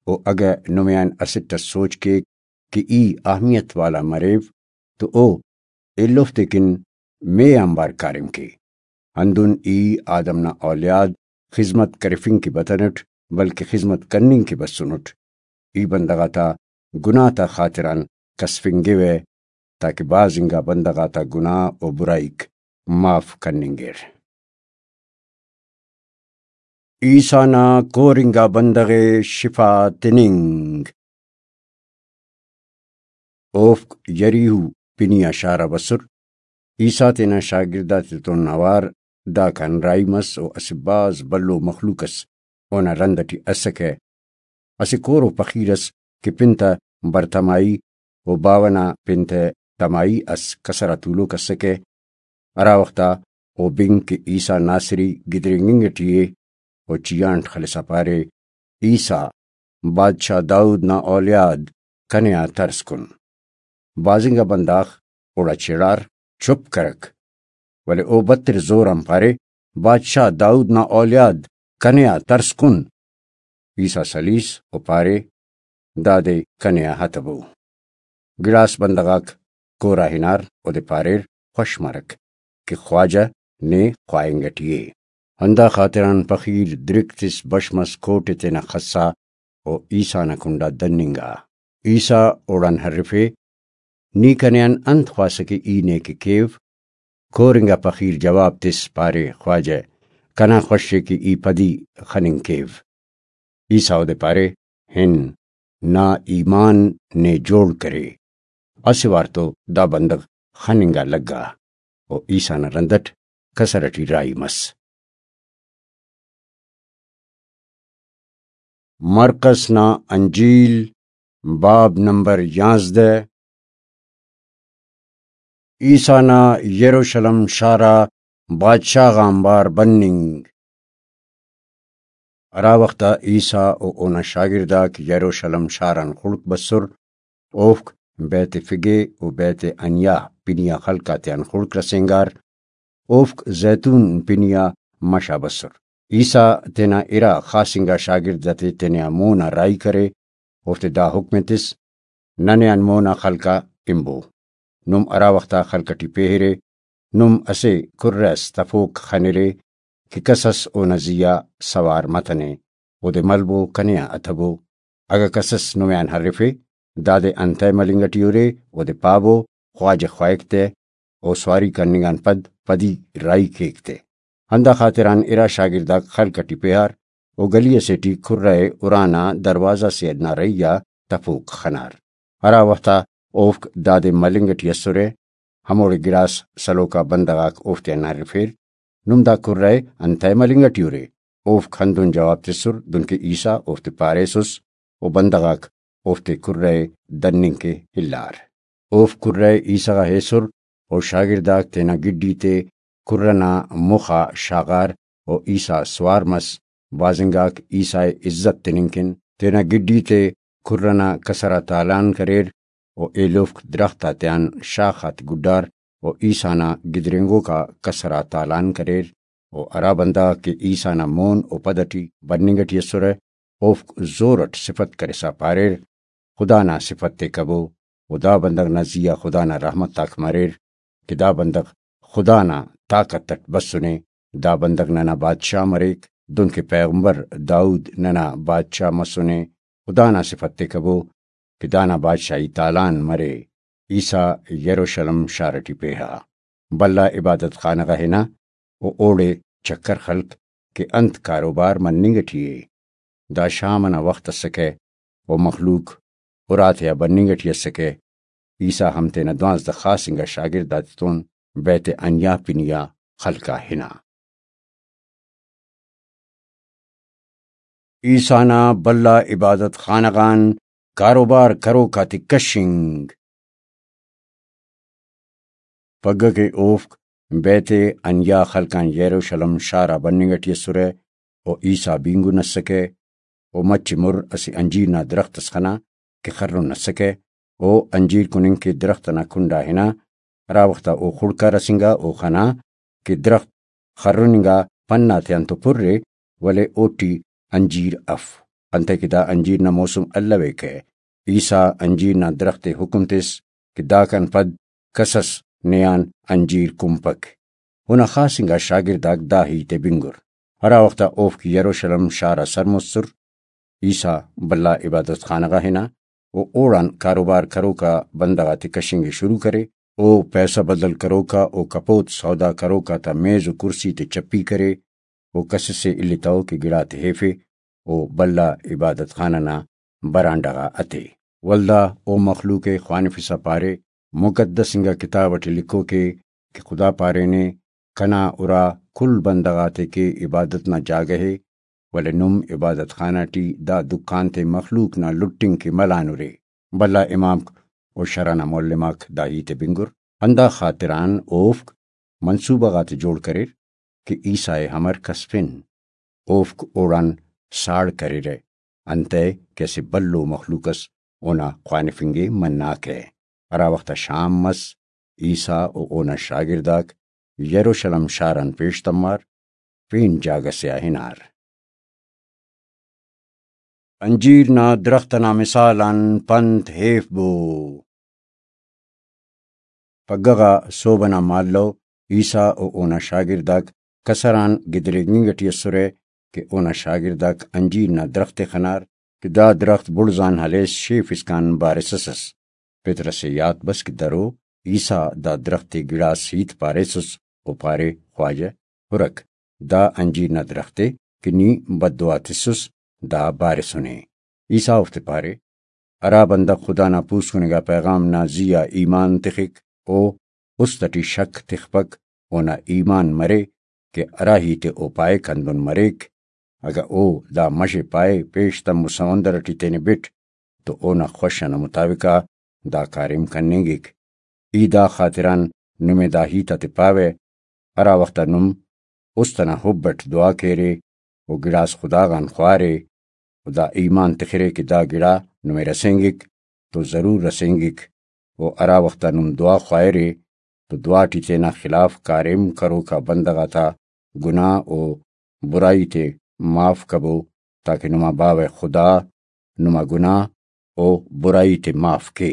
و اگہ نمے آن اسٹ اس سوچ کیک کہ ای اہمیت والا مریو تو او ایلوفتے کن مے آنبار کاریم کے۔ ہندن ای آدم نا اولیاد خذمت کرفنگ کہ بتنٹ، بلکہ خذمت کننگ کہ بسنٹ۔ ای بندغ آتا گناہ تا خاطران کسفنگوہ، تاکہ بھاز انگا بندغ آتا گناہ و برائیک معاف کننگیر۔ عیسیٰ نا کور انگا بندغ ءِ شفا تننگ۔ اوفک یریہو پنی آ شار آ بسر۔ عیسیٰ تینا شاگرد آتتون اوار داکان راہی مس و اسہ بھاز بھلو مخلوق اس اونا رند ئٹی اسکہ۔ اسہ کورو پخیر اس کہ پن تا برتمائی و باوہ نا پن تہ تمائی اس کسر آ تولوک اسکہ۔ ہرا وخت آ او بنگ کہ عیسیٰ ناصری گدرینگنگ ٹی ءِ و چیانٹ خلسا پارے، عیسیٰ، بادشاہ داؤد نا اولیاد، کنے آ ترس کن۔ بھاز انگا بندغ اوڑا چڑار، چپ کرک، ولے او بتر زور آن پارے، بادشاہ داؤد نا اولیاد، کنے آ ترس کن۔ عیسیٰ سلیس و پارے، دادے کنے آ ہتبو۔ گڑاس بندغ آک کور آ ہنار، اودے پاریر، خوش مرک کہ خواجہ نے خواہنگ ٹی ءِ۔ ہندا خاطران پخیر درک تس بش مس کوٹ ءِ تینا خسا و عیسیٰ نا کنڈا دننگا۔ عیسیٰ اوڑان ہرفے، نی کنے آن انت خواسہ کہ ای نے کہ کیو؟ کور انگا پخیر جواب تس، پارے، خواجہ، کنا خوش ءِ کہ ای پدی خننگ کیو۔ عیسیٰ اودے پارے، ہن، نا ایمان نے جوڑ کرے۔ اسہ وار تو دا بندغ خننگ آ لگا و عیسیٰ نا رند اٹ کسر اٹی راہی مس۔ مرقس نا انجیل، باب نمبر یانزدہ۔ عیسیٰ نا یروشلم شار آ بادشاہ غانبار بننگ۔ ہرا وخت آ عیسیٰ و اونا شاگرد آک یروشلم شار آن خڑک بسر، اوفک بیت فگے و بیت عنیا پنی آ خلق آتیان خڑک رسینگار، اوفک زیتون پنی آ مش آ بسر۔ عیسیٰ تینا ارا خاص انگا شاگرد آتے تینے آ مون آ راہی کرے، اوفتے دا حکم ءِ تس، ننے آن مون آ خلق آ ہنبو۔ نم ہرا وخت آ خلق اٹی پیہرے، نم اسہ کرہ اس تفوک خنرے کہ کس اس اونا زی آ سوار متنے، اودے ملبو کنے آ اتبو۔ اگہ کس اس نمے آن ہرفے، دادے انتئے ملنگ ٹی ارے، اودے پابو، خواجہ خواہک تہ، او سواری کننگ آن پد پدی راہی کیک تہ۔ ہندا خاطران ارا شاگرد آک خلق اٹی پیہار، او گلی اسے ٹی کرہ ءِ ارانا دروازہ سے نا رہی آ تفوک خنار۔ ہرا وخت آ اوفک دادے ملنگ ٹی اسرہ، ہموڑے گڑاس سلوک آ بندغ آک اوفتیان ہرفیر، نم دا کرہ ءِ انتئے ملنگ ٹی ارے؟ اوفک ہندن جواب تسر، دنکہ عیسیٰ اوفتے پاریسس، و بندغ آک اوفتے کرہ ءِ دننگ کہ الار۔ اوفک کرہ ءِ عیسیٰ غا ایسر، و شاگرد آک تینا گڈی تے کرہ نا مخ آ شاغار، و عیسیٰ سوار مس۔ بھاز انگاک عیسیٰ ءِ عزت تننگ کن تینا گڈی تے کرہ نا کسر آ تالان کریر، و ایلوفک درخت آتیان شاخ آتے گڈار، و عیسیٰ نا گدرینگوک آ کسر آ تالان کریر، و ہرا بندغ آک کہ عیسیٰ نا مون و پد ٹی بننگ ٹی اسرہ، اوفک زور اٹ سفت کرسا پاریر، خدا نا سفت ءِ کبو، و دا بندغ نا زی آ خدا نا رحمت آک مریر کہ دا بندغ خدا نا طاقت اٹ بسنے۔ دا بندغ ننا بادشاہ مریک، دنکہ پیغمبر داؤد ننا بادشاہ مسنے۔ خدا نا صفت تے کبو کہ دانا بادشاہی تالان مرے۔ عیسیٰ یروشلم شار ٹی پیہا۔ بھلا عبادت خانہ غا ہنا و اوڑے چکر خلک کہ انت کاروبار مننگ ٹی ءِ۔ دا شام ئنا وخت اسکہ و مخلوق اراتے آ بننگ ٹی اسکہ۔ عیسیٰ ہم تینا دوانزدہ خاص انگا شاگرد آتتون بیت عنیاء پنی آ خلق آ ہنا۔ عیسیٰ نا بھلا عبادت خانہ غان کاروبار کروک آتے کشنگ۔ پگہ کہ اوفک بیت عنیاء خلق آن یروشلم شار آ بننگ ٹی اسرہ و عیسیٰ بینگن اسکہ و مچ مر اسہ انجیر نا درخت اس خنا کہ خرن اسکہ۔ او انجیر کننگ کہ درخت ئنا کنڈا ہنا، ہرا وخت آ او خڑکا رسینگا، او خنا کہ درخت خرن انگا پن آتیان تو پر ءِ، ولے اوٹی انجیر اف، انتئے کہ دا انجیر نا موسم الویکہ۔ عیسیٰ انجیر نا درخت ءِ حکم تس کہ داکان پد کس اس نے آن انجیر کنپک۔ اونا خاص انگا شاگرد آک دا ہیت ءِ بنگر۔ ہرا وخت آ اوفک یروشلم شار آ سر مسر، عیسیٰ بھلا عبادت خانہ غا ہنا و اوڑان کاروبار کروکا بندغ آتے کشنگ ءِ شروع کرے۔ او پیسہ بدل کروکا و کپوت سودا کروکا تا میز و کرسی تے چپی کرے و کسسے الیتو کہ گڑاتے ہیفے۔ او بھلا عبادت خانہ نا برانڈہ غا اتے۔ ولدا او مخلوق ءِ خوانفسا پارے، مقدس انگا کتاب ٹی لکھوکے کہ خدا پارینے، کنا ارا کل بندغ آتے کہ عبادت نا جاگہ ءِ، ولے نم عبادت خانہ ٹی دا دکان تے مخلوق نا لٹنگ کہ ملانرے۔ بھلا امامک و شرح نا معلم آک دا ہیت ءِ بنگر، ہندا خاطران اوفک منصوبہ غاتے جوڑ کریر کہ عیسیٰ ءِ امر کس پن۔ اوفک اوڑان ساڑ کریرہ، انتئے کہ اسہ بھلو مخلوق اس اونا خوانفنگ ءِ مناکہ۔ ہرا وخت آ شام مس، عیسیٰ و اونا شاگرد آک یروشلم شار آن پیش تمار، پین جاگہ سے آ ہنار۔ انجیر نا درخت ئنا مثال آن پنت ہیفبو۔ پگہ غا سہب ئنا مالو عیسیٰ و اونا شاگرد آک کسر آن گدریگنگ ٹی اسرہ کہ اونا شاگرد آک انجیر نا درخت ءِ خنار کہ دا درخت بڑز آن ہلیس شیف اسکان بارسس ئس۔ پطرس ءِ یات بس کہ درو عیسیٰ دا درخت ءِ گڑاس ہیت پاریسس، او پارے، خواجہ، ہرک، دا انجیر نا درخت ءِ کہ نی بددعا تسس، دا بارسنے۔ عیسیٰ اوفتے پارے، ہرا بندغ خدا نا پوسکن انگا پیغام نا زی آ ایمان تخک، او است ٹی شک تخپک، اونا ایمان مرے کہ ہرا ہیت ءِ او پائک ہندن مریک۔ اگہ او دا مش ءِ پائے، پیش تمو سمندر ٹی تینے بٹ، تو اونا خوش ئنا مطابق آ دا کاریم کننگک۔ ای دا خاطران نمے دا ہیت آتے پاوہ، ہرا وخت آ نم است ئنا حب اٹ دعا کیرے و گڑاس خدا غان خوارے و دا ایمان تخرے کہ دا گڑا نمے رسینگک تو ضرور رسینگک، و ہرا وخت آ نم دعا خواہرے تو دعا ٹی تینا خلاف کاریم کروکا بندغ آتا گناہ و برائی تے معاف کبو، تاکہ نما باوہ خدا نما گناہ و برائی تے معاف کے۔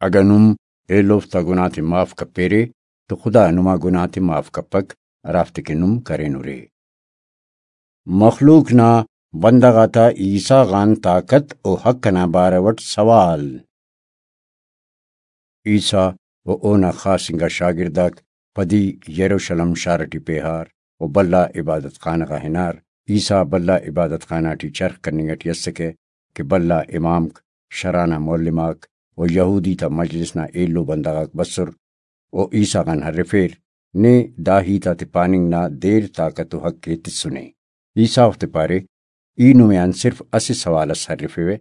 اگہ نم ایلوفتا گناہ تے معاف کپیرے تو خدا نما گناہ تے معاف کپک، ہرافتے کہ نم کرینرے۔ مخلوق نا بندغ آتا عیسیٰ غان طاقت و حق ئنا بارو اٹ سوال۔ عیسیٰ و اونا خاص انگا شاگرد آک پدی یروشلم شار ٹی پیہار و بھلا عبادت خانہ غا ہنار۔ عیسیٰ بھلا عبادت خانہ ٹی چرخ کننگ ٹی اسکہ کہ بھلا امامک، شرح نا معلم آک و یہودی تا مجلس نا ایلو بندغ آک بسر و عیسیٰ غان ہرفیر، نے دا ہیت آتے پاننگ نا دیر طاقت و حق ءِ تسنے۔ عیسیٰ اوفتے پارے، ای نمے آن صرف اسہ سوال اس ہرفیوہ،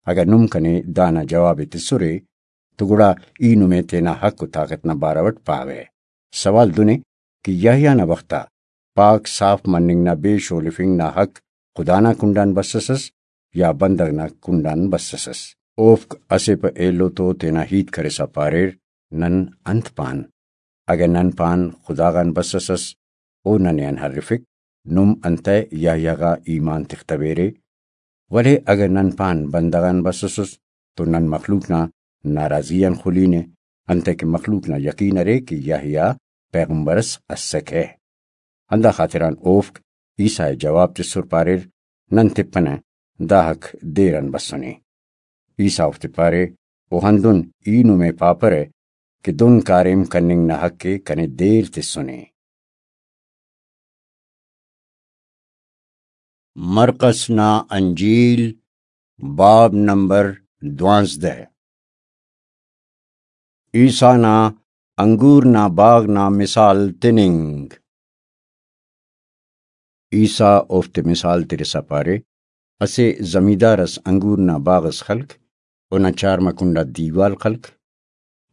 اگہ نم کنے دانا جواب ءِ تسرے تو گڑا ای نمے تینا حق و طاقت نا بارو اٹ پاوہ۔ سوال دن ءِ کہ یحییٰ نا وخت آ پاک صاف مننگ نا بے شولفنگ نا حق خدا نا کنڈان بسسس یا بندغ نا کنڈان بسسس؟ اوفک اسہ پہ ایلو تو تینا ہیت کرسا پاریر، نن انت پان؟ اگہ نن پان خدا غان بسسس، او ننے آن ہرفک، نم انتئے یحییٰ غا ایمان تختویرے؟ ولے اگہ نن پان بندغ آن بسسس، تو نن مخلوق نا ناراضی آن خلینے، انتئے کہ مخلوق نا یقین ارے کہ یحییٰ پیغمبر اس اسکہ۔ ہندا خاطران اوفک عیسیٰ ءِ جواب تسر پاریر، نن تپنہ، داہک دیر آن بسنے۔ عیسیٰ اوفتے پارے، او ہندن ای نمے پاپرہ کہ دن کاریم کننگ نا حق ءِ کنے دیر تسنے۔ مرقس نا انجیل، باب نمبر دوانزدہ۔ عیسیٰ نا انگور نا باغ نا مثال تننگ۔ عیسیٰ اوفتے مثال ترسا پارے، اسہ زمیندار اس انگور نا باغ اس خلک، اونا چارما کنڈا دیوال خلک،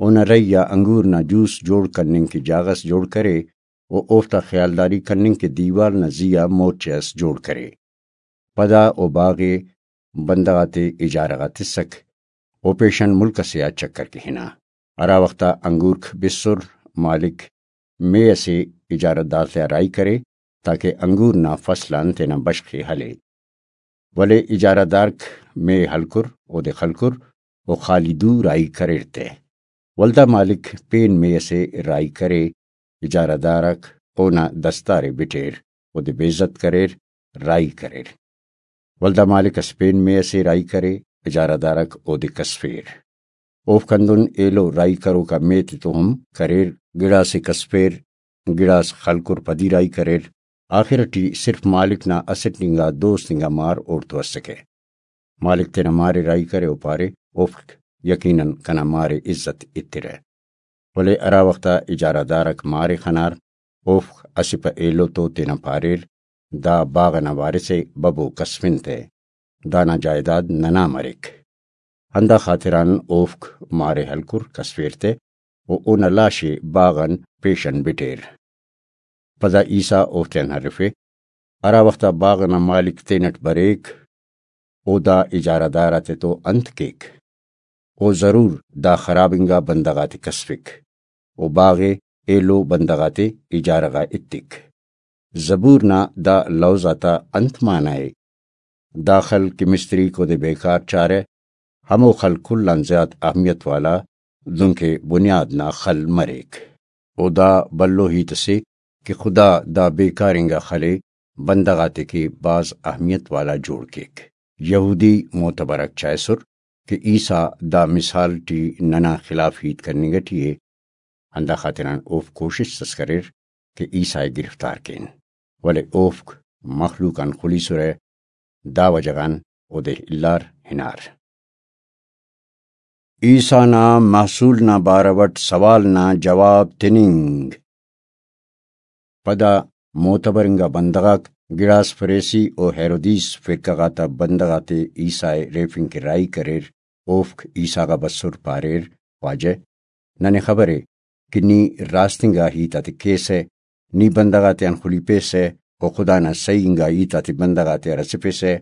اونا رہی آ انگور نا جوس جوڑ کننگ کہ جاغہ اس جوڑ کرے، و اوفتا خیالداری کننگ کہ دیوال نا زی آ مورچہ اس جوڑ کرے۔ پدا او باغ ءِ بندغ آتے اجارہ غا تسک۔ او پیشن ملک ئسے آ چکر کہ ہنا۔ ہرا وخت آ انگورک بسر، مالک مے ئسے اجارہ دار تیا راہی کرے، تاکہ انگور نا فصل آن تینا بشخ ءِ ہلے۔ ولے اجارہ دارک مے ہلکر، اودے خلکر، و خالی دو راہی کریر تہ۔ ولدا مالک پین مے ئسے راہی کرے، اجارہ دارک اونا دستار ءِ بٹیر، اودے بے عزت کریر، راہی کریر۔ ولدا مالک اس پین مے ئسے راہی کرے، اجارہ دارک اودے کسفیر۔ اوفک ہندن ایلو راہی کروکا مے تتون ہم کریر، گڑاسے کسفیر، گڑاس خلکر پدی راہی کریر۔ آخر ٹی صرف مالک نا اسٹ انگا دوست انگا مار اوڑتو اسکہ۔ مالک تینا مار ءِ راہی کرے و پارے، اوفک یقیناً کنا مار ءِ عزت ایترہ۔ ولے ہرا وخت آ اجارہ دارک مار ءِ خنار، اوفک اسہ پہ ایلو تو تینا پاریر، دا باغ ئنا وارث ءِ، ببو کسفن تہ، دانا جائیداد ننا مریک۔ ہندا خاطران اوفک مار ءِ ہلکر کسفیر تہ و اونا لاش ءِ باغ آن پیشن بٹیر۔ پدا عیسیٰ اوفتیان ہرفے، ہرا وخت آ باغ ئنا مالک تینٹ بریک، او دا اجارہ دار آتتو انت کیک؟ او ضرور دا خراب انگا بندغ آتے کسفک، او باغ ءِ ایلو بندغ آتے اجارہ غا ایتک۔ زبور نا دا لوز آتا انت معنی ءِ؟ دا خل کہ مستریک اودے بیکار چارہ، ہمو خل کل آن زیات اہمیت والا، دنکہ بنیاد نا خل مریک۔ او دا بھلو ہیت اسے کہ خدا دا بیکار انگا خل ءِ بندغ آتے کہ بھاز اہمیت والا جوڑ کیک۔ یہودی معتبرک چائسر کہ عیسیٰ دا مثال ٹی ننا خلاف ہیت کننگ ٹی ءِ، ہندا خاطران اوفک کوشست اس کریر کہ عیسیٰ ءِ گرفتار کین، ولے اوفک مخلوق آن خلیسرہ، دا وجہ غان اودے الار ہنار۔ عیسیٰ نا محصول نا بارو اٹ سوال نا جواب تننگ۔ پدا معتبر انگا بندغ آک، گڑاس فریسی و ہیرودیس فرقہ غاتا بندغ آتے عیسیٰ ءِ ریفنگ کہ راہی کریر، اوفک عیسیٰ غا بسر پاریر، خواجہ، ننے خبر ءِ کہ نی راست انگا ہیت آتے کیسہ، نی بندغ آتیان خلیپیسہ و خدا نا صحیح انگا ہیت آتے بندغ آتیا رسفیسہ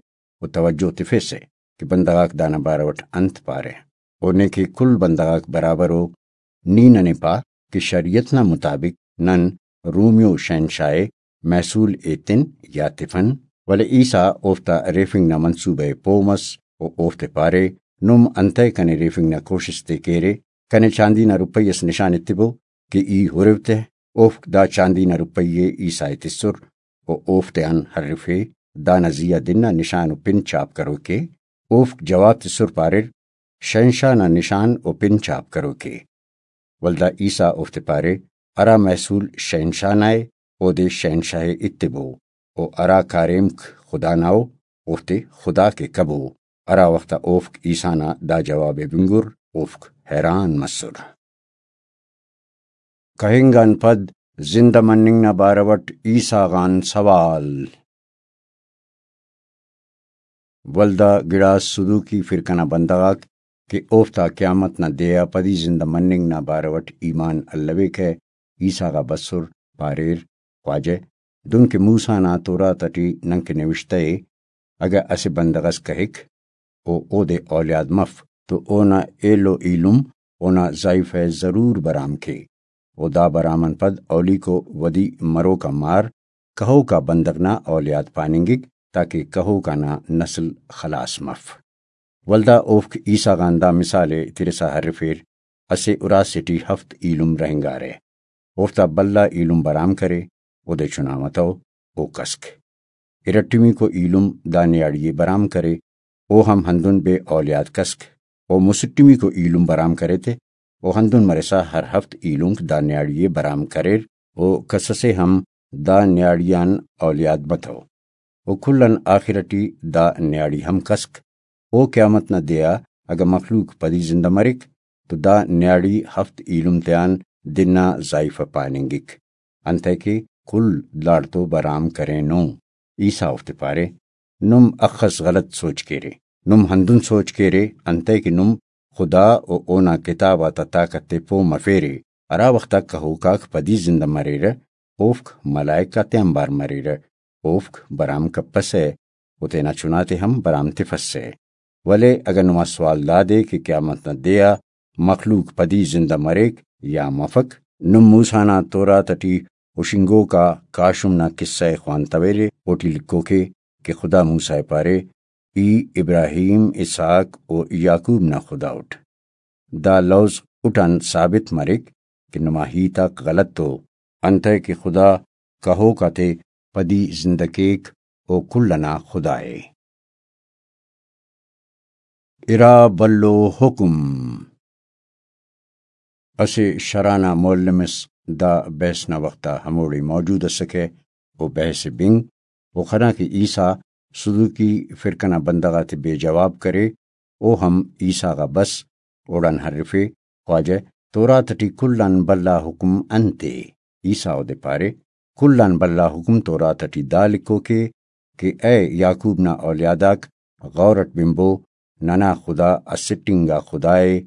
و توجہ تفیسہ کہ بندغ آک دانا بارو اٹ انت پارہ۔ و نے کہ کل بندغ آک برابر ءُ، نی ننے پا کہ شریعت نا مطابق نن رومیو شہنشاہ ءِ محصول ایتن یا تفن؟ ولے عیسیٰ اوفتا ریفنگ نا منصوبہ ءِ پہہ مس و اوفتے پارے، نم انتئے کنے ریفنگ نا کوشست ءِ کیرے؟ کنے چاندی نا روپئی اس نشان ایتبو کہ ای ہرو تہ۔ اوفک دا چاندی نا روپئی ءِ عیسیٰ ءِ تسر و اوفتیان ہرفے، دانا زی آ دن نا نشان و پن چھاپ کروک ءِ۔ اوفک جواب تسر پاریر، شہنشاہ نا نشان و پن چھاپ کروک ءِ۔ ولدا عیسیٰ اوفتے پارے، ہرا محصول شہنشاہ نا ءِ، اودے شہنشاہ ءِ ایتبو، و ہرا کاریمک خدا نا ءُ، اوفتے خدا کے کبو۔ ہرا وخت آ اوفک عیسیٰ نا دا جواب ءِ بنگر، اوفک حیران مسر۔ کہنگ آن پد زندہ مننگ نا بارو اٹ عیسیٰ غان سوال۔ ولدا گڑاس صدوقی فرقہ نا بندغ آک کہ اوفتا قیامت نا دے آ پدی زندہ مننگ نا بارو اٹ ایمان الویکہ، عیسیٰ غا بسر، پاریر، خواجہ، دنکہ موسیٰ نا توراۃ اٹی ننکہ نوشتہ ءِ، اگہ اسہ بندغ اس کہک و اودے اولیاد مف تو اونا ایلو ایلم اونا زائیفہ ءِ ضرور برام کے، و دا برام آن پد اولیکو ودی مروکا مار کہوکا بندغ نا اولیاد پاننگک، تاکہ کہوکا نا نسل خلاص مف۔ ولدا اوفک عیسیٰ غان دا مثال ءِ ترسا ہرفیر، اسہ اُراسے ٹی ہفت ایلم رہینگارہ۔ اوفتا بھلا ایلم برام کرے، اودے چنا متو، او کسک۔ ارٹمیکو ایلم دا نیاڑی ءِ برام کرے، او ہم ہندن بے اولیاد کسک۔ او مسٹمیکو ایلم برام کرے تے، او ہندن مرسا ہر ہفت ایلمک دا نیاڑی ءِ برام کریر، او کسسے ہم دا نیاڑی آن اولیاد متو۔ و کل آن آخر ٹی دا نیاڑی ہم کسک۔ او قیامت نا دے آ اگہ مخلوق پدی زندہ مریک تو دا نیاڑی ہفت ایلم تیان دن آ زائیفہ پاننگک، انتئے کہ کل داڑتو برام کرینو۔ عیسیٰ اوفتے پارے، نم اخس غلط سوچ کیرے۔ نم ہندن سوچ کیرے انتئے کہ نم خدا و اونا کتاب آتا طاقت تے پہہ مفیرے۔ ہرا وخت آ کہوک آک پدی زندہ مریرہ، اوفک ملائک آتے آنبار مریرہ، اوفک برام کپسہ و تینا چناتے ہم برام تفسہ۔ ولے اگہ نما سوال دادے کہ قیامت نا دے آ مخلوق پدی زندہ مریک یا مفک، نم موسیٰ نا تورات ٹی ہشنگوک آ کاشم نا کسہ ءِ خوانتویرے، اوٹی لکھوکے کہ خدا موسیٰ ءِ پارے، ای ابراہیم، اسحاق و یعقوب نا خدا اٹ۔ دا لوز اٹان ثابت مریک کہ نما ہیت آک غلط ءُ، انتئے کہ خدا کہوک آتے پدی زندہ کیک، او کل ئنا خدا ءِ۔ ارا بھلو حکم۔ اسہ شرح نا معلم اس دا بحث نا وخت آ ہموڑے موجود اسکہ، او بحث ءِ بنگ، او خنا کہ عیسیٰ صدوقی فرقہ نا بندغ آتے بے جواب کرے، او ہم عیسیٰ غا بس، اوڑان ہرفے، خواجہ، تورات ٹی کل آن بھلا حکم انت ءِ؟ عیسیٰ اودے پارے، کل آن بھلا حکم تورات ٹی دا لکھوک ءِ کہ اے یعقوب نا اولیاد آک، غور اٹ بنبو، ننا خدا اسٹ انگا خدا ءِ،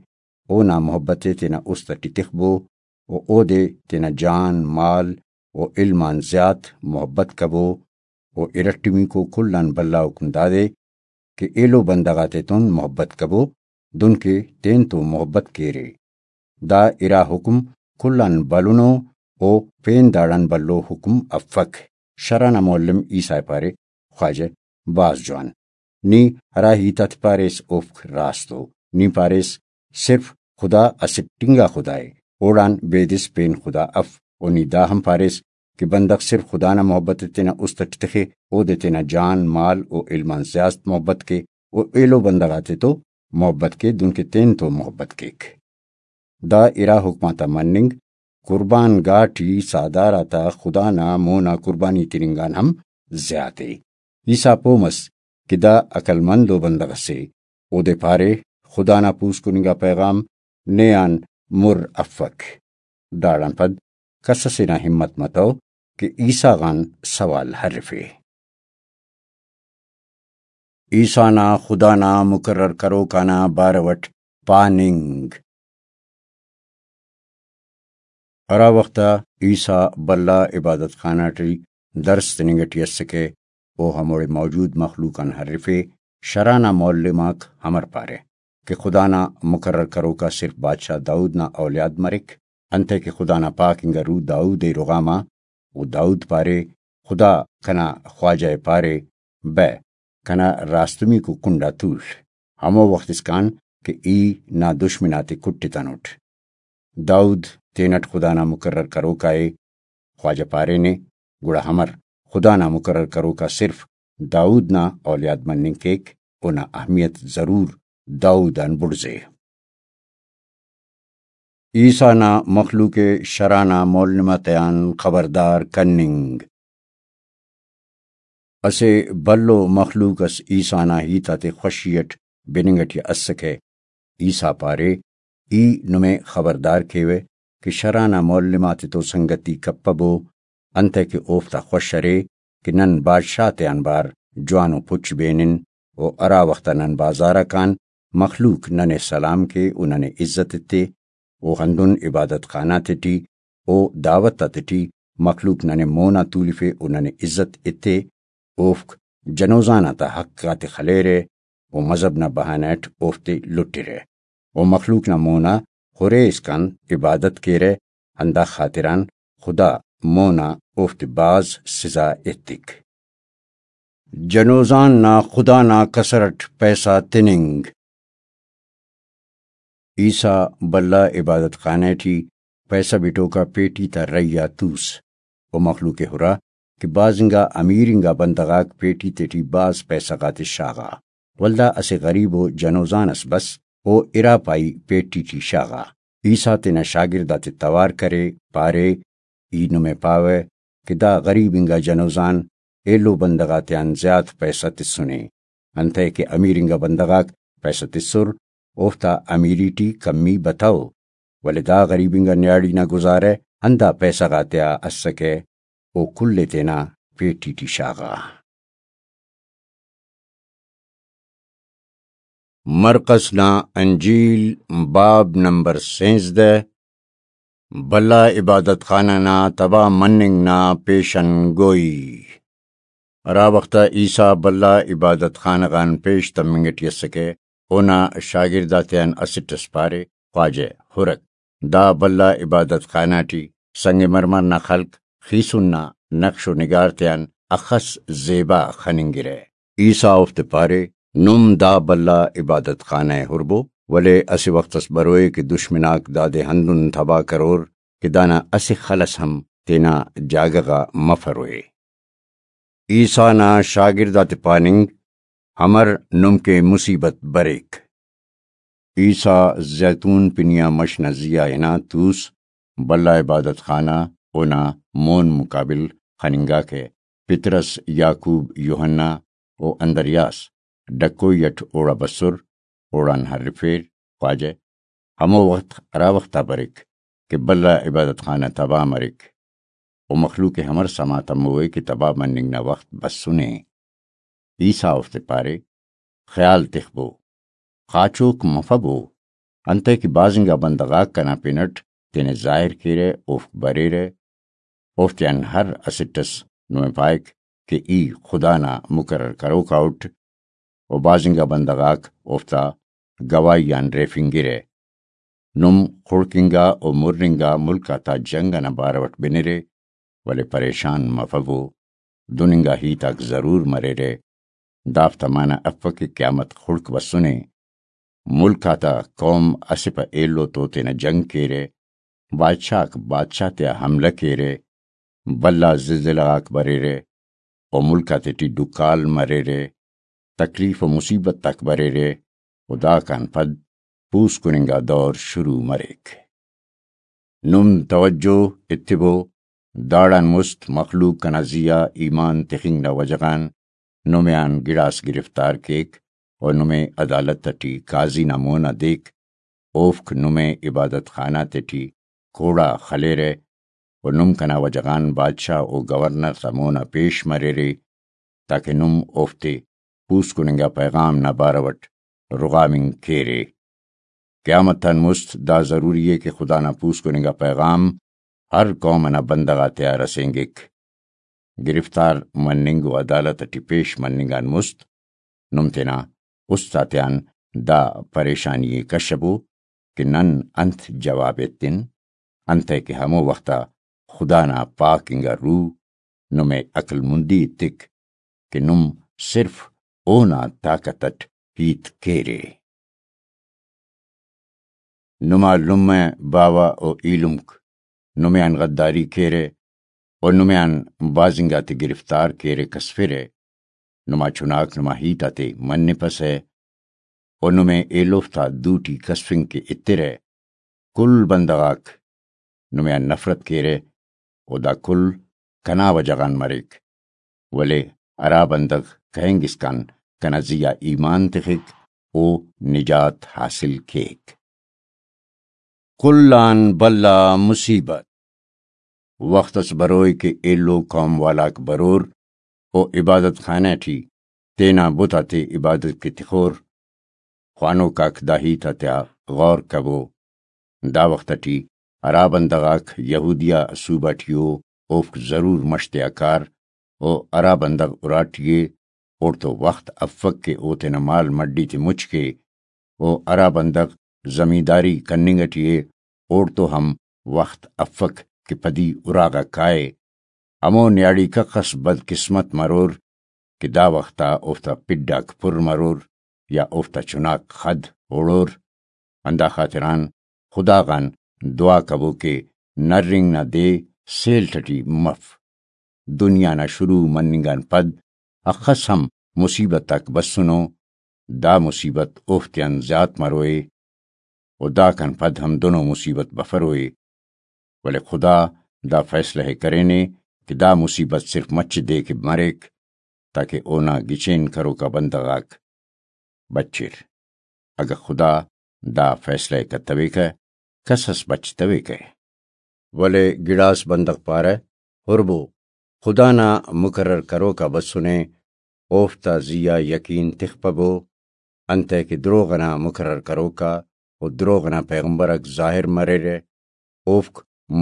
اونا محبت ءِ تینا است ٹی تخبو و اودے تینا جان، مال و علم آن زیات محبت کبو۔ و ارٹمیکو کل آن بھلا حکم دادے کہ ایلو بندغ آتیتون محبت کبو، دنکہ تینتو محبت کیرے۔ دا ارا حکم کل آن بھلنو، او پین داڑان بھلو حکم افک۔ شرح نا معلم عیسیٰ ءِ پارے، خواجہ، بھاز جوان۔ نی ہرا ہیت آتے پاریس، اوفک راست ءُ۔ نی پاریس، صرف خدا اسٹ انگا خدا ءِ، اوڑان بیدس پین خدا اف۔ و نی دا ہم پاریس کہ بندغ صرف خدا نا محبت ءِ تینا است ٹی تخے، اودے تینا جان، مال و علم آن زیات محبت کے، و ایلو بندغ آتیتو محبت کے، دنکہ تینتو محبت کیک۔ دا ارا حکم آتا مننگ قربان گاہ ٹی ساہدار آتا خدا نا مون آ قربانی تننگ آن ہم زیات ءِ۔ عیسیٰ پہہ مس کہ دا عقل مند ءُ بندغ اسے۔ اودے پارے، خدا نا پوسکن انگا پیغام نے آن مر افک۔ داڑان پد کس اسے نا ہمت متو کہ عیسیٰ غان سوال ہرفے۔ عیسیٰ نا خدا نا مقرر کروک آنا بارو اٹ پاننگ۔ ہرا وخت آ عیسیٰ بھلا عبادت خانہ ٹی درس تننگ ٹی اسکہ، او ہموڑے موجود مخلوق آن ہرفے، شرح نا معلم آک امر پارہ کہ خدا نا مقرر کروک آ صرف بادشاہ داؤد نا اولیاد مریک، انتئے کہ خدا نا پاک انگا روح داؤد ءِ رغام آ، و داؤد پارے، خدا کنا خواجہ ءِ پارے، بہ، کنا راستمیکو کنڈ آ تول، ہمو وخت اسکان کہ ای نا دشمن آتے کٹتنٹ۔ داؤد تینٹ خدا نا مقرر کروکا ءِ۔ خواجہ پارینے، گڑا امر خدا نا مقرر کروکا صرف داؤد نا اولیاد مننگ کیک، اونا اہمیت ضرور داؤد آن بڑزے۔ عیسیٰ نا مخلوق ءِ شرح نا معلم آتیان خبردار کننگ۔ اسہ بھلو مخلوق اس عیسیٰ نا ہیت آتے خوشی اٹ بننگ ٹی اسکہ۔ عیسیٰ پارے، ای نمے خبردار کیوہ کہ شرح نا معلم آتتو سنگتی کپبو، انتئے کہ اوفتا خوش ارے کہ نن بادشاہ تیان بار جوانو پچ بینن، و ہرا وخت آ نن بازار آ کان، مخلوق ننے سلام کے و ننے عزت ایتے، و ہندن عبادت خانہ تیٹی و دعوت آتیٹی مخلوق ننے مون آ تولفے و ننے عزت ایتے، اوفک جنوزان آتا حق آتے خلیرہ و مذہب نا بہانہ اٹ اوفتے لٹرہ و مخلوق نا مون آ ہرے اسکان عبادت کیرہ، ہندا خاطران خدا مون آ اوفتے بھاز سزا ایتک۔ جنوزان نا خدا نا کسر اٹ پیسہ تننگ۔ عیسیٰ بھلا عبادت خانہ ٹی پیسہ بٹوکا پیٹی تا رہی آ توس و مخلوق ءِ ہرا کہ بھاز انگا امیر انگا بندغ آک پیٹی تیٹی بھاز پیسہ غاتے شاغا۔ ولدا اسہ غریب و جنوزان اس بس، او ارا پائی پیٹی ٹی شاغا۔ عیسیٰ تینا شاگرد آتے توار کرے، پارے، ای نمے پاوہ کہ دا غریب انگا جنوزان ایلو بندغ آتیان زیات پیسہ تسنے، انتئے کہ امیر انگا بندغ آک پیسہ تسر، اوفتا امیری ٹی کمی بتو، ولے دا غریب انگا نیاڑی نا گزارہ ہندا پیسہ غاتیا اسکہ، او کل ءِ تینا پیٹی ٹی شاغا۔ مرقس نا انجیل، باب نمبر سینزدہ۔ بھلا عبادت خانہ نا تباہ مننگ نا پیشن گوئی۔ ہرا وخت آ عیسیٰ بھلا عبادت خانہ غان پیش تمنگ ٹی اسکہ، اونا شاگرد آتیان اسٹ ئس پارے، خواجہ، ہرک، دا بھلا عبادت خانہ ٹی سنگ مرمر نا خلق خیسن نا نقش و نگار تیان اخس زیبا خننگرہ۔ عیسیٰ اوفتے پارے، نم دا بھلا عبادت خانہ ءِ ہربو، ولے اسہ وخت اس بروئے کہ دشمن آک دادے ہندن تباہ کرور کہ دانا اسہ خل ئس ہم تینا جاگہ غا مفروئے۔ عیسیٰ نا شاگرد آتے پاننگ، امر نم کہ مصیبت بریک۔ عیسیٰ زیتون پنی آ مش نا زی آ ہنا توس، بھلا عبادت خانہ اونا مون مقابل خننگاکہ۔ پطرس، یعقوب، یوحنا و اندریاس ڈکوئی اٹ اوڑا بسر، اوڑان ہرفیر، خواجہ، ہمو وخت ہرا وخت آ بریک کہ بھلا عبادت خانہ تباہ مریک۔ و مخلوق ءِ ہمر سما تموئے کہ تباہ مننگ نا وخت بسنے۔ عیسیٰ اوفتے پارے، خیال تخبو، خاچوک مفبو، انتئے کہ بھاز انگا بندغ آک کنا پن اٹ تینے ظاہر کیرہ، اوفک بریرہ، اوفتیان ہر اسٹ ئس نمے پائک کہ ای خدا نا مقرر کروکا اٹ، و بھاز انگا بندغ آک اوفتا گواہی آن ریفنگرہ۔ نم خڑک انگا و مر انگا ملک آتا جنگ ئنا بارو اٹ بنرے، ولے پریشان مفبو، دن انگا ہیت آک ضرور مریرہ۔ دافتا معنہ افک کہ قیامت خڑک بسنے۔ ملک آتا قوم اسہ پہ ایلو تو تینا جنگ کیرہ، بادشاہ آک بادشاہ تیا حملہ کیرہ، بھلا زلزلہ غاک بریرہ، و ملک آتیٹی ڈکال مریرہ، تکلیف و مصیبت آک بریرہ، و داکان پد پوسکن انگا دور شروع مریک۔ نم توجہ ایتبو، داڑان مست مخلوق کنا زی آ ایمان تخنگ نا وجہ غان نمے آن گڑاس گرفتار کیک و نمے عدالت ٹی قاضی نا مون آ دیک، اوفک نمے عبادت خانہ تیٹی کوڑا خلیرہ و نم کنا وجہ غان بادشاہ و گورنر تا مون آ پیش مریرے، تاکہ نم اوفتے پوسکن انگا پیغام نا بارو اٹ رغامنگ کیرے۔ قیامت آن مست دا ضروری ءِ کہ خدا نا پوسکن انگا پیغام ہر قوم ئنا بندغ آتیا رسینگک۔ گرفتار مننگ و عدالت ٹی پیش مننگ آن مست نم تینا است آتیان دا پریشانی ءِ کشبو کہ نن انت جواب ایتن، انتئے کہ ہمو وخت آ خدا نا پاک انگا روح نمے عقل مندی ایتک کہ نم صرف اونا طاقت اٹ ہیت کیرے۔ نما لمہ باوہ و ایلمک نمے آن غداری کیرہ، و نمے آن بھاز انگاتے گرفتار کیرہ کسفرہ۔ نما چناک نما ہیت آتے منپسہ، و نمے ایلوفتا دوٹی کسفنگ کہ اترہ۔ کل بندغ آک نمے آن نفرت کیرہ، و دا کل کنا وجہ غان مریک، ولے ہرا بندغ کہینگ اسکان کنا زی آ ایمان تخک، او نجات حاصل کیک۔ کل آن بھلا مصیبت۔ وخت اس بروئے کہ ایلو قوم والاک برور و عبادت خانہ ٹی تینا بت آتے عبادت کے تخور۔ خوانوک آک دا ہیت آتیا غور کبو۔ دا وخت ٹی ہرا بندغ آک یہودیہ صوبہ ٹی او، اوفک ضرور مش تیا کار، و ہرا بندغ اراٹی ءِ، اوڑتو وخت افک کہ او تینا مال مڈی تے مچ کے، و ہرا بندغ زمینداری کننگ ٹی ءِ، اوڑتو ہم وخت افک کہ پدی اراغا کائے۔ ہمو نیاڑی کخس بدقسمت مرور کہ دا وخت آ اوفتا پڈ آک پر مرور یا اوفتا چناک خد ہڑور۔ ہندا خاطران خدا غان دعا کبو کہ نرنگ نا دے سیل ٹٹی مف۔ دنیا نا شروع مننگ آن پد اخس ہم مصیبت آک بسنو، دا مصیبت اوفتیان زیات مروئے، و داکان پد ہم دنو مصیبت بفروئے، ولے خدا دا فیصلہ ءِ کرینے کہ دا مصیبت صرف مچ دے کہ مریک، تاکہ اونا گچین کروکا بندغ آک بچر۔ اگہ خدا دا فیصلہ ءِ کتویکہ، کس اس بچتویکہ۔ ولے گڑاس بندغ پارہ، ہربو، خدا نا مقرر کروکا بسنے، اوفتا زی آ یقین تخپبو، انتئے کہ دروغ ئنا مقرر کروکا و دروغ ئنا پیغمبرک ظاہر مریرہ، اوفک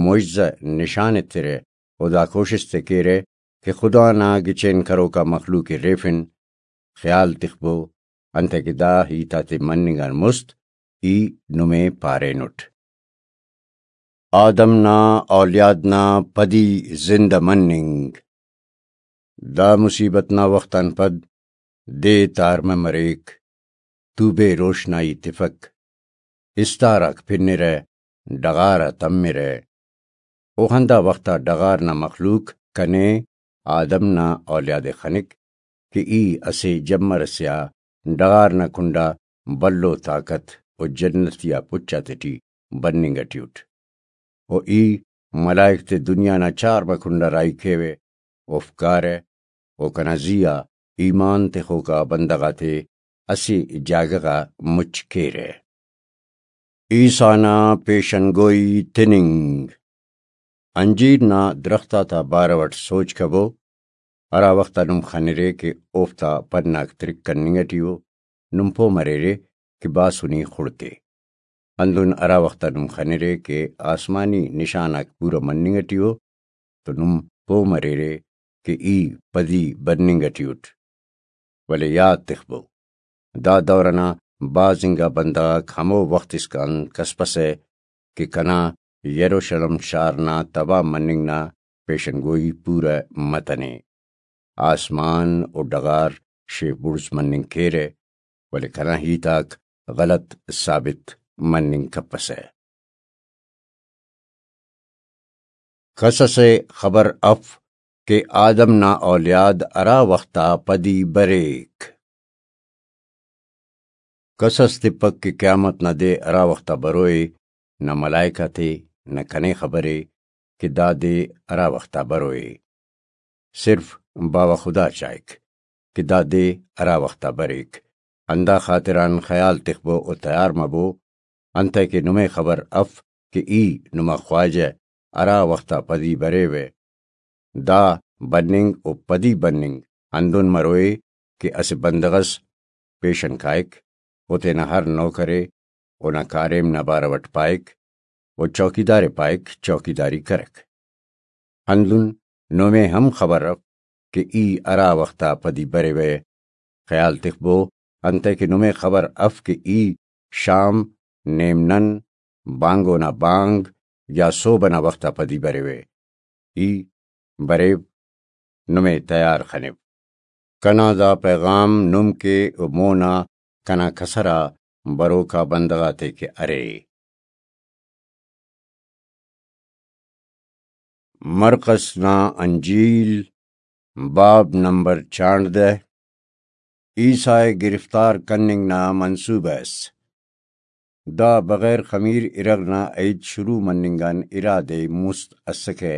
معجزہ نشان ایترہ و دا کوشست ءِ کیرہ کہ خدا نا گچین کروکا مخلوق ءِ ریفن۔ خیال تخبو، انتئے کہ دا ہیت آتے مننگ آن مست ای نمے پارینٹ۔ آدم نا اولیاد نا پدی زندہ مننگ۔ دا مصیبت نا وخت آن پد دے تارمہ مریک، توبے روشنائی تفک، استار آک پنرہ، ڈغار آ تمرہ۔ او ہندا وخت آ ڈغار نا مخلوق کنے آدم نا اولیاد ءِ خنک کہ ای اسہ جمر ئسے آ ڈغار نا کنڈا بھلو طاقت و جنتی آ پچ آتیٹی بننگ ٹی اٹ۔ و ای ملائک تے دنیا نا چار بہ کنڈا راہی کیوہ، اوفک کارہ، و کنا زی آ ایمان تخوکا بندغ آتے اسہ جاگہ غا مچ کیرہ۔ عیسیٰ نا پیشن گوئی تننگ۔ انجیر نا درخت آتا بارو اٹ سوچ کبو، ہرا وخت آ نم خنرے کہ اوفتا پن آک ترک کننگ ٹی ءُ، نم پہہ مریرے کہ باسنی خڑکے۔ ہندن ہرا وخت آ نم خنرے کہ آسمانی نشان آک پورا مننگ ٹی ءُ، تو نم پہہ مریرے کہ ای پدی بننگ ٹی اٹ۔ ولے یات تخبو، دا دور ئنا بھاز انگا بندغ آک ہمو وخت اسکان کسپسہ کہ کنا یروشلم شار نا تباہ مننگ نا پیشن گوئی پورہ متنے۔ آسمان و ڈغار شیف بڑز مننگ کیرہ، ولے کنا ہیت آک غلط ثابت مننگ کپسہ۔ کس ئسے خبر اف کہ آدم نا اولیاد ہرا وخت آ پدی بریک۔ کس ئس تپک کہ قیامت نا دے ہرا وخت آ بروئے، نہ ملائک آتے، نہ کنے خبرے کہ دا دے ہرا وخت آ بروئے۔ صرف باوہ خدا چائک کہ دا دے ہرا وخت آ بریک۔ ہندا خاطران خیال تخبو و تیار مبو، انتئے کہ نمے خبر اف کہ ای نما خواجہ ہرا وخت آ پدی بریوہ۔ دا بننگ و پدی بننگ ہندن مروئے کہ اسہ بندغ ئس پیشن کائک، او تینا ہر نوکر ئے اونا کاریم نا بارو ئٹ پائک، و چوکیدار ئے پائک چوکیداری کرک۔ ہندن نمے ہم خبر اف کہ ای ہرا وخت آ پدی بریوہ۔ خیال تخبو، انتئے کہ نمے خبر اف کہ ای شام، نیم نن، بانگو نا بانگ یا سہب ئنا وخت آ پدی بریوہ۔ ای بریو، نمے تیار خنیو۔ کنا دا پیغام نم کہ و مونا کنا کسر آ بروکا بندغ آتے کہ ارے۔ مرقس نا انجیل، باب نمبر چانڑدہ۔ عیسیٰ ءِ گرفتار کننگ نا منصوبہ ئس۔ دا بغیر خمیر ارغ نا عئید شروع مننگ آن ارا دے مست اسکہ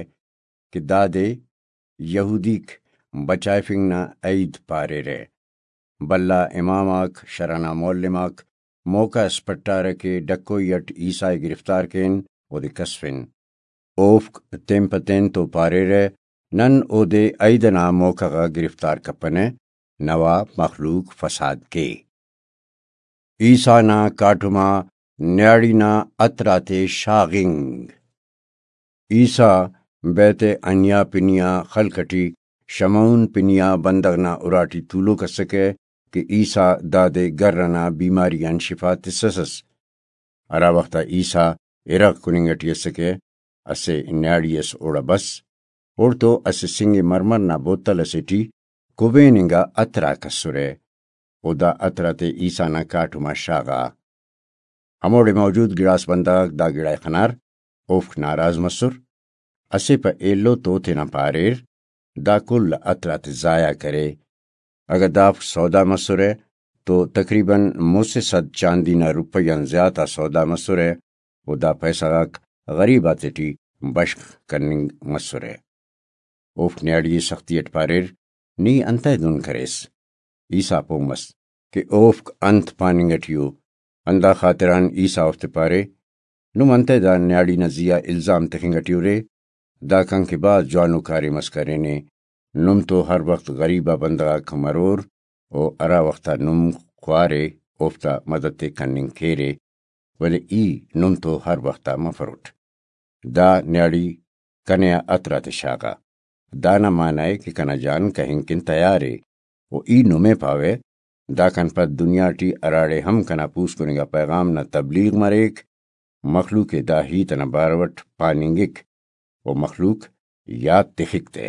کہ دادے یہودیک بچائفنگ نا عئید پاریرہ۔ بھلا امام آک، شرع نا معلم آک موقع ئس پٹارہ کہ ڈکوئی ئٹ عیسیٰ ءِ گرفتار کین، اودے کسفن۔ اوفک تین پہ تین تو پاریرہ، نن اودے عئید ئنا موقع غا گرفتار کپنہ، نوا مخلوق فساد کے۔ عیسیٰ نا کاٹم آ نیاڑی نا عطر آتے شاغنگ۔ عیسیٰ بیت عنیہ پنی آ خلق ٹی شمعون پنی آ بندغ نا اراٹی تولوک اسکہ کہ عیسیٰ دادے گر ئنا بیماری آن شفا تسسس۔ ہرا وخت آ عیسیٰ ارغ کننگ ٹی اسکہ، اسہ نیاڑی ئس اوڑا بس، اوڑتو اسہ سنگ مرمر نا بوتل ئسے ٹی کبین انگا عطر آک اسرہ، و دا عطر آتے عیسیٰ نا کاٹم آ شاغا۔ ہموڑے موجود گڑاس بندغ آک دا گڑا ءِ خنار، اوفک ناراض مسر۔ اسہ پہ ایلو تو تینا پاریر، دا کل عطر آتے ضائع کرے۔ اگہ دافک سودا مسرہ تو تقریباً مسہ سد چاندی نا روپئی آن زیات آ سودا مسرہ، و دا پیسہ غاک غریب آتیٹی بشخ کننگ مسرہ۔ اوفک نیاڑی ءِ سختی اٹ پاریر، نی انتئے دن کریس؟ عیسیٰ پہہ مس کہ اوفک انت پاننگ اٹی ءُ، ہندا خاطران عیسیٰ اوفتے پارے، نم انتئے دا نیاڑی نا زیہا الزام تخنگ اٹی ارے؟ دا کنکہ بھاز جوانو کاریم اس کرینے۔ نم تو ہر وخت غریب آ بندغ آک مرور، و ہرا وخت آ نم خوارے اوفتا مدد ءِ کننگ کیرے، ولے ای نم تو ہر وخت آ مفروٹ۔ دا نیاڑی کنے آ عطر آتے شاغا۔ دانا معنی ءِ کہ کنا جان کہنگ کن تیار ءِ، و ای نمے پاوہ، داکان پد دنیا ٹی ہراڑے ہم کنا پوسکننگ آ پیغام نا تبلیغ مریک، مخلوق ءِ دا ہیت ئنا بارو اٹ پاننگک، و مخلوق یات تخک تہ۔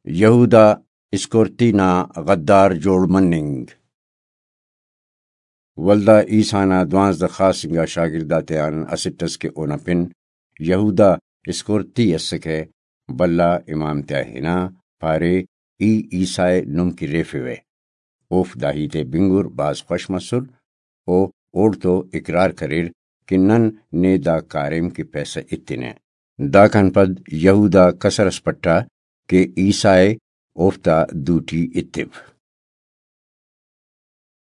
یہودا اسکورتی نا غدار جوڑ مننگ۔ ولدا عیسیٰ نا دوانزدہ خاص انگا شاگرد آتیان اسٹ ئس کہ اونا پن یہودا اسکورتی ئسکہ، بھلا امام تیا ہنا، پارے، ای عیسیٰ ءِ نم کہ ریفوہ۔ اوفک دا ہیت ءِ بنگر بھاز خوش مسر، و اوڑتو اقرار کریر کہ نن نے دا کاریم کہ پیسہ ایتنہ۔ داکان پد یہودا کسر ئس پٹا کہ عیسیٰ ءِ اوفتا دوٹی ایتو۔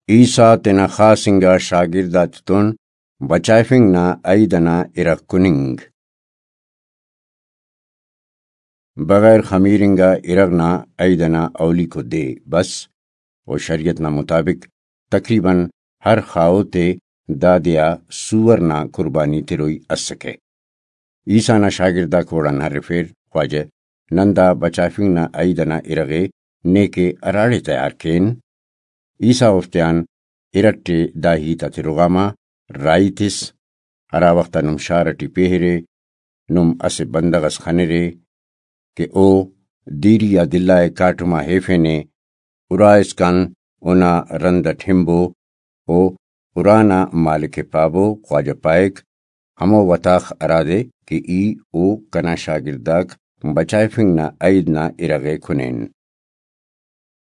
عیسیٰ تینا خاص انگا شاگرد آتتون بچائفنگ نا عئید ئنا ارغ کننگ۔ بغیر خمیر انگا ارغ نا عئید ئنا اولیکو دے بس، و شریعت نا مطابق تقریباً ہر خاہوت ءِ دا دے آ سوور نا قربانی تروئی اسکہ۔ عیسیٰ نا شاگرد آک اوڑان ہرفیر، خواجہ، نن دا بچائفنگ نا عئید ئنا ارغ ءِ نے کہ ہراڑے تیار کین؟ عیسیٰ اوفتیان ارٹ ءِ دا ہیت آتے رغاما راہی تس، ہرا وخت آ نم شار ٹی پیہرے، نم اسہ بندغ ئس خنرے کہ او دیری آ دلہ ءِ کاٹم آ ہیفینے، ارا اسکان اونا رند اٹ ہنبو، او ارا نا مالک ءِ پابو، خواجہ پائک، ہمو وتاخ ہرادے کہ ای او کنا شاگرد آک بچائفنگ نا عئید نا ارغ ءِ کنین۔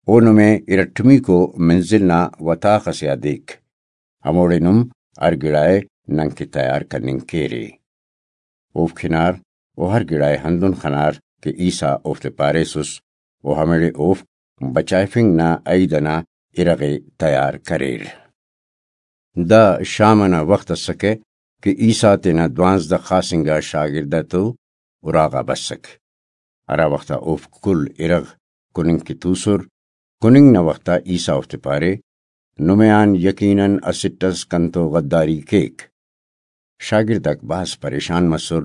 او نمے ارٹمیکو منزل نا وتاخ ئسے آ دیک، ہموڑے نم ہر گڑا ءِ ننکہ تیار کننگ کیرے۔ اوفک ہنار و ہر گڑا ءِ ہندن خنار کہ عیسیٰ اوفتے پاریسس، و ہمیڑے اوفک بچائفنگ نا عئید ئنا ارغ ءِ تیار کریر۔ دا شام ئنا وخت اسکہ کہ عیسیٰ تینا دوانزدہ خاص انگا شاگرد آتو اراغا بسک۔ ہرا وخت آ اوفک کل ارغ کننگ کہ توسر، کننگ نا وخت آ عیسیٰ اوفتے پارے، نمے آن یقیناً اسٹ ئس کنتو غداری کیک۔ شاگرد آک بھاز پریشان مسر،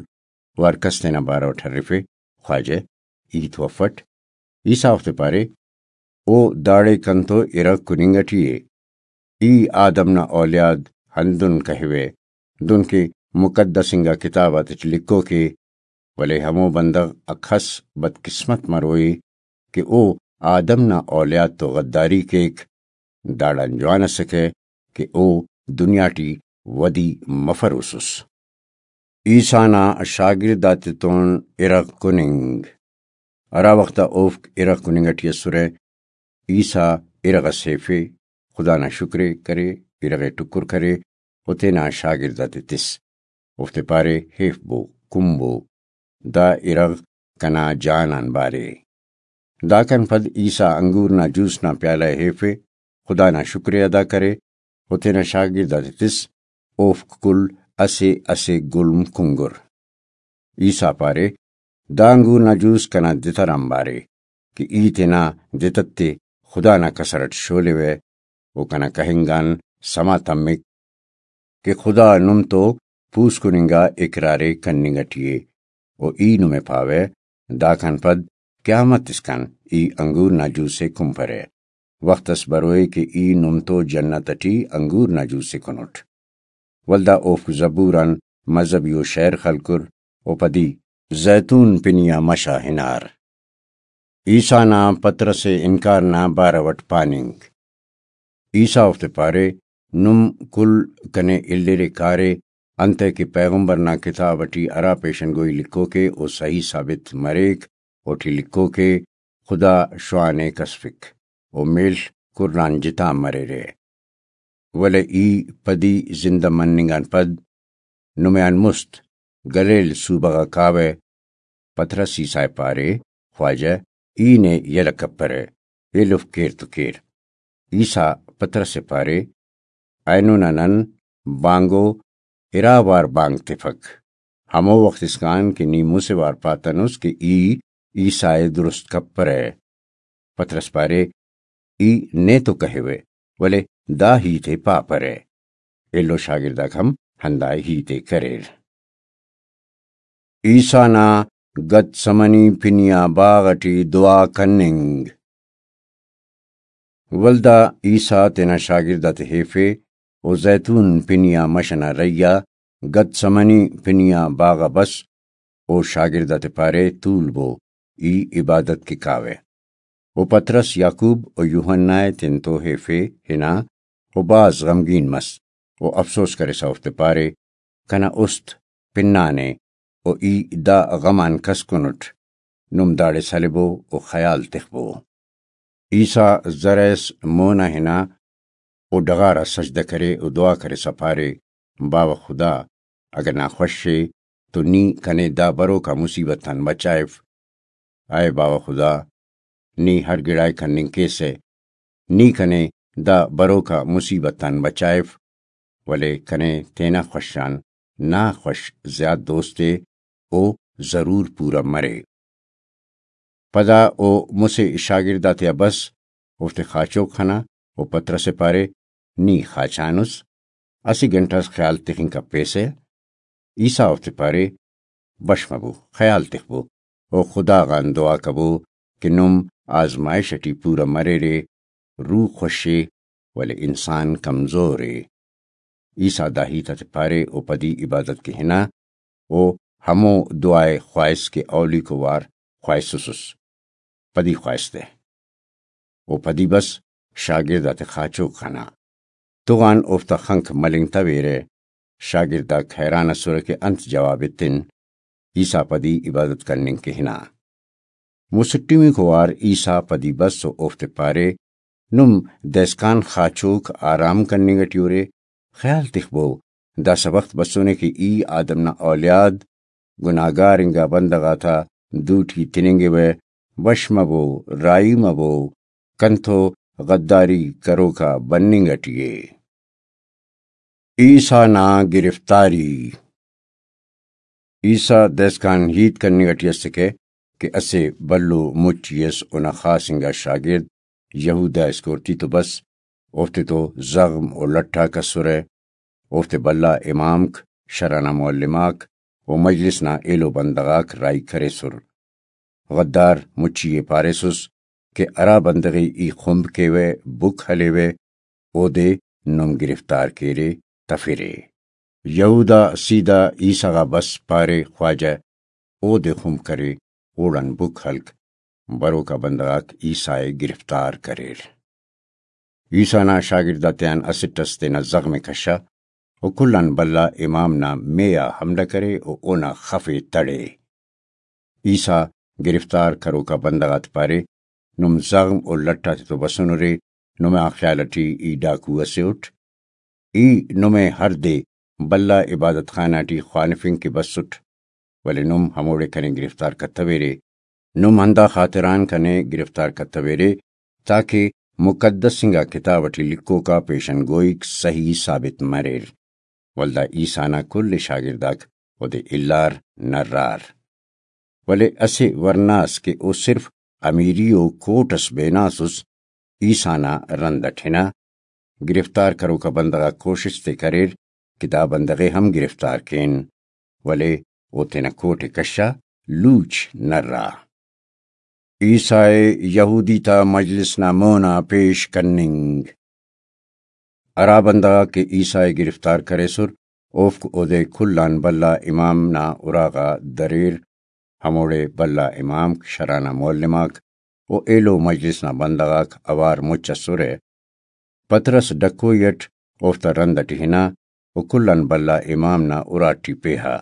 و ہر کس تینا بارو اٹ ہرفے، خواجہ، ای تو افٹ؟ عیسیٰ اوفتے پارے، او داڑے کنتو ارغ کننگ اٹی ءِ۔ ای آدم نا اولیاد ہندن کہیوہ، دنکہ مقدس انگا کتاب آتیٹی لکھوک ءِ، ولے ہمو بندغ اکس بدقسمت مروئے کہ او آدم نا اولیاد تو غداری کیک۔ داڑان جوان اسکہ کہ او دنیا ٹی ودی مفروسس۔ عیسیٰ نا شاگرد آتتون ارغ کننگ۔ ہرا وخت آ اوفک ارغ کننگ ٹی اسرہ، عیسیٰ ارغ اس ہیفے، خدا نا شکر ءِ کرے، ارغ ءِ ٹکر کرے و تینا شاگرد آتے تس۔ اوفتے پارے، ہیفبو، کنبو، دا ارغ کنا جان آن بارے۔ داکان پد عیسیٰ انگور نا جوس نا پیالہ ءِ ہیفے، خدا نا شکر ءِ ادا کرے و تینا شاگرد آتے تس، اوفک کل اسہ اسہ گلم کنگر۔ عیسیٰ پارے، دا انگور نا جوس کنا دتر آنبار ءِ کہ ای تینا دتت ءِ خدا نا کسر اٹ شولیوہ و کنا کہنگ آن سما تمک کہ خدا نم تو پوسکن انگا اقرار ءِ کننگ اٹی ءِ و ای نمے پاوہ، داکان پد قیامت اسکان ای انگور نا جوس ءِ کنپرہ۔ وخت اس بروئے کہ ای نم تو جنت اٹی انگور نا جوس ءِ کنٹ۔ ولدا اوفک زبور آن مذہبی و شعر خلکر و پدی زیتون پنی آ مش آ ہنار۔ عیسیٰ نا پطرس ءِ انکار نا بارو اٹ پاننگ۔ عیسیٰ اوفتے پارے، نم کل کنے الیرے کارے، انتئے کہ پیغمبر نا کتاب ٹی ہرا پیشن گوئی لکھوکے او صحیح ثابت مریک، اوٹی لکھوکے، خدا شوان ءِ کسفک، و میڷ کران جتا مریرہ۔ ولے ای پدی زندہ مننگ آن پد نمے آن مست گلیل صوبہ غا کاوہ۔ پطرس عیسیٰ ءِ پارے، خواجہ، ای نے یلہ کپرہ، ایلوفک کیر تو کیر۔ عیسیٰ پطرس ءِ پارے، اینو نا نن بانگو ارا وار بانگ تفک، ہمو وخت اسکان کہ نی مسہ وار پاتنس کہ ای عیسیٰ ءِ درست کپرہ۔ پطرس پارے، ای نے تو کہیوہ، ولے دا ہیت ءِ پاپرہ۔ ایلو شاگرداک ہم ہندا ہیت ءِ کریر۔ عیسیٰ نا گتسمنی پنی آ باغ ٹی دعا کننگ۔ ولدا عیسیٰ تینا شاگرد آتے ہیفے و زیتون پنی آ مش ئنا رہی آ گتسمنی پنی آ باغ آ بس۔ او شاگرد آتے پارے، تولبو، ای عبادت کہ کاوہ۔ و پطرس، یعقوب و یوحنا ءِ تینتو ہیفے ہنا، و بھاز غمگین مس، و افسوس کرسا اوفتے پارے، کنا است پنانے، و ای دا غم آن کس کنٹ، نم داڑے سلبو و خیال تخبو۔ عیسیٰ زرہ ئس مون آ ہنا، و ڈغار آ سجدہ کرے و دعا کرسا پارے، باوہ خدا، اگہ نا خوش ءِ تو نی کنے دا بروکا مصیبت آن بچائف۔ اے باوہ خدا، نی ہر گڑائے کننگ کیسہ، نی کنے دا بروکا مصیبت آن بچائف، ولے کنے تینا خوش آن نا خوش زیات دوست ءِ، او ضرور پورہ مرے۔ پدا او مسہ شاگرد آتیا بس، اوفتے خاچوک خنا و پطرس ءِ پارے، نی خاچانس، اسہ گھنٹہ اس خیال تخنگ کپیسہ۔ عیسیٰ اوفتے پارے، بش مبو، خیال تخبو و خدا غان دعا کبو کہ نم آزمائش ٹی پورہ مریرے، روح خوش ءِ، ولے انسان کمزور ءِ۔ عیسیٰ دا ہیت آتے پارے و پدی عبادت کہ ہنا، و ہمو دعا ءِ خواہس کہ اولیکو وار خواہسسس، پدی خواہس تہ۔ و پدی بس شاگرد آتے خاچوک خنا۔ تغان اوفتا خنک ملنگتویرہ۔ شاگرداک حیران ئسرہ کہ انت جواب ایتن۔ عیسیٰ پدی عبادت کننگ کہ ہنا۔ مسٹمیکو وار عیسیٰ پدی بس و اوفتے پارے، نم دائسکان خاچوک آرام کننگ ٹی اُرے، خیال تخبو، داسہ وخت بسونے کہ ای آدم نا اولیاد گناہگار انگا بندغ آتا دوٹی تننگوہ، وش مبو، راہی مبو، کنتو غداری کروکا بننگ ٹی ءِ۔ عیسیٰ نا گرفتاری۔ عیسیٰ دائسکان ہیت کننگ ٹی اسکہ کہ اسہ بھلو مچی ئس اونا خاص انگا شاگرد یہودا اسکورتی تو بس، اوفتے تو زغم و لٹ آک اسرہ۔ اوفتے بھلا امامک، شرع نا معلم آک و مجلس نا ایلو بندغ آک راہی کریسر۔ غدار مچی ءِ پاریسس کہ ہرا بندغ ءِ ای خمب کیوہ، بک ہلیوہ، اودے نم گرفتار کیرے، تفرے۔ یہودا سیدھا عیسیٰ غا بس، پارے، خواجہ، اودے خمب کرے، اوڑان بک ہلک۔ بروکا بندغ آک عیسیٰ ءِ گرفتار کریر۔ عیسیٰ نا شاگرد آتیان اسٹ ئس تینا زغم ءِ کشا و کل آن بھلا امام نا مے آ حملہ کرے و اونا خف ءِ تڑے۔ عیسیٰ گرفتار کروکا بندغ آتے پارے، نم زغم و لٹ آتے تو بسنرے، نما خیال ٹی ای ڈاکو ئسے اٹ۔ ای نمے ہر دے بھلا عبادت خانہ ٹی خوانفنگ کہ بسٹ، ولے نم ہموڑے کنے گرفتار کتویرے۔ نم ہندا خاطران کنے گرفتار کتویرے تاکہ مقدس انگا کتاب ٹی لکھوکا پیشن گوئیک صحیح ثابت مریر۔ ولدا عیسیٰ نا کل شاگرداک اودے الار نرار۔ ولے اسہ ورنا ئس کہ او صرف امیری و کوٹ ئس بیناسس، عیسیٰ نا رند ئٹ ہنا۔ گرفتار کروکا بندغ آک کوشست ءِ کریر کہ دا بندغ ءِ ہم گرفتار کین، ولے او تینا کوٹ ءِ کشا لوچ نرا۔ عیسیٰ ءِ یہودی تا مجلس نا مونا پیش کننگ۔ ہرا بندغ آک کہ عیسیٰ ءِ گرفتار کریسر، اوفک اودے کل آن بھلا امام نا اراغا دریر۔ ہموڑے بھلا امامک، شرع نا معلم آک و ایلو مجلس نا بندغ آک اوار مچ ئسرہ۔ پطرس ڈکوئی ئٹ اوفتا رند اٹی ہنا و کل آن بھلا امام نا اراٹی پیہا۔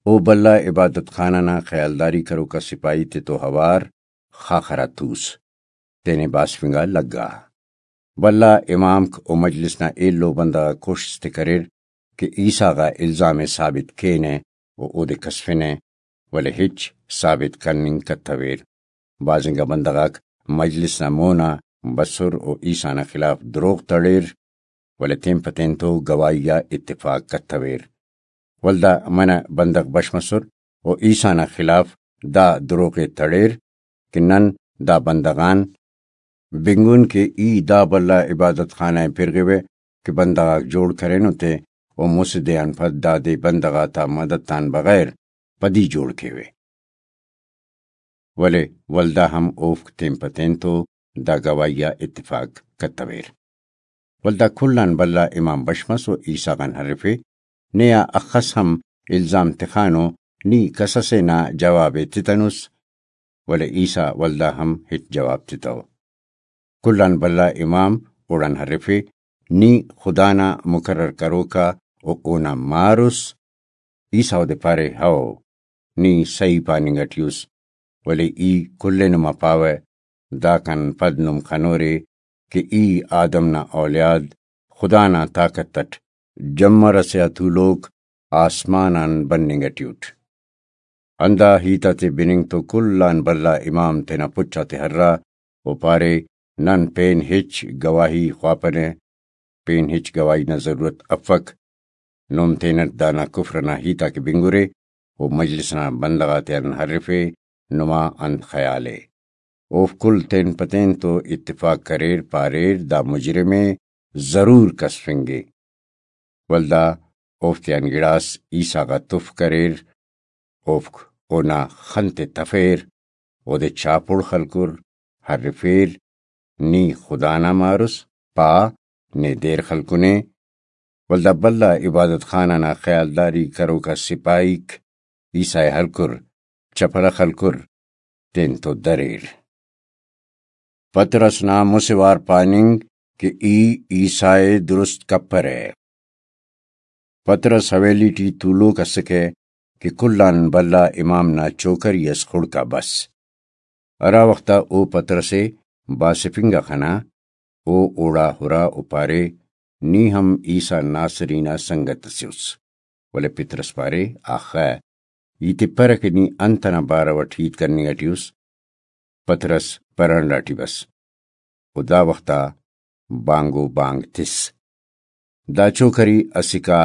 او بھلا عبادت خانہ نا خیالداری کروکا سپاہی تتو اوار خاخرا توس، تینے باسفنگا لگا۔ بھلا امامک و مجلس نا ایلو بندغ آک کوشست ءِ کریر کہ عیسیٰ غا الزام ءِ ثابت کینہ و اودے کسفنہ، ولے ہچ ثابت کننگ کتویر۔ بھاز انگا بندغ آک مجلس نا مونا بسر و عیسیٰ نا خلاف دروغ تڑیر، ولے تین پہ تین تو گواہی آ اتفاق کتویر۔ ولدا منہ بندغ بش مسر و عیسیٰ نا خلاف دا دروغ ءِ تڑیر کہ نن دا بندغ آن بنگن کہ ای دا بھلا عبادت خانہ ءِ پرغوہ کہ بندغ آک جوڑ کرینو تے، و مسہ دے آن پد دادے بندغ آتا مدد آن بغیر پدی جوڑ کیوہ۔ ولے ولدا ہم اوفک تین پہ تین تو دا گواہی آ اتفاق کتویر۔ ولدا کل آن بھلا امام بش مس و عیسیٰ غان ہرفے، نے آ اخس ہم الزام تخانو، نی کس ئسے نا جواب ءِ تتنس، ولے عیسیٰ ولدا ہم ہچ جواب تتو۔ کل آن بھلا امام اوڑان ہرفے، نی خدا نا مقرر کروکا و اونا مار اس؟ عیسیٰ اودے پارے، ہئو، نی سہی پاننگ اٹی اس، ولے ای کل ءِ نما پاوہ، داکان پد نم خنورے کہ ای آدم نا اولیاد، خدا نا طاقت اٹ جمر ئسے آ تولوک آسمان آن بننگ اٹی اٹ۔ ہندا ہیت آتے بننگ تو کل آن بھلا امام تینا پچ آتے ہرا و پارے، نن پین ہچ گواہی خواپنہ، پین ہچ گواہی نا ضرورت افک۔ نم تینٹ دانا کفر ئنا ہیت آک بنگرے و مجلس ئنا بندغ آتیان ہرفے، نما انت خیال ءِ؟ اوفک کل تین پہ تین تو اتفاق کریر، پاریر، دا مجرم ءِ، ضرور کسفنگے۔ ولدا اوفتیان گڑاس عیسیٰ غا تف کریر، اوفک اونا خن تے تفیر، اودے چاپڑ خلکر، ہرفیر، نی خدا نا مار اس، پا، نے دیر خلکنے۔ ولدا بھلا عبادت خانہ نا خیالداری کروکا سپاہیک عیسیٰ ءِ ہلکر، چپلہ خلکر، تین تو دریر۔ پطرس نا مسہ وار پاننگ کہ ای عیسیٰ ءِ درست کپرہ۔ پطرس حویلی ٹی تولوک اسکہ کہ کل آن بھلا امام نا چوکری اس خڑکا بس۔ ہرا وخت آ او پطرس ءِ باسفنگ آ خنا، او اوڑا ہرا و پارے، نی ہم عیسیٰ ناصری نا سنگت ئسے اس۔ ولے پطرس پارے، آخہ، ای تپرہ کہ نی انت ئنا بارو اٹ ہیت کننگ اٹی اس؟ پطرس پرانڈا ٹی بس۔ و دا وخت آ بانگو بانگ تس۔ دا چوکری اسکا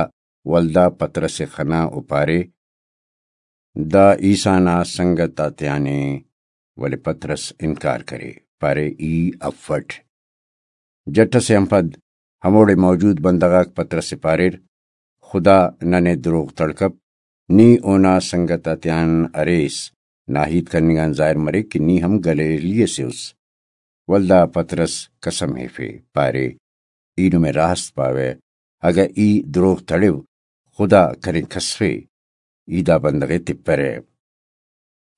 ولدا پطرس ءِ خنا و پارے، دا عیسیٰ نا سنگت آتیانے، ولے پطرس انکار کرے، پارے، ای افٹ۔ جٹ ئسے آن پد ہموڑے موجود بندغ آک پطرس ءِ پاریر، خدا ننے دروغ تڑکپ، نی اونا سنگت آتیان اریس، نا ہیت کننگ آن ظاہر مریک کہ نی ہم گلیلی ئسے اس۔ ولدا پطرس قسم ہیفے، پارے، ای نمے راست پاوہ، اگہ ای دروغ تڑو، خدا کنے کسفے، ای دا بندغ ءِ تپرہ۔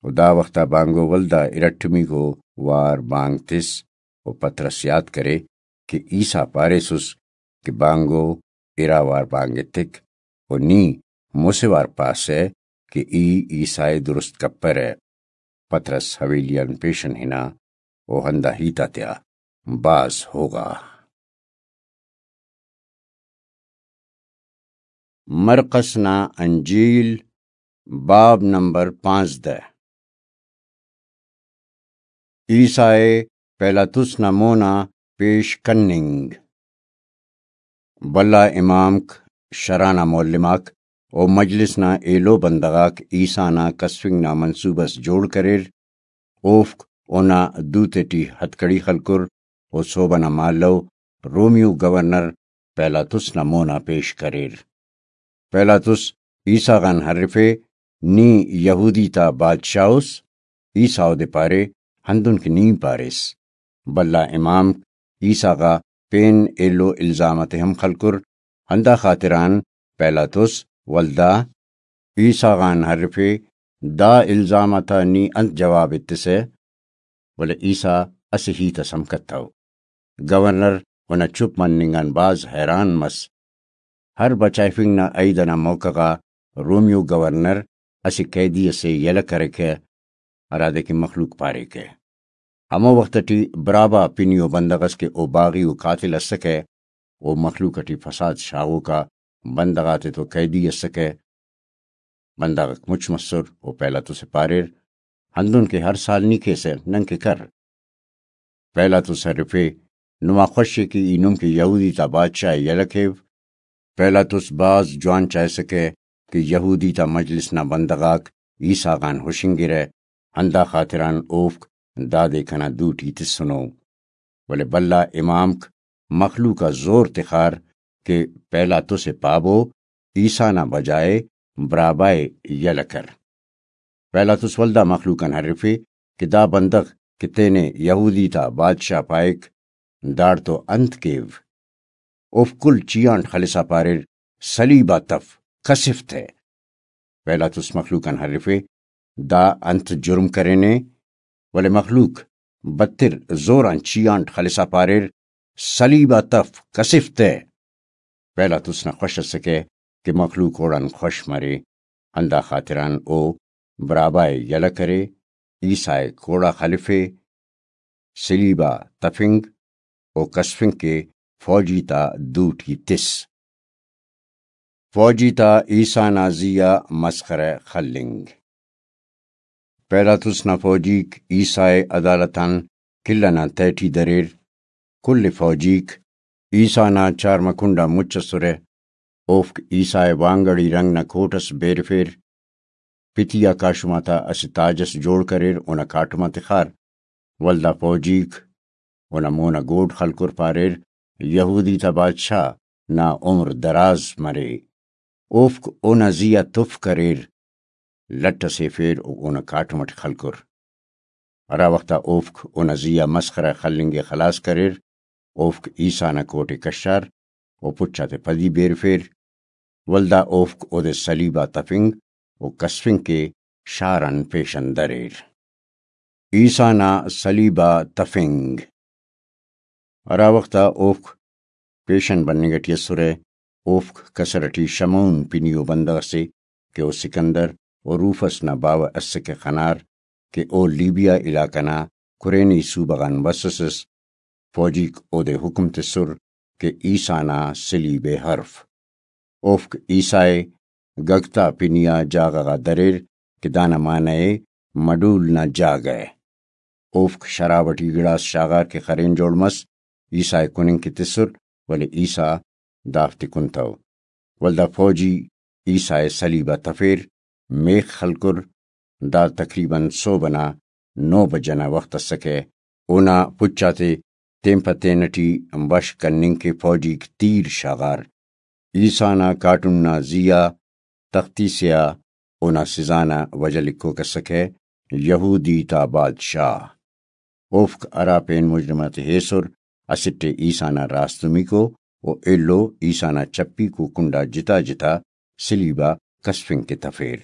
و دا وخت آ بانگو ولدا ارٹمیکو وار بانگ تس و پطرس یات کرے کہ عیسیٰ پاریسس کہ بانگو ارا وار بانگ ایتک و نی مسہ وار پاسہ کہ ای عیسیٰ ءِ درست کپرہ۔ پطرس حویلی آن پیشن ہنا و ہندا ہیت آتیا بھاز ہوغا۔ مرقس نا انجیل، باب نمبر پانزدہ۔ عیسیٰ ءِ پیلاطس نا مونا پیش کننگ۔ بھلا امامک، شرع نا معلم آک و مجلس نا ایلو بندغ آک عیسیٰ نا کسفنگ نا منصوبہ اس جوڑ کریر۔ اوفک اونا دو تیٹی ہتکڑی خلکر و صوبہ نا مالو رومیو گورنر پیلاطس نا مونا پیش کریر۔ پیلاطس عیسیٰ غان ہرفے، نی یہودی تا بادشاہ اس؟ عیسیٰ اودے پارے، ہندن کہ نی پاریس۔ بھلا امام عیسیٰ غا پین ایلو الزام آتے ہم خلکر، ہندا خاطران پیلاطس ولدا عیسیٰ غان ہرفے، دا الزام آتا نی انت جواب ایتسہ؟ ولے عیسیٰ اسہ ہیت اس ہم کتو۔ گورنر اونا چپ مننگ آن بھاز حیران مس۔ ہر بچائفنگ نا عئید ئنا موقع غا رومیو گورنر اسہ قیدی ئسے یلہ کریکہ، ہرادے کہ مخلوق پاریکہ۔ ہمو وخت ٹی برابا پنی و بندغ ئس کہ او باغی و قاتل ئسکہ، او مخلوق ٹی فساد شاغوکا بندغ آتتو قیدی ئسکہ۔ بندغ آک مچ مسر و پیلاطس ئے پاریر، ہندن کہ ہر سال نی کیسہ، نن کہ کر۔ پیلاطس ہرفے، نما خوش ءِ کہ ای نم کہ یہودی تا بادشاہ ءِ یلہ کیو۔ پیلاطس بھاز جوان چاہسکہ کہ یہودی تا مجلس نا بندغ آک عیسیٰ غان ہشنگرہ، ہندا خاطران اوفک دادے کنا دوٹی تسنو۔ ولے بھلا امامک مخلوق آ زور تخار کہ پیلاطس ءِ پابو، عیسیٰ نا بجائے برابا ءِ یلہ کر۔ پیلاطس ولدا مخلوق آن ہرفے کہ دا بندغ کہ تینے یہودی تا بادشاہ پائک، داڑتو انت کیو؟ اوفک کل چیانٹ خلسا پاریر، صلیب آ تف، کسف تہ۔ پیلاطس مخلوق آن ہرفے، دا انت جرم کرینے؟ ولے مخلوق بتر زور آن چیانٹ خلسا پاریر، صلیب آ تف، کسف تہ۔ پیلاطس نا خوش اسکہ کہ مخلوق اوڑان خوش مرے، ہندا خاطران او برابا ءِ یلہ کرے، عیسیٰ ءِ کوڑا خلفے، صلیب آ تفنگ و کسفنگ کہ فوجی تا دوٹی تس۔ فوجی تا عیسیٰ نا زی آ مسخرہ خلنگ۔ پیلاطس نا فوجیک عیسیٰ ءِ عدالت آن کل ئنا تہٹی دریر۔ کل فوجیک عیسیٰ نا چارمہ کنڈ آ مچ ئسرہ۔ اوفک عیسیٰ ءِ وانگڑی رنگ نا کوٹ ئس بیرفیر۔ پتی آ کاشم آتا اسہ تاج ئس جوڑ کریر، اونا کاٹم آ تخار۔ ولدا فوجیک اونا مون آ گوڈ خلکر، پاریر، یہودی تا بادشاہ نا عمر دراز مرے۔ اوفک اونا زی آ تف کریر، لٹ ئس ایفیر و اونا کاٹم ئٹ خلکر۔ ہرا وخت آ اوفک اونا زی آ مسخرہ خلنگ ءِ خلاس کریر، اوفک عیسیٰ نا کوٹ ءِ کشار و پچ آتے پدی بیرفیر۔ ولدا اوفک اودے صلیب آ تفنگ و کسفنگ کہ شار آن پیشن دریر۔ عیسیٰ نا صلیب آ تفنگ۔ ہرا وخت آ اوفک پیشن بننگ ٹی اسرہ، اوفک کسر ٹی شمعون پنی و بندغ ئسے کہ او سکندر و روفس نا باوہ اسکہ خنار، کہ او لیبیا علاقہ نا کرینے صوبہ غان بسسس۔ فوجیک اودے حکم تسر کہ عیسیٰ نا صلیب ءِ ہرف۔ اوفک عیسیٰ ءِ گگتا پنی آ جاگہ غا دریر کہ دانا معنی ءِ مڈول نا جاگہ۔ اوفک شراب ٹی گڑاس شاغار کہ خرین جوڑ مس، عیسیٰ ءِ کننگ کہ تسر، ولے عیسیٰ دافتے کنتو۔ ولدا فوجی عیسیٰ ءِ صلیب آ تفیر، میخ خلکر۔ دا تقریباً سہب ئنا نو بجہ نا وخت اسکہ۔ اونا پچ آتے تین پہ تین ٹی بش کننگ کہ فوجیک تیر شاغار۔ عیسیٰ نا کاٹم نا زی آ تختی سے آ اونا سزا نا وجہ لکھوک اسکہ، یہودی تا بادشاہ۔ اوفک ہرا پین مجرم آتے ہیسر، اسٹ ءِ عیسیٰ نا راستمیکو و ایلو عیسیٰ نا چپیکو کنڈا جتا جتا صلیب آ کسفنگ کہ تفیر۔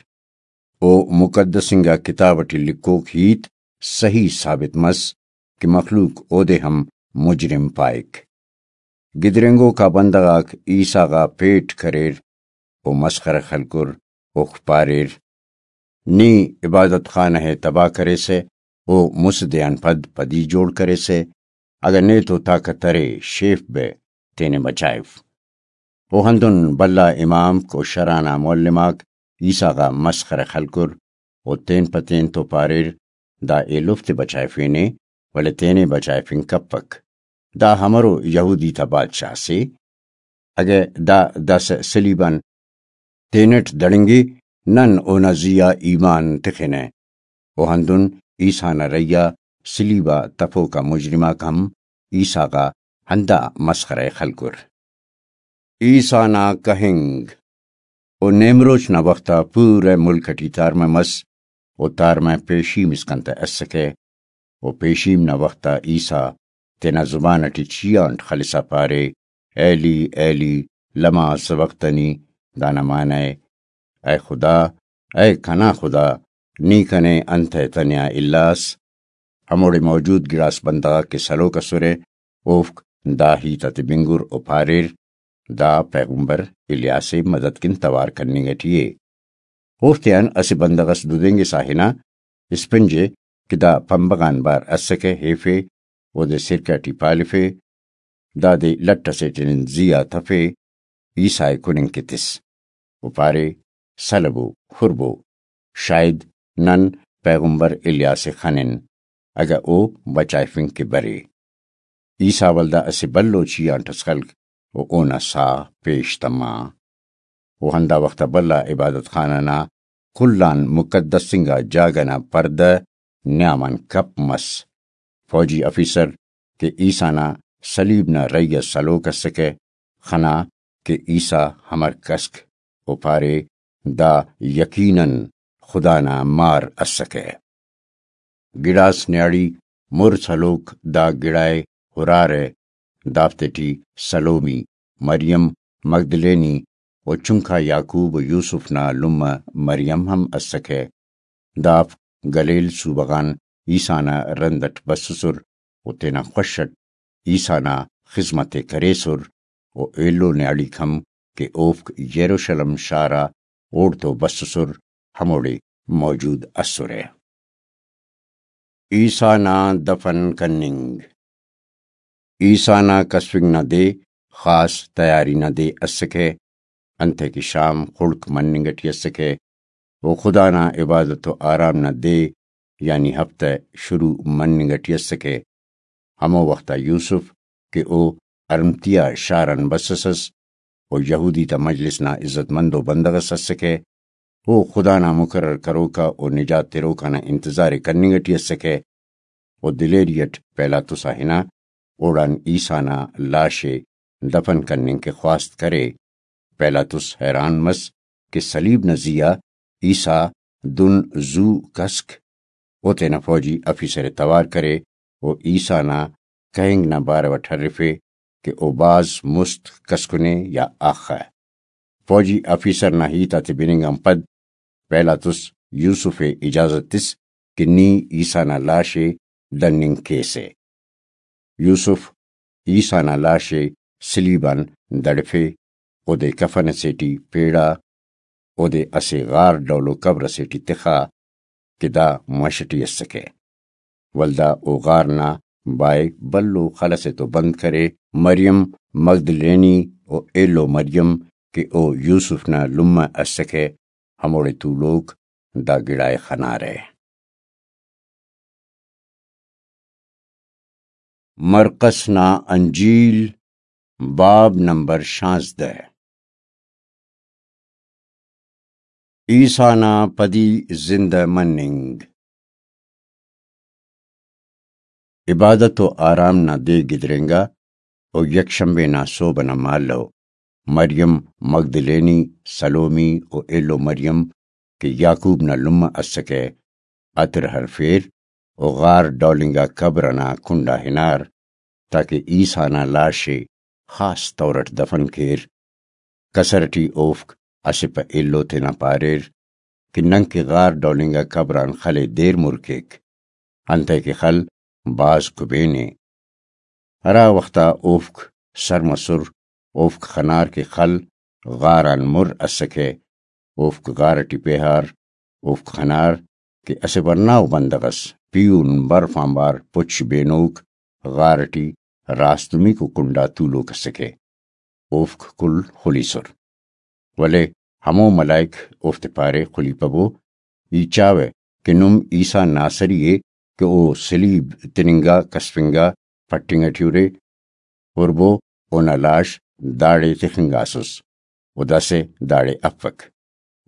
او مقدس انگا کتاب ٹی لکھوک ہیت صحیح ثابت مس کہ مخلوق اودے ہم مجرم پائک۔ گدرینگوکا بندغ آک عیسیٰ غا پیٹ کریر و مسخرہ خلکر، اوفک پاریر، نی عبادت خانہ ءِ تباہ کریسہ و مسہ دے آن پد پدی جوڑ کریسہ، اگہ نے تو طاقت ارے، شیف بہ، تینے بچائف۔ و ہندن بھلا امامک و شرع نا معلم آک عیسیٰ غا مسخرہ خلکر و تین پہ تین تو پاریر، دا ایلوفتے بچائفینے، ولے تینے بچائفنگ کپک۔ دا ہمرو یہودی تا بادشاہ سے؟ اگہ دا داسہ صلیب آن تینٹ دڑنگے، نن اونا زی آ ایمان تخنہ۔ و ہندن عیسیٰ نا رہی آ صلیب آ تفوکا مجرم آک ہم عیسیٰ غا ہندا مسخرہ ءِ خلکر۔ عیسیٰ نا کہنگ۔ و نیمروچ نا وخت آ پورہ ملک ٹی تارمہ مس، و تارمہ پیشیم اسکان تہ اسکہ۔ و پیشیم نا وخت آ عیسیٰ تینا زبان ٹی چیانٹ خلسا پارے، ایلی، ایلی، لما سبقتنی؟ دانا معنی ءِ، اے خدا، اے کنا خدا، نی کنے انتئے تنیا الاس؟ ہموڑے موجود گڑاس بندغ آک کہ سلوک اسرہ، اوفک دا ہیت آتے بنگر و پاریر، دا پیغمبر الیاس ءِ مدد کن توار کننگ اٹی ءِ۔ اوفتیان اسہ بندغ اس ددینگسا ہنا، اسپنج ءِ کہ دا پمبغ آن بار اسکہ، ہیفے، اودے سرکہ ٹی پالفے، دادے لٹ اسیٹی نن زی آ تفے، عیسیٰ ءِ کننگ کہ تس۔ و پارے، سلبو، خربو، شاید نن پیغمبر الیاس ءِ خنن، اگہ او بچائفنگ کہ برے۔ عیسیٰ ولدا اسہ بھلو چیہانٹ اس خلک و اونا ساہ پیش تما۔ و ہندا وخت آ بھلا عبادت خانہ نا کل آن مقدس انگا جاگہ نا پردہ نیام آن کپ مس۔ فوجی آفیسر کہ عیسیٰ نا صلیب نا رہی اس ہلوک اسکہ، خنا کہ عیسیٰ ہمر کسک، و پارے، دا یقیناً خدا نا مار اسکہ۔ گڑاس نیاڑی مر سلوک دا گڑائے ہرارہ، دافتیٹی سلومی، مریم مگدلینی و چنکا یعقوب و یوسف نا لمہ مریم ہم اسکہ۔ دافک گلیل صوبہ غان عیسیٰ نا رند اٹ بسسر و تینا خوش اٹ عیسیٰ نا خذمت ءِ کریسر و ایلو نیاڑیک ہم کہ اوفک یروشلم شار آ اوڑتو بسسر، ہموڑے موجود ئسرہ۔ عیسیٰ نا دفن کننگ۔ عیسیٰ نا کسفنگ نا دے خاص تیاری نا دے اسکہ، انتئے کہ شام خڑک مننگ ٹی اسکہ و خدا نا عبادت و آرام نا دے یعنی ہفتہ شروع مننگ ٹی اسکہ۔ ہمو وخت آ یوسف کہ او ارمتیا شار آن بسس ئس و یہودی تا مجلس نا عزت مندو بندغ اس اسکہ، او خدا نا مقرر کروکا و نجات تروکا نا انتظار ءِ کننگ ٹی اسکہ و دلیری اٹ پیلاطس آ ہنا اوڑان عیسیٰ نا لاش ءِ دفن کننگ کہ خواست کرے۔ پیلاطس حیران مس کہ صلیب نا زی آ عیسیٰ دن زو کسک۔ او تینا فوجی آفیسر ءِ توار کرے و عیسیٰ نا کہنگ نا بارو اٹ ہرفے کہ او بھاز مست کسکنے یا آخہ۔ فوجی آفیسر نا ہیت آتے بننگ آن پد پیلاطس یوسف ءِ اجازت تس کہ نی عیسیٰ نا لاش ءِ دننگ کیسہ۔ یوسف عیسیٰ نا لاش ءِ صلیب آن دڑفے، اودے کفن اسے ٹی پیڑا، اودے اسہ غار ڈولو قبر اسے ٹی تخا کہ دا مش ٹی اسکہ۔ ولدا او غار نا بائے بھلو خل اسے تو بند کرے۔ مریم مگدلینی و ایلو مریم کہ او یوسف نا لمہ اسکہ، ہموڑے تولوک دا گڑائے خنارہ۔ مرقس نا انجیل، باب نمبر شانزدہ۔ عیسیٰ نا پدی زندہ مننگ۔ عبادت و آرام نا دے گدرینگا و یکشنبے نا سہب ئنا مالو مریم مگدلینی، سلومی و ایلو مریم کہ یعقوب نا لمہ اسکہ، عطر ہرفیر و غار ڈول انگا قبر ئنا کنڈا ہنار، تاکہ عیسیٰ نا لاش ءِ خاص طور اٹ دفن کیر۔ کسر ٹی اوفک اسہ پہ ایلو تینا پاریر کہ ننکہ غار ڈول انگا قبر آن خل ءِ دیر مر کیک، انتئے کہ خل بھاز کبین ءِ۔ ہرا وخت آ اوفک سر مسر، اوفک خنار کہ خل غار آن مر اسکہ، اوفک غار ٹی پیہار، اوفک خنار کہ اسہ ورناؤ بندغ ئس پیہن برف آنبار پچ بینوک غار ٹی راستمیکو کنڈا تولوک اسکہ۔ اوفک کل خلیسر۔ ولے ہمو ملائک اوفتے پارے، خلیپبو، ای چاوہ کہ نم عیسیٰ ناصری ءِ کہ او صلیب تننگا، کسفنگا، پٹنگ ٹی ارے، ہربو اونا لاش داڑے تخنگاسس و داسہ داڑے افک۔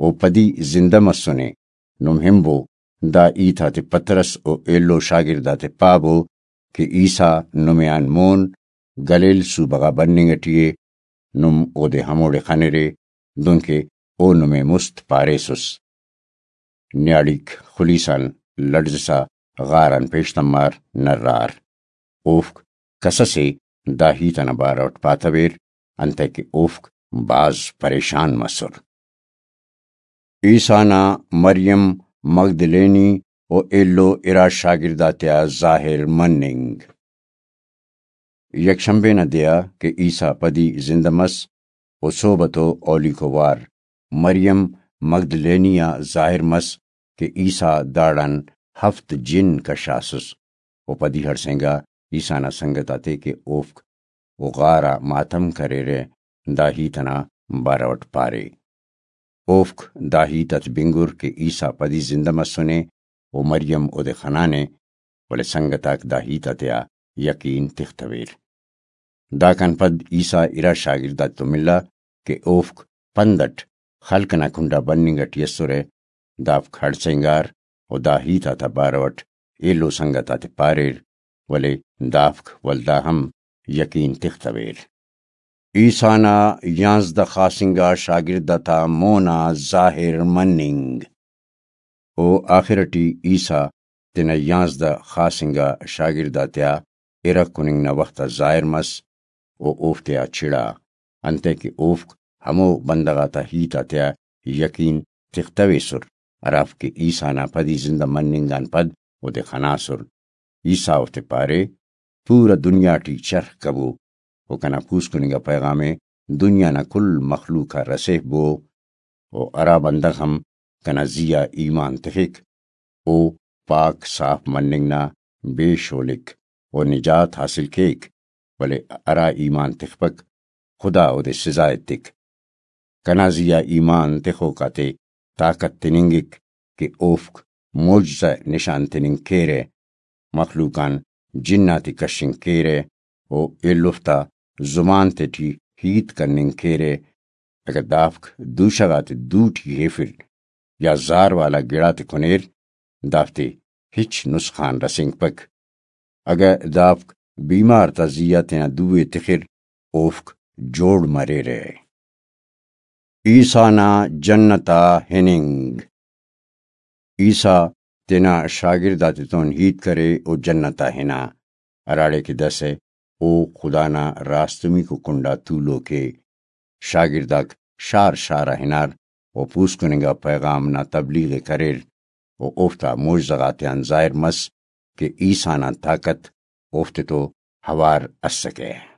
او پدی زندہ مسنے۔ نم ہنبو، دا ہیت آتے پطرس و ایلو شاگرد آتے پابو کہ عیسیٰ نمے آن مون گلیل صوبہ غا بننگ ٹی ءِ، نم اودے ہموڑے خنرے، دنکہ او نمے مست پاریسس۔ نیاڑیک خلیسان لڑزسا غار آن پیش تمار، نرار۔ اوفک کس اسے دا ہیت ئنا بارو اٹ پاتویر، انتئے کہ اوفک بھاز پریشان مسر۔ عیسیٰ نا مریم مگدلینی و ایلو ارا شاگرد آتیا ظاہر مننگ۔ یکشنبے نا دے آ کہ عیسیٰ پدی زندہ مس، و سہب تو اولیکو وار مریم مگدلینی آ ظاہر مس کہ عیسیٰ داڑان ہفت جن کشاسس، و پدی ہڑسینگا عیسیٰ نا سنگت آتے کہ اوفک و غار آ ماتم کریرہ، دا ہیت ئنا بارو ئٹ پارے۔ اوفک دا ہیت آتے بنگر کہ عیسیٰ پدی زندہ مسنے و مریم اودے خنانے، ولے سنگت آک دا ہیت آتیا یقین تختویر۔ داکان پد عیسیٰ ارا شاگرد آتتون ملا کہ اوفک پند اٹ خلق ئنا کنڈا بننگ اٹی ئسرہ، دافک ہڑسینگار و دا ہیت آتا بارو اٹ ایلو سنگت آتے پاریر، ولے دافک ولدا ہم یقین تختویر۔ عیسیٰ نا یانزدہ خاص انگا شاگرد آتا مونا ظاہر مننگ۔ و آخر ٹی عیسیٰ تینا یانزدہ خاص انگا شاگرد آتیا ارغ کننگ نا وخت آ ظاہر مس و اوفتیا چڑا، انتئے کہ اوفک ہمو بندغ آتا ہیت آتیا یقین تختویسر، ہرافک کہ عیسیٰ نا پدی زندہ مننگ آن پد اودے خناسر۔ عیسیٰ اوفتے پارے، پورا دنیا ٹی چرخ کبو و کنا پوسکننگ آ پیغام ءِ دنیا نا کل مخلوق آ رسیفبو، و ہرا بندغ ہم کنا زی آ ایمان تخک، او پاک صاف مننگ نا بے شولک و نجات حاصل کیک، ولے ہرا ایمان تخپک، خدا اودے سزا ایتک۔ کنا زی آ ایمان تخوک آتے طاقت تننگک کہ اوفک معجزہ نشان تننگ کیرہ، مخلوق آن جن آتے کشنگ کیرہ و ایلوفتا زبان تیٹی ہیت کننگ کیرہ۔ اگہ دافک دوشہ غاتے دو ٹی ہیفر یا زار والا گڑاتے کنیر، دافتے ہچ نسخان رسینگپک۔ اگہ دافک بیمار تا زی آ تینا دو ءِ تخر، اوفک جوڑ مریرہ۔ عیسیٰ نا جنت آ ہننگ۔ عیسیٰ تینا شاگرد آتتون ہیت کرے و جنت آ ہنا، ہراڑے کہ داسہ او خدا نا راستمیکو کنڈا تولوک ءِ۔ شاگرد آک شار شار آ ہنار و پوسکننگ آ پیغام نا تبلیغ ءِ کریر و اوفتا معجزہ غاتیان ظاہر مس کہ عیسیٰ نا طاقت اوفتے تو ہوار اسکہ۔